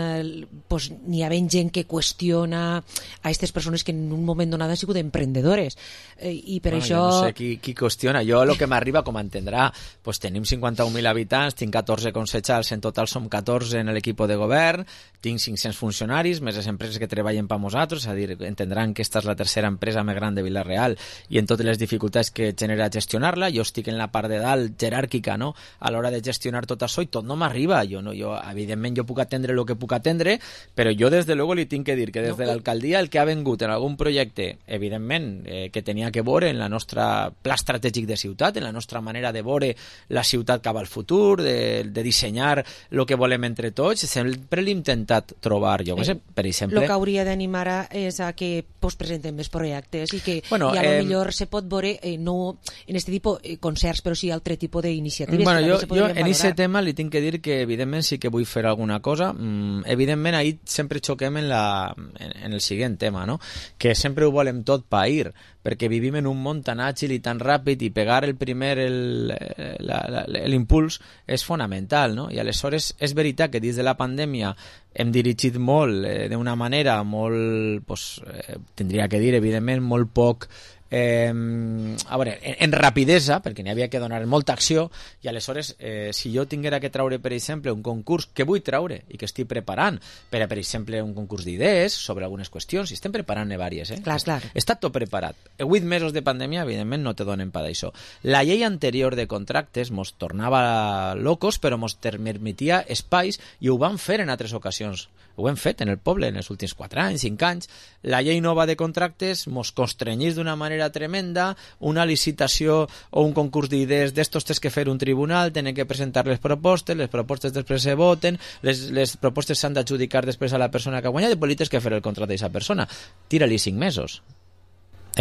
pues, n'hi havent gent que qüestiona a aquestes persones que en un moment donat han sigut emprendedores. I per això... Jo no sé qui qüestiona. Jo el que m'arriba, com entendrà, pues, tenim 51.000 habitants, tinc 14 consellers, en total som 14 en l'equip de govern, tinc 500 funcionaris, més les empreses que treballen per nosaltres, és a dir, entendran que esta és la tercera empresa més gran de Vila-real i en totes les dificultats que genera gestionar-la, jo estic en la part de dalt jeràrquica, no? A l'hora de gestionar tot això i tot no m'arriba, evidentment jo puc atendre el que puc atendre, però jo des de luego li tinc que dir que des de l'alcaldia el que ha vengut en algun projecte, evidentment, que tenia que veure en la nostra pla estratègic de ciutat, en la nostra manera de veure la ciutat cap al futur, de dissenyar el que volem entre tots, sempre l'he intentat trobar, jo que sé, per exemple... El que hauria d'animar és a que presenten més projectes i que a lo millor se pot veure no en aquest tipus de concerts, però sí altre tipus d'iniciatives. Bueno, jo en aquest tema li tinc que dir que evidentment sí que vull fer alguna cosa. Evidentment ahí sempre xoquem en el següent tema, no? Que sempre ho volem tot pair, perquè vivim en un món tan àgil i tan ràpid i pegar el primer l'impuls és fonamental, no? I aleshores és veritat que dins de la pandèmia hem dirigit molt d'una manera molt, tindria que dir, evidentment, molt poc a veure, en rapidesa, perquè n'hi havia que donar molta acció, i aleshores, si jo tinguera que traure, per exemple, un concurs que vull traure i que estic preparant, per exemple, un concurs d'idees sobre algunes qüestions, i estem preparant-ne vàries, Clar. Està tot preparat. 8 mesos de pandèmia, evidentment, no te donen per això. La llei anterior de contractes mos tornava locos, però mos permetia espais, i ho vam fer en altres ocasions. Ho hem fet en el poble en els últims 4 anys, 5 anys. La llei nova de contractes mos constrenyís d'una manera tremenda, una licitació o un concurs d'idees d'estos tens que fer un tribunal, tenen que presentar les propostes després se voten, les propostes s'han d'adjudicar després a la persona que ha guanyat i després tens que fer el contracte d'aquesta persona. Tira-li 5 mesos,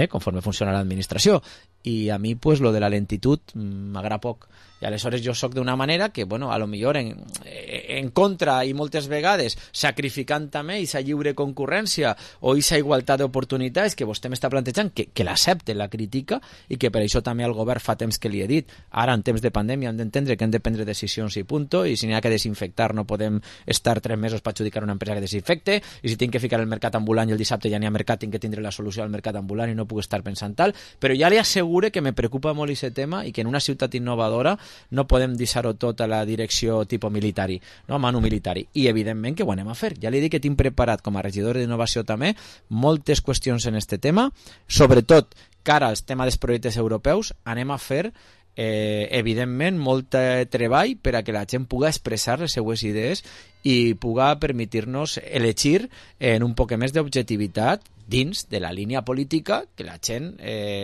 conforme funciona l'administració. I a mi, pues, lo de la lentitud m'agrada poc. I aleshores jo soc d'una manera que, bueno, a lo millor en contra i moltes vegades sacrificant també aquesta lliure concurrència o aquesta igualtat d'oportunitats que vostè m'està plantejant, que l'accepte, la crítica, i que per això també al govern fa temps que li he dit, ara en temps de pandèmia hem d'entendre que hem de prendre decisions i punto, i si n'hi ha que desinfectar no podem estar 3 mesos per adjudicar una empresa que desinfecte, i si tinc que ficar el mercat ambulant i el dissabte ja n'hi ha mercat, tinc que tindre la solució al mercat ambulant i no puc estar pensant tal, però ja li asseguro que me preocupa molt aquest tema i que en una ciutat innovadora no podem deixar-ho tot a la direcció tipus militari, no, manu militari, i evidentment que ho anem a fer. Ja li dic que tinc preparat com a regidor d'innovació també moltes qüestions en este tema, sobretot cara als temes dels projectes europeus. Anem a fer evidentment molt treball per a que la gent pugui expressar les seues idees i pugui permetir-nos elegir en un poc més d'objectivitat dins de la línia política que la gent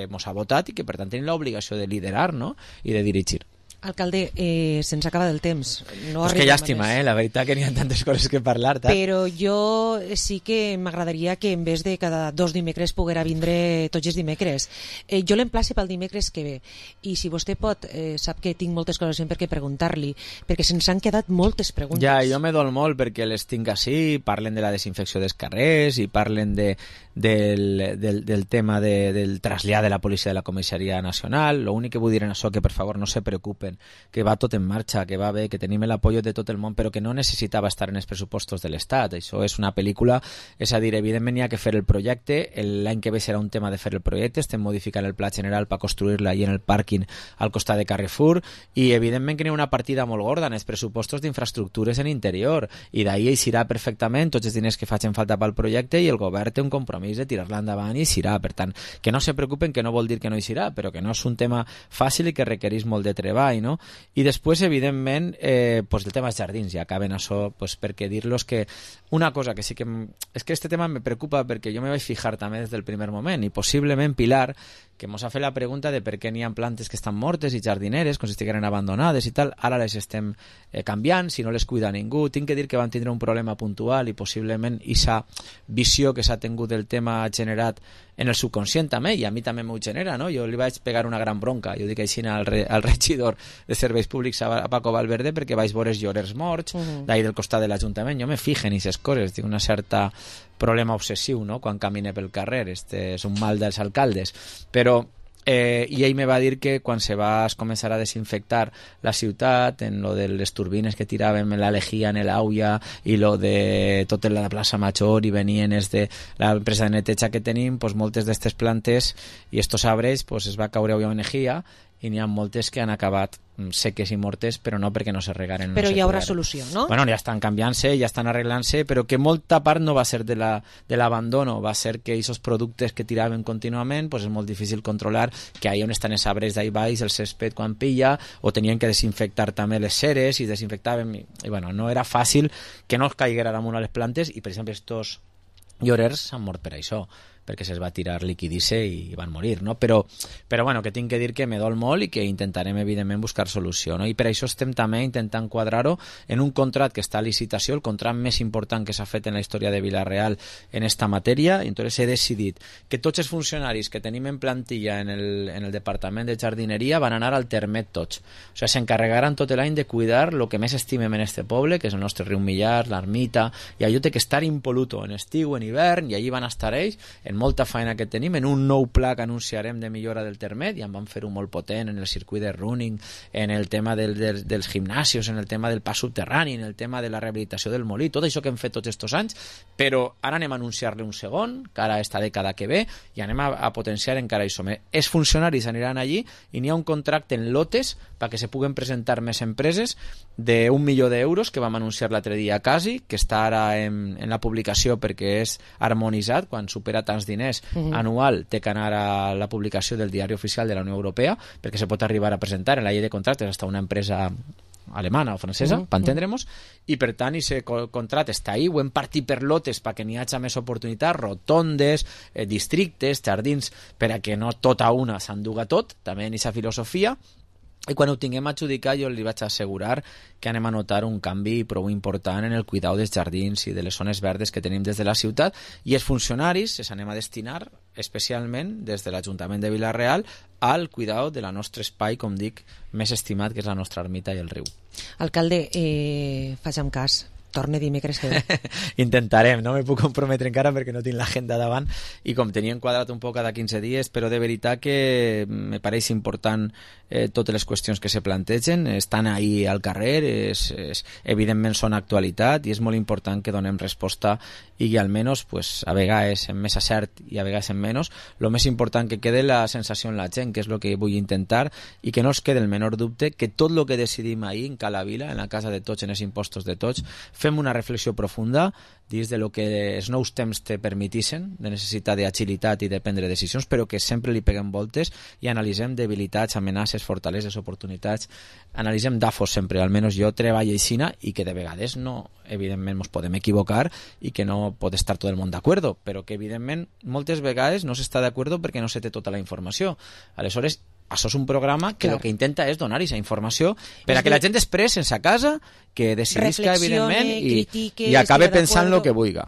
mos ha votat i que per tant tenim l'obligació de liderar, no? I de dirigir. Alcalde, se'ns acaba del temps. No és que llàstima, la veritat que n'hi ha tantes coses que parlar. Però jo sí que m'agradaria que en vez de cada 2 dimecres poguera vindre tots els dimecres. Jo l'emplaci pel dimecres que ve. I si vostè pot, sap que tinc moltes coses sempre que preguntar-li, perquè se'ns han quedat moltes preguntes. Ja, jo me dol molt perquè les tinc així, parlen de la desinfecció dels carrers i parlen del tema del trasllat de la policia de la Comissaria Nacional. L'únic que vull dir en això que per favor no se preocupen, que va tot en marxa, que va bé, que tenim l'apoyo de tot el món, però que no necessitava estar en els pressupostos de l'Estat. Això és una pel·lícula, és a dir, evidentment hi ha que fer el projecte, l'any que ve serà un tema de fer el projecte, estem modificant el pla general per construir-la allà en el pàrquing al costat de Carrefour, i evidentment que hi ha una partida molt gorda en els pressupostos d'infraestructures en interior, i d'ahir eixirà perfectament tots els diners que facin falta pel projecte, i el govern té un compromís de tirar-la endavant i eixirà. Per tant, que no se preocupen, que no vol dir que no eixirà, però que no és un tema fàcil i que requereix molt de treball, no? I després, evidentment, pues el tema dels jardins, ja acaben això, pues, perquè dir-los que una cosa que sí que... És que este tema me preocupa perquè jo me vaig fijar també des del primer moment, i possiblement Pilar, que mos ha fet la pregunta de per què n'hi ha plantes que estan mortes i jardineres, com si estigueren abandonades i tal, ara les estem canviant, si no les cuida ningú. Tinc que dir que van tindre un problema puntual i possiblement aquesta visió que s'ha tingut del tema ha generat en el subconscient també, i a mi també m'ho genera, no? Jo li vaig pegar una gran bronca, jo dic així al regidor de Serveis Públics a Paco Valverde perquè vaig veure els llorers morts d'ahir del costat de l'Ajuntament. Jo me fijo en aquestes coses, tinc una certa problema obsessiu, no?, quan camine pel carrer. Este és un mal dels alcaldes, però i ell me va dir que quan se va començar a desinfectar la ciutat, en lo de les turbines que tiraven la lejía en l'auia i lo de tota la plaça Major i venien de l'empresa de neteja que tenim, pues moltes d'aquestes plantes i estos arbres pues es va caure una energia i n'hi ha moltes que han acabat seques i mortes, però no perquè no se regaren. Però no hi haurà solució, no? Bueno, ja estan canviant-se, ja estan arreglant-se, però que molta part no va ser de l'abandono, va ser que aquests productes que tiraven contínuament, pues és molt difícil controlar que ahí on estan els arbres d'ahí baix, el césped quan pilla, o tenien que desinfectar també les ceres i desinfectaven, i bueno, no era fàcil que no es caiguera damunt a les plantes, i per exemple estos llorers s'han mort per això, perquè se'ls va tirar liquidice i van morir, no? Però bueno, que tinc que dir que me dol molt i que intentarem evidentment buscar solució, no? I per això estem també intentant quadrar-ho en un contracte que està a licitació, el contracte més important que s'ha fet en la història de Vila-real en esta matèria, i entonces he decidit que tots els funcionaris que tenim en plantilla en el departament de jardineria van anar al termet tots, o sigui, s'encarregaran tot l'any de cuidar el que més estimem en este poble, que és el nostre riu Millar, l'ermita, i allò té que estar impoluto en estiu, en hivern, i allí van estar ells en molta feina que tenim, en un nou pla que anunciarem de millora del Termet, ja en vam fer-ho molt potent en el circuit de running, en el tema dels gimnasios, en el tema del pas subterrani, en el tema de la rehabilitació del molí, tot això que hem fet tots aquests anys, però ara anem a anunciar-le un segon, cara a esta dècada que ve, i anem a potenciar encara això. Els funcionaris aniran allí i n'hi ha un contracte en lotes perquè se puguen presentar més empreses d'1 milió d'euros que vam anunciar l'altre dia quasi, que està ara en la publicació perquè és harmonitzat, quan supera tants diners anual té que anar a la publicació del diari oficial de la Unió Europea perquè se pot arribar a presentar en la llei de contractes hasta una empresa alemana o francesa, per entendre'ns, i per tant aquest contracte està ahí, ho hem partit per lotes perquè n'hi hagi més oportunitats, rotondes, districtes, jardins, per a que no tot a una s'enduga tot, també en aquesta filosofia. I quan ho tinguem adjudicat jo li vaig assegurar que anem a notar un canvi prou important en el cuidau dels jardins i de les zones verdes que tenim des de la ciutat, i els funcionaris els anem a destinar especialment des de l'Ajuntament de Vila-real al cuidau de la nostre espai, com dic, més estimat, que és la nostra ermita i el riu. Alcalde, facem cas, torne dimecres que ve. Intentarem, no me puc comprometre encara perquè no tinc l'agenda davant i com tenia enquadrat un poc cada 15 dies, però de veritat que me pareix important totes les qüestions que se plantegen, estan ahí al carrer, evidentment són actualitat i és molt important que donem resposta i que almenys pues, a vegades en més acert i a vegades en menys, el més important que quede la sensació en la gent, que és el que vull intentar, i que no es quede el menor dubte que tot el que decidim ahir en Cala Vila, en la casa de tots, en els impostos de tots, fem una reflexió profunda dins de lo que els nous temps te permetissin, de necessitat d'agilitat i de prendre decisions, però que sempre li peguem voltes i analitzem debilitats, amenaces, fortaleses, oportunitats, analitzem d'afos sempre, almenys jo treballo aixina, i que de vegades no, evidentment ens podem equivocar i que no pot estar tot el món d'acord, però que evidentment moltes vegades no s'està d'acord perquè no se té tota la informació. Aleshores, això és un programa que el que intenta és donar aquesta informació per a que la gent després, sense a casa, que decidisca, evidentment, i acabe pensant el que vulgui.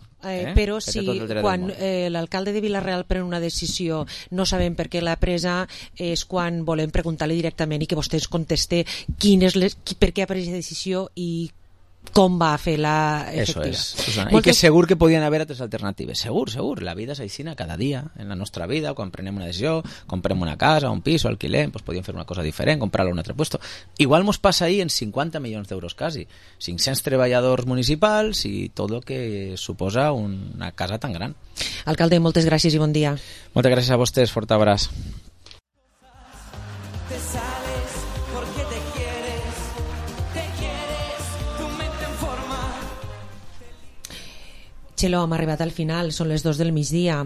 Però si quan l'alcalde de Vila-real pren una decisió no sabem per què l'ha presa, és quan volem preguntar-li directament i que vostè ens conteste per què ha pres aquesta decisió i com va fer la efectiva. Eso és, Susana. I que segur que podien haver altres alternatives. Segur. La vida és aixina cada dia. En la nostra vida, quan prenem una decisió, comprem una casa, un pis o alquilem, pues podíem fer una cosa diferent, comprar-la a un altre puesto. Igual mos passa ahir en 50 milions d'euros quasi. 500 treballadors municipals i tot el que suposa una casa tan gran. Alcalde, moltes gràcies i bon dia. Moltes gràcies a vostès. Fort abraç. Xelo, hem arribat al final, són les 2 del migdia.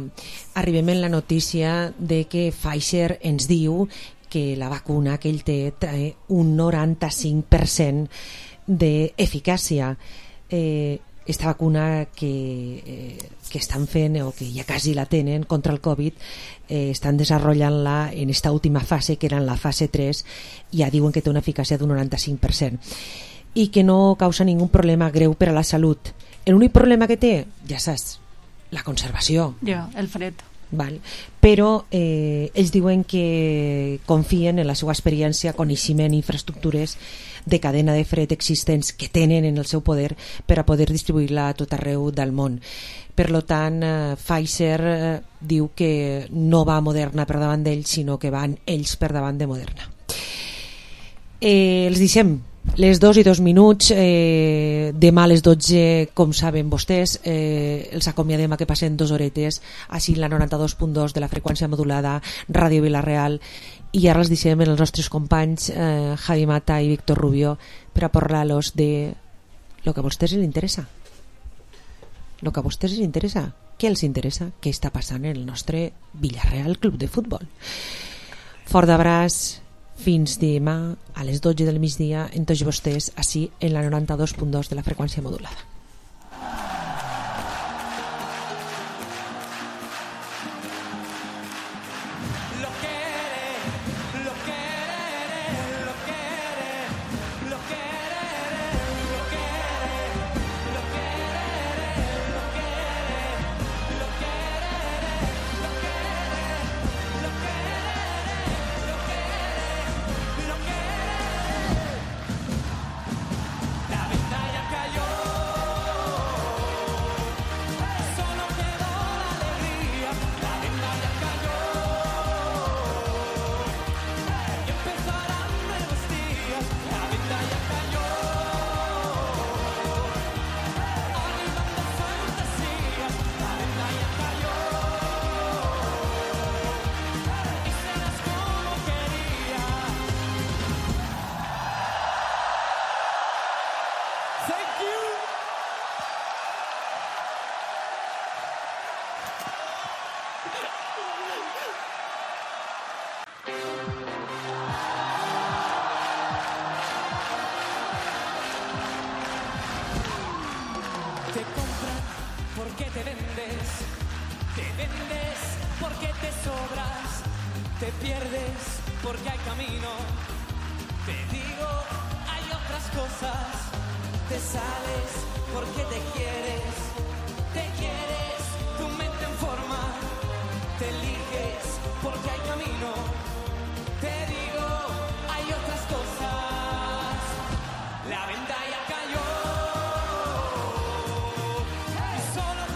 Arribem en la notícia de que Pfizer ens diu que la vacuna que ell té un 95% d'eficàcia. Esta vacuna que estan fent o que ja quasi la tenen contra el Covid, estan desenvolupant-la en esta última fase, que era en la fase 3, i ja diuen que té una eficàcia d'un 95% i que no causa ningun problema greu per a la salut. L'únic problema que té, ja saps, la conservació. Ja, el fred. Val. Però ells diuen que confien en la seva experiència, coneixement i infraestructures de cadena de fred existents que tenen en el seu poder per a poder distribuir-la a tot arreu del món. Per tant, Pfizer diu que no va Moderna per davant d'ells, sinó que van ells per davant de Moderna. Els deixem les 2:02, demà a les 12, com saben vostès, els acomiadem a que passen 2 horetes així la 92.2 de la freqüència modulada Ràdio Vila-real, i ara els deixem els nostres companys Javi Mata i Víctor Rubio per a parlar-los de lo que a vostès els interessa. Lo que a vostès els interessa. Què els interessa? Què està passant en el nostre Vila-real Club de Futbol? Fort d'abraç. Fins demà a les 12 del migdia en tots vostès, així en la 92.2 de la freqüència modulada. La batalla cayó. Te compran porque te vendes porque te sobras, te pierdes porque hay camino, te digo, hay otras cosas, te sales porque te quieres,